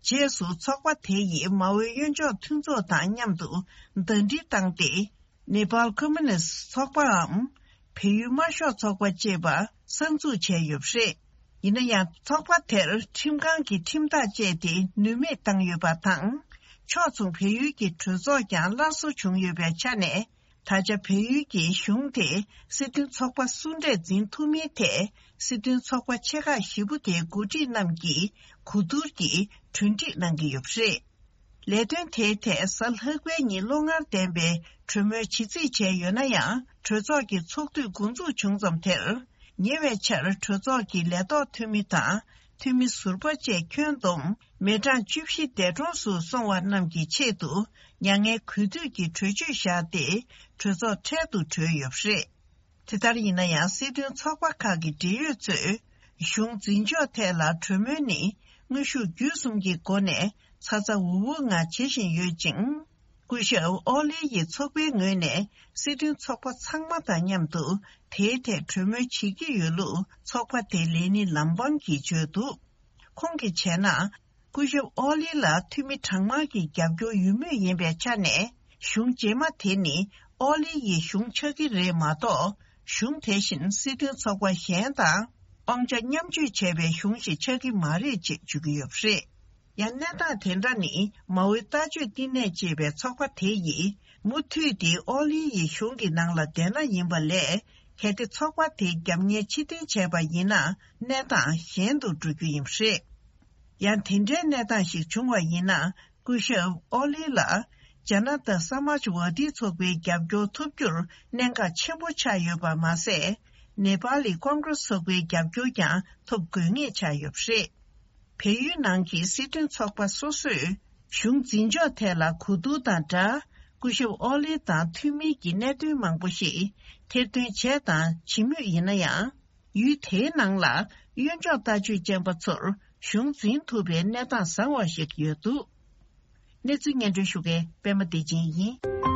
རྗེས་སུ་ཚོགས་པ་དེ་ཡིས་མའོའི་གཡོན་ཕྱོགས་མཐུན་ཚོགས་དང་མཉམ་དུ་ཟླ་སྒྲིལ་བཏང་སྟེ། ནེ་པཱལ་ཁོ་མུ་ནིསྟ་ཚོགས་པའམ། བལ་ཡུལ་དམར་ཤོག་ཚོགས་པ་ཅེས་པ་གསར་འཛུགས་བྱས་ཡོད་པ་རེད། ཡིན་ན་ཡང་། ཚོགས་པ་དེར་ཁྲིམས་ཁང་གིས་ཁྲིམས་ཐག་བཅད་དེ་ནུས་མེད་བཏང་ཡོད་པ་དང་། ཕྱོགས་མཚུངས་བལ་ཡུལ་གྱི་གྲོས་ཚོགས་ཀྱང་སླར་གསོ་བྱུང་ཡོད་པའི་ཆ་ནས། ད་ཆ་བལ་ཡུལ་གྱི་གཞུང་དེས་སྲིད་དོན་ཚོགས་པ་སུ་འདྲས་འཛིན་ཐུབ་མིན་ཐད། སྲིད་དོན་ཚོགས་པ་ཆེ་ཁག་བཞི་པོ་དེའི་འགོ་ཁྲིད་རྣམས་ཀྱིས་གོ་བསྡུར་གྱིས་གྲོས་འགྲིག་གནང་གི་ཡོད་པ་རེད། ལས་དོན་དེའི་ཐད་གཟའ་ལྷག་པའི་ཉིན་བློ་ངར་ལྡན་པའི་གྲོས་མོལ་བྱེད་རྩིས་བྱས་ཡོད་ན་ཡང་། གྲོས་ཚོགས་ཀྱི་ཚོགས་དུས་འགོ་འཛུགས་བྱུང་ཙམ་དེར། ཉེ་བའི་ཆར་གྲོས་ཚོགས་ཀྱི་ལས་ཐོག་འཐུས་མི་དང་། འཐུས་མི་ཟུར་པ་བཅས་ཁྱོན་བསྡོམས་མི་གྲངས་བཅུ་བཞི་འདས་གྲོངས་སུ་སོང་བ་རྣམས་ཀྱི་ཆེད་དུ། མྱ་ངན་གུས་འདུད་ཀྱི་གྲོས་ཆོད་བཞག་སྟེ། གྲོས་ཚོགས་འཕྲལ་དུ་གྲོལ་ཡོད་པ་རེད། དེ་ལྟར་ཡིན་ན་ཡང་། སྲིད་དོན་ཚོགས་པ་ཁག་གི་འབྲེལ་ཡོད་ཚོས། གཞུང་འཛིན་ཕྱོགས་ཐད་ལ་གྲོས་མོལ་ནི་དངོས་ཤུགས་བརྒྱུད་གསུམ་གྱི་སྒོ་ནས་ཚ་ཚ་འུར་འུར་ངང་བྱེད་བཞིན་ཡོད་ཅིང་། སྐུ་ཞབས་ཨོ་ལི་ཡི་ཚོགས་པའི་ངོས་ནས་སྲིད་དོན་ཚོགས་པ་ཚང་མ་དང་མཉམ་དུ་དེའི་ཐད་གྲོས་མོལ་བྱེད་ཀྱི་ཡོད་ལུགས་ཚོགས་པ་དེའི་ལས་སྣེ་ལམ་བང་གིས་བརྗོད་འདུག་ཁོང་གིས་བྱས་ན། སྐུ་ཞབས་ཨོ་ལི་ལ་འཐུས་མི་གྲངས་མང་གིས་རྒྱབ་སྐྱོར་ཡོད་མུས་ཡིན་པའི་ཆ་ནས། གཞུང་རྗེས་མ་དེ་ནི་ཨོ་ལི་ཡི་གཞུང་ཆགས་ཀྱི་རེད་མ་གཏོགས། གཞུང་དེ་བཞིན་སྲིད་དོན་ཚོགས་པ་གཞན་དང་། དབང་ཆ་མཉམ་སྤྱོད་བྱས་པའི་གཞུང་ཞིག་ཆགས་ཀྱི་མ་རེད་ཅེས་བརྗོད་ཀྱི་ཡོད་པ་རེད། ཡང་གནས་སྟངས་དེ་འདྲ་ནི་མའོའི་ལྟ་སྤྱོད་བསྟི་གནས་ཅེས་པའི་ཚོགས་པ་དེ་ཡིས་མུ་མཐུད་དེ་ཨོ་ལི་ཡི་གཞུང་གི་ནང་ལ་བསྡད་ན་ཡིན་པ་ལས། གལ་ཏེ་ཚོགས་པ་དེས་རྒྱབ་གཉེར་ཕྱིར་འཐེན་བྱས་པ་ཡིན་ན། གནས་སྟངས་གཞན་དུ་འགྲོ་རྒྱུ་ཡིན་པ་རེད། ཡང་དེ་འདྲའི་གནས་སྟངས་ཤིག་བྱུང་བ་ཡིན་ན། སྐུ་ཞབས་ཨོ་ལི་ལ་ཇ་ན་ཏ་ས་མཱཇ་ཝ་ཏི་ཚོགས་པའི་རྒྱབ་སྐྱོར་ཐོབ་རྒྱུར་གནད་འགག་ཆེན་པོ་ཆགས་ཡོད་པ་མ་ཟད། ནེ་པཱ་ལི་ཀོང་ཀྲེས་ཚོགས་པའི་རྒྱབ་སྐྱོར་ཀྱང་ཐོབ་དགོས་ངེས་ཆགས་ཡོད་པ་རེད། བལ་ཡུལ་ནང་གི་སྲིད་དོན་ཚོགས་པ་སོ་སོས་གཞུང་འཛིན་ཕྱོགས་ཐད་ལ་གོ་བསྡུར་དང་སྦྲགས། སྐུ་ཞབས་ཨོ་ལི་དང་མཐུན་མིན་གྱི་གནད་དོན་མང་པོ་ཞིག་ཐེར་འདོན་བྱས་དང་བྱེད་མུས་ཡིན་ན་ཡང་། ཡུལ་དེའི་ནང་ལ་གཡོན་ཕྱོགས་ལྟ་སྤྱོད་ཅན་པ་ཚོར་གཞུང་འཛིན་ཐུབ་པའི་གནས་སྟངས་བཟང་བ་ཞིག་ཡོད་འདུག་གནས་ཚུལ་སྙན་སྒྲོན་ཞུ་མཁན་པད་མ་བདེ་ཆེན་ཡིན།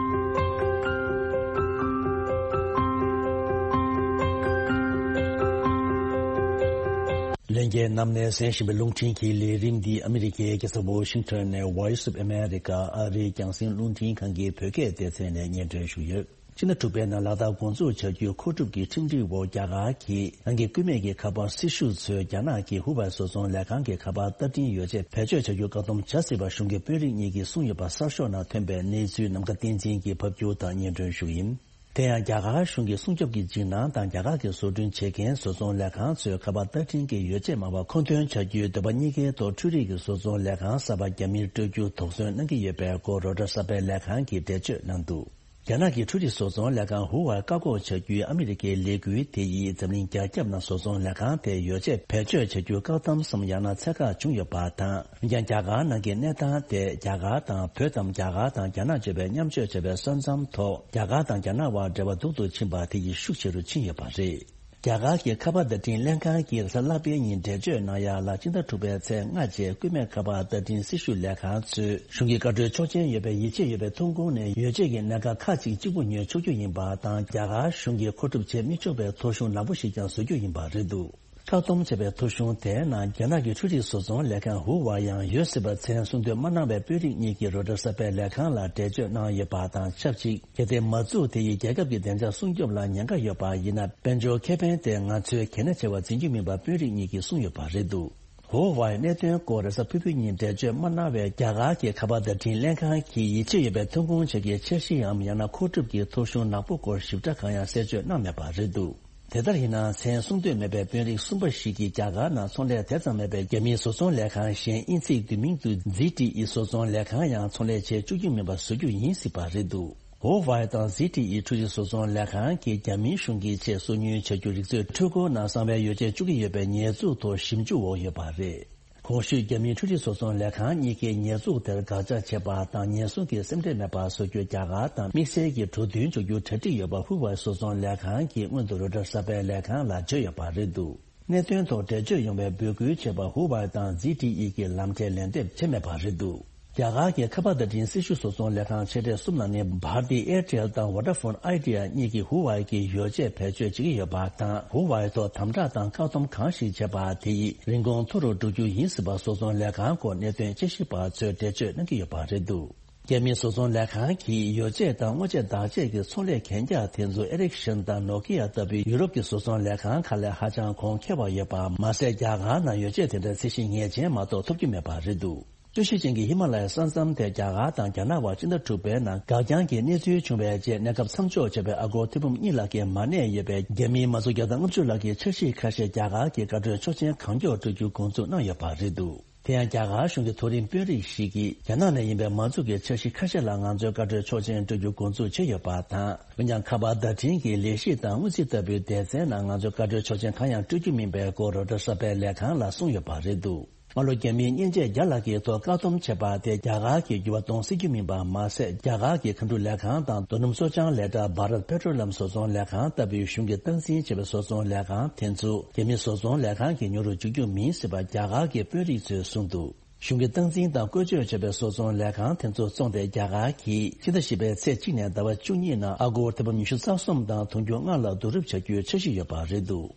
ལྷན་རྒྱས་རྣམས་ནས་གསན་བཞིན་པའི་རླུང་འཕྲིན་གྱི་ལས་རིམ་འདི་ཨ་མི་རི་ཀའི་རྒྱལ་ས་ཝོ་ཤིང་ཊོན་ནས་Voice of America ཨ་རིའི་རྒྱང་སྲིང་རླུང་འཕྲིན་ཁང་གི་བོད་སྐད་སྡེ་ཚན་ནས་སྙན་སྒྲོན་ཞུ་ཡོད། ཕྱི་ཟླ་དྲུག་པའི་ནང་ལག་བསྟར་འགོ་འཛུགས་བྱ་རྒྱུའི་མཁོ་སྒྲུབ་ཀྱི་ཁྲིམས་སྒྲིག་འོག་རྒྱ་གར་གྱིས་རང་གི་སྐུད་མེད་ཀྱི་ཁ་པར་སྲི་ཞུ་ཚོས་རྒྱ་ནག་གི་ཧུ་ཝའེ་བཟོ་ཚོང་ལས་ཁང་གི་ཁ་པར་བསྟར་འཕྲིན་ཡོ་བྱད་བེད་སྤྱོད་བྱ་རྒྱུ་བཀག་སྡོམ་བྱ་སྲིད་པ་གཞུང་གི་དཔོན་རིགས་གཉིས་ཀྱིས་གསུངས་ཡོད་པ་གསར་ཤོག་ནང་ཐོན་པའི་གནས་ཚུལ་ནམ་མཁའ་བསྟན་འཛིན་གྱིས་ཕབ་སྒྱུར་དང་སྙན་སྒྲོན་ཞུ་ཡིན། དེ་ཡང་རྒྱ་གར་གཞུང་གི་སྲུང་སྐྱོབ་ཀྱི་འཇིགས་སྣང་དང་རྒྱ་གར་གྱི་བཟོ་སྐྲུན་བྱེད་མཁན་བཟོ་ཚོང་ལས་ཁང་ཚོས་ཁ་པར་བསྟར་འཕྲིན་གྱི་ཡོ་བྱད་མང་བ་མཁོ་འདོན་བྱ་རྒྱུའི་འདོད་པ་གཉིས་ཀའི་ཐོག་འཕྲུལ་རིག་གི་བཟོ་ཚོང་ལས་ཁང་གསར་པ་རྒྱ་མིར་སྤྲོད་རྒྱུ་དོགས་ཟོན་གནང་གི་ཡོད་པའི་སྐོར་རོའི་ཊར་གསར་པའི་ལས་ཁང་གིས་འགྲེལ་བརྗོད་གནང་འདུག་རྒྱ་ནག་གི་འཕྲུལ་རིག་བཟོ་ཚོང་ལས་ཁང་ཧུ་ཝའེ་བཀག་འགོག་བྱ་རྒྱུའི་ཨ་མི་རི་ཀའི་ལས་འགུལ་དེ་ཡིས་འཛམ་གླིང་རྒྱ་ཁྱབ་ནང་བཟོ་ཚོང་ལས་ཁང་དེའི་ཡོ་བྱད་བེད་སྤྱོད་བྱ་རྒྱུ་བཀག་སྡོམ་སམ་ཡང་ན་ཚད་བཀག་བྱུང་ཡོད་པ་དང་། འོན་ཀྱང་རྒྱ་གར་ནང་གི་གནས་སྟངས་དེ་རྒྱ་གར་དང་བོད་དམ་རྒྱ་གར་དང་རྒྱ་ནག་བརྗོད་པའི་མཉམ་སྤྱོད་བྱ་བའི་ས་མཚམས་ཐོག་རྒྱ་གར་དང་རྒྱ་ནག་དབར་འབྲེལ་བ་སྡུག་ཏུ་ཕྱིན་པ་དེ་ཡིས་ཤུགས་ཆེ་རུ་ཕྱིན་ཡོད་པ་རེད། རྒྱ་གར་གྱི་ཁ་པར་བརྡ་འཕྲིན་ལྷན་ཁང་གིས་གཟའ་ལྷག་པའི་ཉིན་འགྲེལ་བརྗོད་གནང་ཡ་ལ་སྤྱི་ཟླ་དྲུག་པའི་ཚེས་ལྔ་རྗེས་སྐུད་མེད་ཁ་པར་བརྡ་འཕྲིན་སྲི་ཞུ་ལས་ཁང་ཚོས་གཞུང་གི་བཀའ་འཁྲོལ་ཆོག་མཆན་ཡོད་པའི་ཡིད་ཆེས་ཡོད་པའི་ཐོན་ཁུངས་ནས་ཡོ་བྱད་ཀྱི་གནད་འགག་ཁག་ཅིག་གཅིག་པུ་ཉོ་ཆོག་རྒྱུ་ཡིན་པ་དང་། རྒྱ་གར་གཞུང་གིས་མཁོ་སྒྲུབ་བྱེད་མི་ཆོག་པའི་ཐོ་གཞུང་ནག་པོ་ཞིག་ཀྱང་བཟོ་རྒྱུ་ཡིན་པ་རེད་འདུག་བཀག་སྡོམ་བྱས་པའི་ཐོ་གཞུང་དེའི་ནང་རྒྱ་ནག་གི་འཕྲུལ་རིག་བཟོ་ཚོང་ལས་ཁང་ཧུའུ་ཝའེ་ཡང་ཡོད་སྲིད་པ་མཚན་གསུང་འདོན་མ་གནང་བའི་དཔོན་རིགས་གཉིས་ཀྱིས་རོའི་ཊར་གསར་པའི་ལས་ཁང་ལ་འགྲེལ་བརྗོད་གནང་ཡོད་པ་དང་ཆབས་ཅིག་གལ་ཏེ་མ་བཙུགས་དེ་ཡིས་རྒྱལ་ཁབ་ཀྱི་བདེ་འཇགས་སྲུང་སྐྱོབ་ལ་ཉེན་ཁ་ཡོད་པ་ཡིན་ན། དཔལ་འབྱོར་ཁེ་ཕན་དེ་ང་ཚོའི་གལ་གནད་ཆེ་བར་འཛིན་རྒྱུ་མིན་པ་དཔོན་རིགས་གཉིས་ཀྱིས་གསུངས་ཡོད་པ་རེད་འདུག་ཧུའུ་ཝའེ་གནད་དོན་སྐོར་རེས་གཟའ་ཕུར་བུའི་ཉིན་འགྲེལ་བརྗོད་མ་གནང་བས། རྒྱ་གར་གྱི་ཁ་པར་བརྡ་འཕྲིན་ལྷན་ཁང་གིས་ཡིད་ཆེས་ཡོད་པའི་ཐོན་ཁུངས་བཅས་ཀྱི་འཆར་གཞིའམ་ཡང་ན་མཁོ་སྒྲུབ་ཀྱི་ཐོ་གཞུང་ནག་པོ་སྐོར་ཞིབ་ཕྲ་གང་ཡང་གསལ་བརྗོད་གནང་མེད་པ་རེད་འདུག་དེ་ལྟར་ཡིན་ན། མཚན་གསུང་འདོད་མེད་པའི་དཔོན་རིགས་གསུམ་པ་ཞིག་གིས་རྒྱ་གར་ནང་ཚོང་ལས་དེ་ཙམ་མེད་པའི་རྒྱ་མིའི་བཟོ་ཚོང་ལས་ཁང་གཞན་དབྱིན་ཚིག་བསྡུས་མིང་དུ་ཛི་ཊི་ཨི་བཟོ་ཚོང་ལས་ཁང་ཡང་ཚོང་ལས་བྱེད་བཅུག་རྒྱུ་མིན་པ་བཟོ་རྒྱུ་ཡིན་སྲིད་པ་རེད་འདུག་ཧོ་ཝའེ་དང་ཛི་ཊི་ཨི་འཕྲུལ་རིག་བཟོ་ཚོང་ལས་ཁང་གིས་རྒྱ་མིའི་གཞུང་གིས་ཆེད་སོ་ཉུལ་བྱ་རྒྱུ་རིག་མཛོད་འཕྲུལ་འཁོར་ནང་གསང་བའི་ཡོ་བྱད་བཅུག་གི་ཡོད་པའི་ཉེས་འཛུགས་ཐོག་ཞིབ་འཇུག་འོག་ཡོད་པ་རེད། གོང་ཞུས་རྒྱ་མིའི་འཕྲུལ་རིག་བཟོ་ཚོང་ལས་ཁང་གཉིས་ཀས་ཉེས་འཛུགས་དེར་དགག་བྱ་བྱས་པ་དང་། ཉེན་སྲུང་གི་སེམས་ཁྲལ་མེད་པ་བཟོ་རྒྱུ་རྒྱ་གར་དང་དམིགས་བསལ་གྱི་གྲོས་མཐུན་འཇོག་རྒྱུ་གྲ་སྒྲིག་ཡོད་པ་ཧུའུ་ཝའེ་བཟོ་ཚོང་ལས་ཁང་གིས་སྔོན་དུ་རོའི་ཊར་གསར་པའི་ལས་ཁང་ལ་བརྗོད་ཡོད་པ་རེད་འདུག་གནད་དོན་ཐོག་འགྲེལ་བརྗོད་ཡོང་བའི་འབོད་སྐུལ་བྱས་པ་ཧུའུ་ཝའེ་དང་ཛི་ཊི་ཨི་གིས་ལམ་འཕྲལ་ལན་འདེབས་བྱས་མེད་པ་རེད་འདུག་རྒྱ་གར་གྱི་ཁ་པར་བརྡ་འཕྲིན་སྲི་ཞུ་བཟོ་ཚོང་ལས་ཁང་ཆེ་གྲས་གསུམ་ནང་ནས་བྷར་ཏི་ཨེར་ཊེལ་དང་ཝོ་ཌ་ཕོན་ཨའི་ཌི་ཡ་གཉིས་ཀྱིས་ཧུའུ་ཝའེ་གི་ཡོ་བྱད་བེད་སྤྱོད་བྱེད་ཀྱི་ཡོད་པ་དང་། ཧུའུ་ཝའེ་ཐོག་དམ་དྲག་དང་བཀག་སྡོམ་གང་ཞིག་བྱས་པ་དེ་ཡིས་རིན་གོང་མཐོ་རུ་འགྲོ་རྒྱུ་ཡིན་སྲིད་པ་བཟོ་ཚོང་ལས་ཁང་སྐོར་གནད་དོན་དཔྱད་ཞིབ་པ་ཚོས་འགྲེལ་བརྗོད་གནང་གི་ཡོད་པ་རེད་འདུག་རྒྱ་མིའི་བཟོ་ཚོང་ལས་ཁང་གིས་ཡོ་བྱད་དང་དངོས་ཆས་བདག་ཆས་ཀྱི་ཚོང་ལས་གན་རྒྱ་དེ་ཚོ་ཨེ་རིག་ཤན་དང་ནོ་ཀི་ཡ་ལྟ་བུའི་ཡུ་རོབ་ཀྱི་བཟོ་ཚོང་ལས་ཁང་ཁག་ལས་ཧ་ཅང་གོང་ཁེ་བ་ཡོད་པ་མ་ཟད། རྒྱ་གར་ནང་ཡོ་བྱད་དེ་འདྲ་ཚད་གཞི་ངེས་ཅན་མ་གཏོགས་ཐོབ་རྒྱུ་མེད་པ་རེད་འདུག་རྩོད་གཞི་ཅན་གྱི་ཧི་མ་ལ་ཡའི་ས་མཚམས་དེ་རྒྱ་གར་དང་རྒྱ་ནག་དབར་ཕྱི་ཟླ་དྲུག་པའི་ནང་འགག་རྐྱང་གི་གནས་ཚུལ་བྱུང་བའི་རྗེས་གནས་སྐབས་མཚམས་འཇོག་བྱས་པའི་ཨ་སྒོར་ཐེར་འབུམ་གཉིས་ལྷག་གི་མ་གནས་ཡོད་པའི་རྒྱ་མིའི་མ་སུ་བརྒྱ་དང་ལྔ་བཅུ་ལྷག་གི་འཆར་གཞི་ཁ་ཤས་རྒྱ་གར་གྱི་བཀའ་འཁྲོལ་ཆོག་མཆན་གང་མགྱོགས་སྤྲོད་རྒྱུ་འགོ་འཛུགས་གནང་ཡོད་པ་རེད་འདུག་དེ་ཡང་རྒྱ་གར་གཞུང་གི་མཐོ་རིམ་དཔོན་རིགས་ཤིག་གིས་རྒྱ་ནག་ནས་ཡིན་པའི་མ་འཛུགས་ཀྱི་འཆར་གཞི་ཁ་ཤས་ལ་ང་ཚོས་བཀའ་འཁྲོལ་ཆོག་མཆན་སྤྲོད་རྒྱུ་འགོ་འཛུགས་བྱས་ཡོད་པ་དང་། འོན་ཀྱང་ཁ་པར་བརྡ་འཕྲིན་གྱི་ལས་གཞི་དང་དངུལ་རྩིས་ལྟ་བུའི་སྡེ་ཚན་ནང་ང་ཚོས་བཀའ་འཁྲོལ་ཆོག་མཆན་གང་ཡང་སྤྲོད་རྒྱུ་མིན་པའི་སྐོར་རོའི་ཊར་གསར་པའི་ལས་ཁང་ལ་གསུངས་ཡོད་པ་རེད་འདུག་སྔ་ལོ་རྒྱ་མིའི་མཉེན་ཆས་བརྒྱ་ལྷག་གི་ཐོག་བཀག་སྡོམ་བྱས་པ་དེ་རྒྱ་གར་གྱི་འགྱུར་བ་གཏོང་སྲིད་རྒྱུ་མིན་པ་མ་ཟད། རྒྱ་གར་གྱི་མཁའ་འགྲུལ་ལས་ཁང་དང་རྡོ་སྣུམ་གསོ་སྦྱང་ལས་གྲྭ་བྷ་རད་པེ་ཊོ་ལི་ཡམ་བཟོ་ཚོང་ལས་ཁང་ལྟ་བུའི་གཞུང་གིས་སྟངས་འཛིན་བྱས་པའི་བཟོ་ཚོང་ལས་ཁང་དེ་ཚོ་རྒྱ་མི་བཟོ་ཚོང་ལས་ཁང་གི་ཉོ་རུ་འཇུག་རྒྱུ་མིན་སྲིད་པ་རྒྱ་གར་གྱི་དཔོན་རིགས་ཚོས་གསུངས་འདུག་གཞུང་གིས་སྟངས་འཛིན་དང་བཀོལ་སྤྱོད་བྱས་པའི་བཟོ་ཚོང་ལས་ཁང་དེ་ཚོ་བཙོངས་ཏེ། རྒྱ་གར་གྱིས་ཕྱི་ཟླ་བཞི་པའི་ཚེས་གཅིག་ནས་ཟླ་བ་བཅུ་གཉིས་ནང་ཨ་སྒོར་ཐེར་འབུམ་ཉི་ཤུ་རྩ་གསུམ་དང་དུང་ཕྱུར་ལྔ་ལ་བསྡུ་རུབ་བྱ་རྒྱུའི་འཆར་གཞི་ཡོད་པ་རེད་འདུག་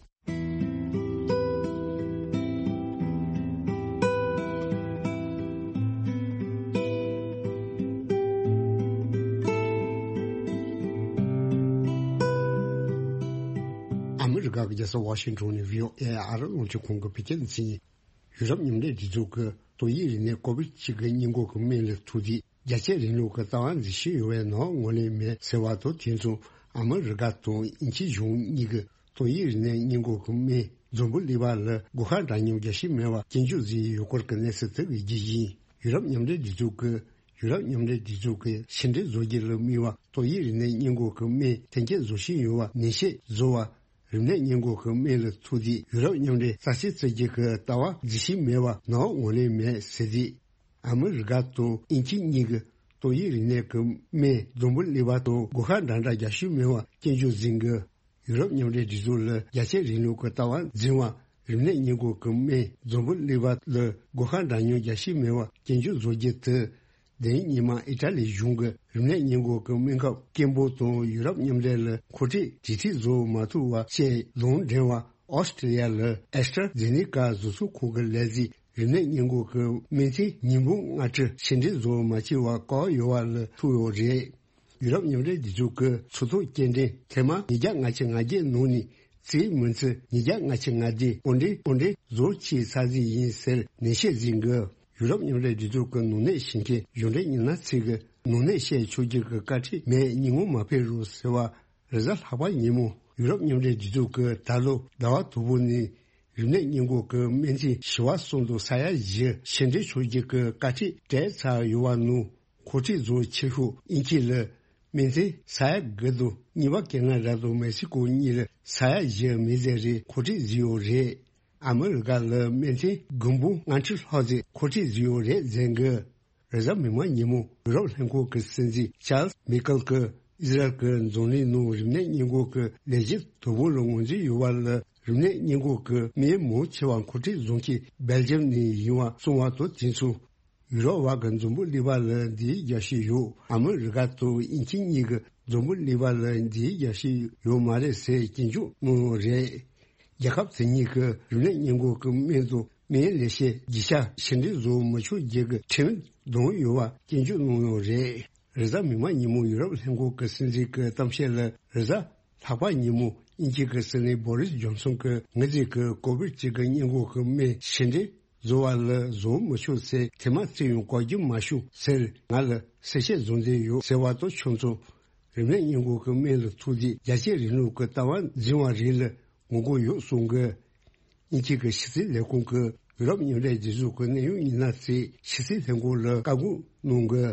ཨ་མི་རི་ཀ་གི་རྒྱལ་ས་ཝ་ཤིང་ཊོན་ནས་བྷི་ཨོ་ཨེ་ཨ་རི་རླུང་འཕྲིན་ཁང་གི་བོད་སྐད་སྡེ་ཚན་ཡིན། ཡུ་རོབ་མཉམ་འབྲེལ་སྒྲིག་འཛུགས་ཀྱིས་ཏོག་དབྱིབས་རིམས་ནད་ཀོ་བིད་གཅིག་གི་སྔོན་འགོག་གི་སྨན་ལ་ཐུག་དུས་རྒྱ་ཆེའི་རིང་ལུགས་ཀྱི་ལྟ་བ་འཛིན་བཞིན་ཡོད་པའི་ནང་ངོས་ལེན་མེད་ཟེར་བ་དང་། དེ་མཚུངས་ཨ་མི་རི་ཀ་དང་དབྱིན་ཇིའི་གཞུང་གཉིས་ཀྱིས་ཏོག་དབྱིབས་རིམས་ནད་སྔོན་འགོག་གི་སྨན་འཛམ་བུ་གླིང་པ་ལ་སྒོ་ཁ་འདྲ་མཉམ་རྒྱག་བཞིན་མེད་པར་སྐྱོན་བརྗོད་བཟོས་ཡོད་སྐོར་གྱི་གནས་ཚུལ་དེ་གི་རྒྱུ་ཡིན། ཡུ་རོབ་མཉམ་འབྲེལ་སྒྲིག་འཛུགས་ཀྱིས་ཡུ་རོབ་མཉམ་འབྲེལ་སྒྲིག་འཛུགས་ཀྱི་ཕྱི་འབྲེལ་བཟོ་རྒྱུ་ལ་དམིགས་པ་ཏོག་དབྱིབས་རིམས་ནད་སྔོན་འགོག་གི་སྨན་ཐོན་སྐྱེད་བཟོ་བཞིན་ཡོད་པ་ནན་བཤད་བཟོ་བར། རིམས་ནད་སྔོན་འགོག་གི་སྨན་ལ་ཐུག་དུས་ཡུ་རོབ་མཉམ་འབྲེལ་རྩ་ཆེ་རྩ་རྒྱུ་གི་ལྟ་བ་འཛིན་བཞིན་མེད་པ་ནང་ངོས་ལེན་མེད་ཟེར་དུས། ཨ་མི་རི་ཀ་དང་དབྱིན་ཇི་གཉིས་ཀྱིས་ཏོག་དབྱིབས་རིམས་ནད་ཀྱི་སྨན་འཛམ་བུ་གླིང་པ་དང་སྒོ་ཁ་འདྲ་འདྲ་རྒྱག་ཤུགས་མེད་པར་སྐྱོན་བརྗོད་འཛིན་གྱི། ཡུ་རོབ་མཉམ་འབྲེལ་སྒྲིག་འཛུགས་ལ་རྒྱ་ཆེའི་རིང་ལུགས་ཀྱི་ལྟ་བ་འཛིན་པ་རིམས་ནད་སྔོན་འགོག་གི་སྨན་འཛམ་བུ་གླིང་པ་ལ་སྒོ་ཁ་འདྲ་མཉམ་རྒྱག་ཤུགས་མེད་པར་སྐྱོན་བརྗོད་བཟོ་རྒྱུ་དེ། དེ་རིང་ཉི་མ་ཨི་ཊ་ལི་གཞུང་གི་རིམས་ནད་སྔོན་འགོག་གི་སྨན་ཁབ་སྐད་འབོད་དང་ཡུ་རོབ་མཉམ་འབྲེལ་ལ་མཁོ་སྤྲོད་གྲོས་མཐུན་བཟོ་མ་ཐུབ་པ་བཅས་ལུང་འདྲེན་པ་ཨོ་སི་ཀྲི་ལི་ཡ་ལ་ཨེ་སི་ཊ་ར་ཛེ་ནེ་ཀ་བཟོ་ཚོང་ཁང་གི་ལས་འཛིན་རིམས་ནད་སྔོན་འགོག་གི་སྨན་ཐུན་ཉིས་འབུམ་ལྔ་ཁྲི་ཕྱིར་འཐེན་བཟོ་མ་བྱས་པ་བཀག་ཡོད་པ་ལ་ཐུག་ཡོད་རེད། ཡུ་རོབ་མཉམ་འབྲེལ་སྒྲིག་འཛུགས་ཀྱི་ཚོགས་ཐོག་སྐྱེལ་འདྲེན་ཐེངས་མ་ཉིས་བརྒྱ་ལྔ་བཅུ་ང་བརྒྱད་ནང་ནས་རྩིས་མིན་ཚེས་ཉིས་བརྒྱ་ལྔ་བཅུ་ང་བརྒྱད་འོར་འདྲེན་འོར་འདྲེན་བཟོ་བྱས་ཚར་རྩིས་ཡིན་ཟེར་ནན་བཤད་འཛིན་གྱི། ཡུ་རོབ་མཉམ་འབྲེལ་སྒྲིག་འཛུགས་ཀྱི་ནང་གནས་བྱེད་མཁན་གཞུང་འབྲེལ་མི་སྣ་ཚོས་ཀྱི་ནང་གནས་བཤད་ཆོག་རྒྱུ་གི་བཀའ་ཁྲིད་མེད་ཉིན་མོ་མ་ཕེབས་རོགས་ཟེར་བ། རེས་གཟའ་ལྷག་པ་ཉིན་མོ་ཡུ་རོབ་མཉམ་འབྲེལ་སྒྲིག་འཛུགས་ཀྱིས་ད་ལོ་ཟླ་བ་དང་པོ་ནས་རིམས་ནད་སྔོན་འགོག་གི་སྨན་ཐུན་བྱེ་བ་གསུམ་དང་ས་ཡ་བཞི་ཕྱིར་འཐེན་ཆོག་རྒྱུ་གི་བཀའ་ཁྲིད་སྤྲད་ཚར་ཡོད་པ་ནང་། མཁོ་སྤྲོད་བཟོ་ཆེ་ཤོས་དབྱིན་ཇི་ལ་སྨན་ཐུན་ས་ཡ་དགུ་དང་། གཉིས་པ་ཁེ་ན་ཌ་དང་མེག་སི་ཀོ་གཉིས་ལ་ས་ཡ་བཞི་མི་ཟད་རེ་མཁོ་སྤྲོད་བཟོས་ཡོད་རེད། ཨ་མི་རི་ཀ་ལ་སྨན་ཐུན་དགུ་འབུམ་ལྔ་ཁྲི་ལྷག་ཙམ་མཁོ་སྤྲོད་བཟོས་ཡོད་རེད་ཟེར་གི། རེས་གཟའ་མིག་དམར་ཉིན་མོ་ཡུ་རོབ་ལྷན་ཁང་གི་སྲིད་འཛིན་ཅཱལ་མི་ཀལ་གྱིས་ཨི་ཟི་རལ་གྱི་འཛམ་གླིང་ནང་རིམས་ནད་སྔོན་འགོག་གི་ལས་གཞི་དོ་དམ་ལ་ངོས་འཛིན་ཡོད་པ་ལ། རིམས་ནད་སྔོན་འགོག་གི་སྨན་མང་ཆེ་བ་མཁོ་སྤྲོད་བཟོ་མཁན་སྦེལ་ཇམ་ནས་ཡིན་པ་གསུངས་པ་དང་། དེ་མཚུངས་ཡུ་རོབ་བར་གྱི་འཛམ་བུ་གླིང་པ་ལ་འདི་རྒྱ་ཤི་ཡོད། ཨ་མི་རི་ཀ་དང་དབྱིན་ཇི་གཉིས་ཀྱི་འཛམ་བུ་གླིང་པ་ལ་འདི་རྒྱ་ཤི་ཡོད་མ་རེད་ཟེར་སྐྱོན་བརྗོད་གནང་ཡོད་རེད། རྒྱལ་ཁབ་དེ་གཉིས་ཀྱི་རིམས་ནད་སྔོན་འགོག་གི་སྨན་དང་སྨན་ལས་བྱེད་བརྒྱ་ཆ་ཞེ་འགྲིག་བཟོ་མ་ཆོག་རྒྱུ་གི་ཁྲིམས་དོན་ཡོད་པ་སྐྱོན་བརྗོད་གནང་ཡོད་རེད། རེས་གཟའ་མིག་དམར་ཉིན་མོ་ཡུ་རོབ་ལྷན་ཁང་གི་སྲིད་འཛིན་གྱི་གཏམ་བཤད་ལ། རེས་གཟའ་ལྷག་པ་ཉིན་མོ་དབྱིན་ཇི་གི་སྲིད་བློན་བོ་རིས་ཇོན་སོན་གྱིས་ངེད་ཚོས་ཀྱི་ཀོ་བིད་བཅུ་དགུ་སྔོན་འགོག་གི་སྨན་ཞེ་འགྲིག་བཟོ་བ་ལ་བཟོ་མི་ཆོག་ཟེར་དེ་མ་ཚད་ཡང་གོ་རྒྱུ་མ་བྱུང་ཟེར་ང་ལ་གསལ་བཤད་བཟོ་འདོད་ཡོད་ཟེར་བ་དང་ཆོས་མཚུངས། རིམས་ནད་སྔོན་འགོག་གི་སྨན་ལ་ཐུག་རྗེས་རྒྱལ་སྤྱིའི་རིང་ལུགས་ཀྱི་ལྟ་བ་འཛིན་པ་རིགས་ལ་ངོ་རྒོལ་ཡོད་གསུང་གི། དབྱིན་ཇི་གི་ཕྱི་སྲིད་ལས་ཁུངས་ཀྱིས་ཡུ་རོབ་མཉམ་འབྲེལ་སྒྲིག་འཛུགས་ཀྱི་གནད་ཡོད་མི་སྣ་ཚོས་ཕྱི་སྲིད་ལྷན་ཁང་ལ་བཀའ་བཀོད་གནང་གི།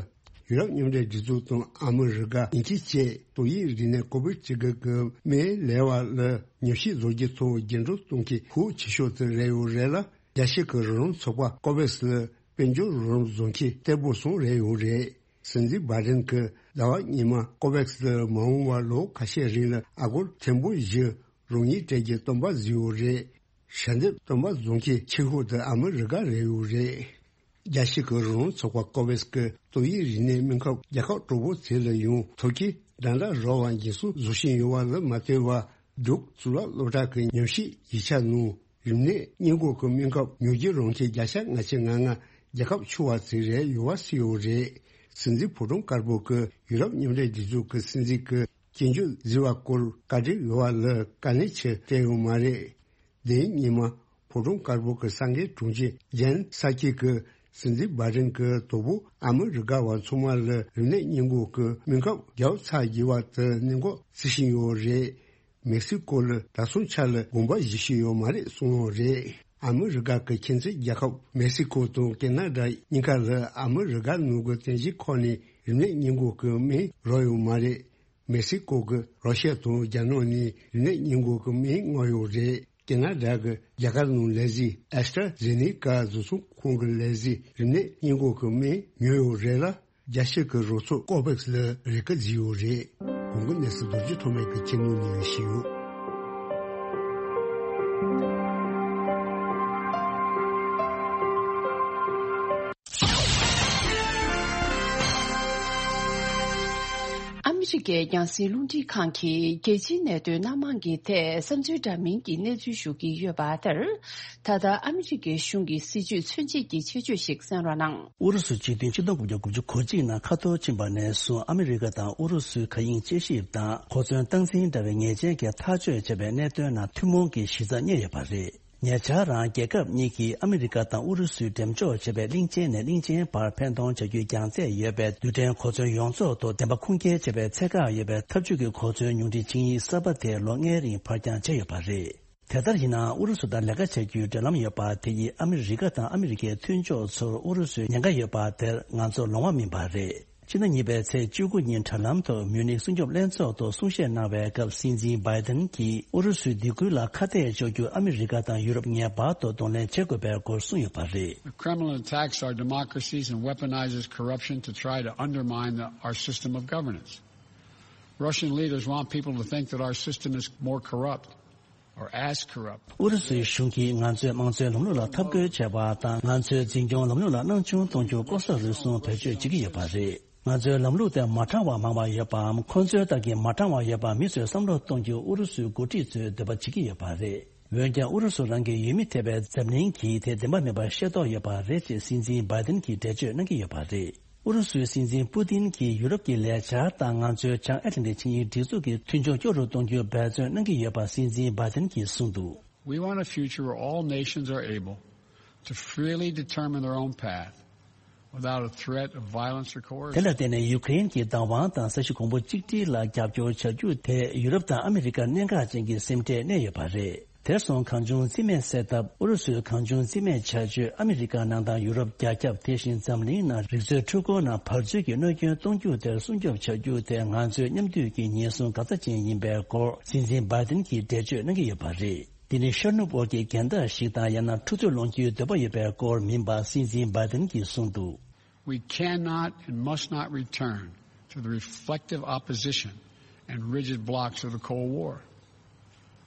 ཡུ་རོབ་མཉམ་འབྲེལ་སྒྲིག་འཛུགས་དང་ཨ་མི་རི་ཀ་དབྱིན་ཇི་བཅས་ཏོག་དབྱིབས་རིམས་ནད་ཀོ་བིད་བཅུ་དགུ་གི་སྨན་ལས་པ་ལ་ཉམས་ཞིབ་བཟོ་རྒྱུ་ཐོག་འགྱུར་འགྲོས་གཏོང་མཁན་ཤུགས་ཆེ་ཤོས་དེ་རེད་ཡོད་རེད་ལ། རྒྱལ་སྤྱི་གི་རང་རང་ཚོགས་པ་ཀོ་བེག་སི་ལ་དཔལ་འབྱོར་རོགས་རམ་བཟོ་མཁན་གཏེ་པོ་ཚང་རེད་ཡོད་རེད། སྲིད་འཛིན་བྷའི་ཌེན་གྱིས་ཟླ་བ་སྔོན་མ་ཀོ་བེག་སི་ལ་མ་འོངས་པར་ལོ་ཁ་ཤས་རིང་ལ་ཨ་སྒོར་ཐེར་འབུམ་བཞི་རོགས་དངུལ་སྤྲད་རྒྱུའི་སྟོན་པ་བཟོས་ཡོད་རེད། ཞལ་འདེབས་སྟོན་པ་བཟོ་མཁན་ཆེ་ཤོས་དེ་ཨ་མི་རི་ཀ་རེད་ཡོད་རེད། རྒྱལ་སྤྱི་གི་རང་རང་ཚོགས་པ་ཀོ་བེག་སི་གིས་ཏོག་དབྱིབས་རིམས་ནད་སྨན་ཁབ་རྒྱལ་ཁབ་གྲོགས་པོ་ཚོ་ལ་ཡང་ཐོབ་ཆའི་འགྲན་ཟླ་རོགས་པ་འགན་སྲུང་བཟོ་བཞིན་ཡོད་པ་ལ་མ་ལྟོས་པར། ཌུག་གཙུག་ལག་སློབ་གྲྭ་གི་ཉམས་ཞིབ་ཡིག་ཆ་ནང་རིམས་ནད་སྔོན་འགོག་གི་སྨན་ཁབ་ཉོ་རྒྱུ་རང་འཁྱེར་བརྒྱ་ཆ་ལྔ་བཅུ་ང་ལྔ་རྒྱལ་ཁབ་ཆུང་བ་ཚོའི་རེད་ཡོད་པ་གསུངས་ཡོད་རེད། སྲིད་འཛིན་ཕོ་བྲང་དཀར་པོ་གིས་ཡུ་རོབ་མཉམ་འབྲེལ་སྒྲིག་འཛུགས་ཀྱི་སྲིད་འཛིན་གྱི་སྐྱོན་བརྗོད་བཟོས་པ་སྐོར་བཀའ་འདྲི་ཡོད་པ་ལ་བཀའ་ལན་ཆེ་སྤྲད་ཡོད་མ་རེད། དེའི་སྔོན་མ་ཕོ་བྲང་དཀར་པོ་གི་གསར་འགོད་དྲུང་ཆེ་ཇན་སཱ་ཀི་གིས་སྲིད་འཛིན་བྷའི་ཌེན་གྱིས་དོ་ཕོག་ཨ་མི་རི་ཀ་བ་ཚང་མ་ལ་རིམས་ནད་སྔོན་འགོག་གི་སྨན་ཁབ་བརྒྱབ་ཚར་རྒྱུ་བ་དེ་གནད་འགག་བརྩི་བཞིན་ཡོད་རེད། མེག་སི་ཀོ་ལ་ད་སོང་ཆ་ལ་དགོངས་པ་བཞེས་བཞིན་ཡོད་མ་རེད་གསུངས་ཡོད་རེད། ཨ་མི་རི་ཀ་གི་ཁྱིམ་མཚེས་རྒྱལ་ཁབ་མེག་སི་ཀོ་དང་ཀེ་ན་ཌ་གཉིས་ཀ་ལ་ཨ་མི་རི་ཀ་ནང་གི་རྟེན་གཞི་ཁག་ནས་རིམས་ནད་སྔོན་འགོག་གི་སྨན་རག་ཡོད་མ་རེད། མེག་སི་ཀོ་གིས་ར་ཤི་ཡ་དང་རྒྱ་ནག་ནས་རིམས་ནད་སྔོན་འགོག་གི་སྨན་མངགས་ཡོད་རེད། ཀེ་ན་ཌ་གི་རྒྱ་གར་ནང་ལས་གཞི་ཨེ་སི་ཊ་ཛེ་ནེ་ཀ་བཟོ་ཚོང་ཁང་གི་ལས་གཞི་རིམས་ནད་སྔོན་འགོག་གི་སྨན་ཉོས་ཡོད་རེད་ལ། རྒྱལ་སྤྱི་གི་རོགས་ཚོགས་ཀོ་བེག་སི་ལ་རེ་སྐུལ་བྱས་ཡོད་རེད། གོང་གི་གནས་ཚུལ་རྡོ་རྗེ་ཐོགས་མེད་ཀྱིས་ཁྱེད་ཉིད་ནས་ཞུས་ཡོད། ཨ་མི་རི་ཀའི་རྒྱང་སྲིང་རླུང་འཕྲིན་ཁང་གིས་རྒྱལ་སྤྱིའི་གནད་དོན་སྣ་མང་གི་ཐད་བསམ་ཚུལ་འདྲ་མིན་གྱི་གནས་ཚུལ་ཞུ་གི་ཡོད་པ་ལྟར། ད་ལྟ་ཨ་མི་རི་ཀའི་གཞུང་གི་སྲིད་བྱུས་མཚོན་བྱེད་ཀྱི་ཆེད་བརྗོད་ཞིག་གསན་རོགས་གནང་། ཨུ་རུ་སུ་སྤྱི་མཐུན་ཆིག་སྟོང་དགུ་བརྒྱ་དགུ་བཅུ་གོ་གཅིག་ནང་ཁ་ཐོར་ཕྱིན་པ་ནས་བཟུང་ཨ་མི་རི་ཀ་དང་ཨུ་རུ་སུའི་མཁའ་དབྱིངས་དཔྱད་ཞིབ་དང་གོ་མཚོན་སྟངས་འཛིན་འདྲ་བའི་ཉེས་ཅན་གྱི་ཐག་གཅོད་བྱས་པའི་གནད་དོན་ནང་ཐུན་མོང་གི་གཞི་རྩ་རྙེད་ཡོད་པ་རེད། ཉེ་ཆར་རང་རྒྱལ་ཁབ་གཉིས་ཀྱིས་ཨ་མི་རི་ཀ་དང་ཨུ་རུ་སུའི་འགྲེམས་འཇོག་བྱས་པའི་གླིང་ཆེན་ནས་གླིང་ཆེན་བར་འཕེན་གཏོང་བྱ་རྒྱུའི་རྒྱང་ཚད་ཡོད་པའི་རྡུལ་ཕྲན་གོ་མཚོན་ཡོངས་རྫོགས་ཐོག་བདེན་པ་ཁུངས་སྐྱེལ་བྱས་པའི་ཚད་བཀག་ཡོད་པའི་འཐབ་ཇུས་ཀྱི་གོ་མཚོན་ཉུང་འཕྲི་ཆིངས་ཡིག་གསར་པ་དེ་ལོ་ལྔའི་རིང་ཕར་འགྱངས་བྱས་ཡོད་པ་རེད། དེ་ལྟར་ཡིན་ནའང་ཨུ་རུ་སུ་དང་ལས་ཀ་བྱ་རྒྱུའི་འབྲེལ་ལམ་ཡོད་པ་དེ་ཡིས་ཨ་མི་རི་ཀ་དང་ཨ་མི་རི་ཀའི་མཐུན་ཕྱོགས་ཚོར་ཨུ་རུ་སུའི་ཉེན་ཁ་ཡོད་པ་དེར་ང་ཚོར་ལོང་བ་མིན་པ་རེད། སྤྱི་ཟླ་གཉིས་པའི་ཚེས་བཅུ་དགུ་ཉིན་དྲ་ལམ་ཐོག་མིའུ་ནིག་སྲུང་སྐྱོབ་ལྷན་ཚོགས་ཐོག་གསུང་བཤད་གནང་བའི་སྐབས་སྲིད་འཛིན་བྷའི་ཏིན་གྱིས་ཨུ་རུ་སུའི་སྡིགས་སྐུལ་ལ་ཁ་གཏད་གཅོག་རྒྱུར་ཨ་མི་རི་ཀ་དང་ཡུ་རོབ་ངེས་པར་དུ་གདོང་ལེན་བྱེད་དགོས་པའི་སྐོར་གསུངས་ཡོད་པ་རེད། The Kremlin attacks our democracies and weaponizes corruption to try to undermine the, our system of governance. Russian leaders want people to think that our system is more corrupt or as corrupt. ཨུ་རུ་སུའི་གཞུང་གིས་ང་ཚོའི་དམངས་གཙོའི་ལམ་ལུགས་ལ་འཐབ་རྒོལ་བྱས་པ་དང་ང་ཚོའི་འཛིན་སྐྱོང་ལམ་ལུགས་ལ་སྣང་ཆུང་གཏོང་རྒྱུར་ལྐོག་ཟ་རུལ་སུངས་བེད་སྤྱོད་བྱེད་ཀྱི་ཡོད་པ་རེད། ང་ཚོའི་ལམ་ལུགས་དེ་མ་དྲང་བ་མང་བ་ཡོད་པའམ་ཁོང་ཚོའི་ལྟར་གྱི་མ་དྲང་བ་ཡོད་པ་མི་ཚོས་བསམ་བློ་གཏོང་རྒྱུ་ཨུ་རུ་སུའི་འགོ་ཁྲིད་ཚོའི་འདོད་པ་བྱེད་ཀྱི་ཡོད་པ་རེད། འོན་ཀྱང་ཨུ་རུ་སུ་རང་གི་ཡུལ་མི་ཐེ་བའི་འཛམ་གླིང་གིས་དེ་བདེན་པ་མིན་པར་ཤེས་རྟོགས་ཡོད་པ་རེད་ཅེས་སྲིད་འཛིན་བྷའི་ཏིན་གྱིས་འགྲེལ་བརྗོད་གནང་གི་ཡོད་པ་རེད། ཨུ་རུ་སུའི་སྲིད་འཛིན་པུ་ཏིན་གྱིས་ཡུ་རོབ་ཀྱི་ལས་འཆར་དང་ང་ཚོའི་བྱང་ཨེ་ཊ་ལན་ཊིག་ཆིངས་ཡིག་སྒྲིག་འཛུགས་ཀྱི་མཐུན་ཕྱོགས་སྐྱོ་རུ་གཏོང་རྒྱུར་འབད་བརྩོན་གནང་གི་ཡོད་པ་སྲིད་འཛིན་བྷའི་ཏིན་གྱིས་གསུངས་འདུག We want a future where all nations are able to freely determine their own path without a threat of violence or coercion. དེ་ལ་བརྟེན་ནས་ཡུ་ཀེ་རེན་གྱི་བདག་དབང་དང་ས་གཞི་གོང་བུ་གཅིག་སྒྲིལ་ལ་རྒྱབ་སྐྱོར་བྱ་རྒྱུ་དེ་ཡུ་རོབ་དང་ཨ་མི་རི་ཀར་གནད་འགག་ཅན་གྱི་སེམས་ཁྲལ་གནས་ཡོད་པ་རེད། དེར་སོང་གང་བྱུང་རྩིས་མེད་བསལ་ཐབས་ཨུ་རུ་སུའི་གང་བྱུང་རྩིས་མེད་བྱ་སྤྱོད་ཨ་མི་རི་ཀ་ནང་དང་ཡུ་རོབ་རྒྱ་ཁྱབ་དེ་བཞིན་འཛམ་གླིང་ནང་རིག་རྩལ་འཕྲུལ་འཁོར་ནང་བར་མཚོན་གྱི་གནོད་སྐྱོན་གཏོང་རྒྱུ་དེར་སྲུང་སྐྱོབ་བྱ་རྒྱུ་དེ་ང་ཚོའི་མཉམ་འདུས་ཀྱི་ཉེན་སྲུང་འགག་རྩ་ཅན་ཡིན་པའི་སྐོར་སྲིད་འཛིན་བྷའི་ཏིན་གྱིས་འགྲེལ་བརྗོད་གནང་གི་ཡོད་པ་རེད། འདི་ནི་ཤར་ནུབ་དབར་གྱི་འགལ་ཟླ་ཞིག་དང་ཡང་ན་འཁྲུག་རྩོད་སློང་རྒྱུའི་འདོད་པ་ཡོད་པའི་སྐོར་མིན་པ་སྲིད་འཛིན་བྷའི་ཏིན་གྱིས་གསུངས་འདུག We cannot and must not return to the reflective opposition and rigid blocs of the Cold War.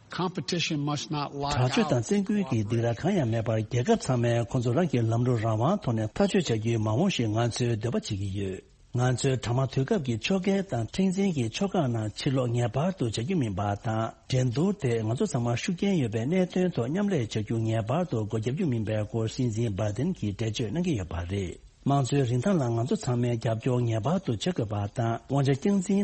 Competition must not lock དྲག་སྤྱོད་དང་བཙན་སྐུལ་གྱི་སྡིགས་ར་གང་ཡང་མེད་པར་རྒྱལ་ཁབ་ཚང་མས་ཁོང་ཚོ་རང་གི་ལམ་ལུགས་རང་དབང་ཐོག་ནས་ཐག་གཅོད་བྱ་རྒྱུའི་མ་འོངས་ཤིག་ང་ཚོས་འདོད་པ་བྱེད་ཀྱི་ཡོད། ང་ཚོའི་དྲ་དམངས་དུས་སྐབས་ཀྱི་ཕྱོགས་འགལ་དང་མཁྲེགས་འཛིན་གྱི་ཕྱོགས་ཁག་ནང་ཕྱིར་ལོག་ངེས་པར་དུ་བྱ་རྒྱུ་མིན་པ་དང་། འགྲན་བསྡུར་དེ་ང་ཚོ་ཚང་མ་ཤུགས་རྐྱེན་ཡོད་པའི་གནད་དོན་ཐོག་མཉམ་ལས་བྱ་རྒྱུ་ངེས་པར་དུ་སྒོ་རྒྱབ་རྒྱུ་མིན་པའི་སྐོར་སྲིད་འཛིན་བྷའི་ཏིན་གྱིས་འགྲེལ་བརྗོད་གནང་གི་ཡོད་པ་རེད། དམངས་གཙོའི་རིན་ཐང་ལ་ང་ཚོ་ཚང་མས་རྒྱབ་སྐྱོར་ངེས་པར་དུ་བྱེད་དགོས་པ་དང་། དབང་ཆ་རྐྱང་འཛིན་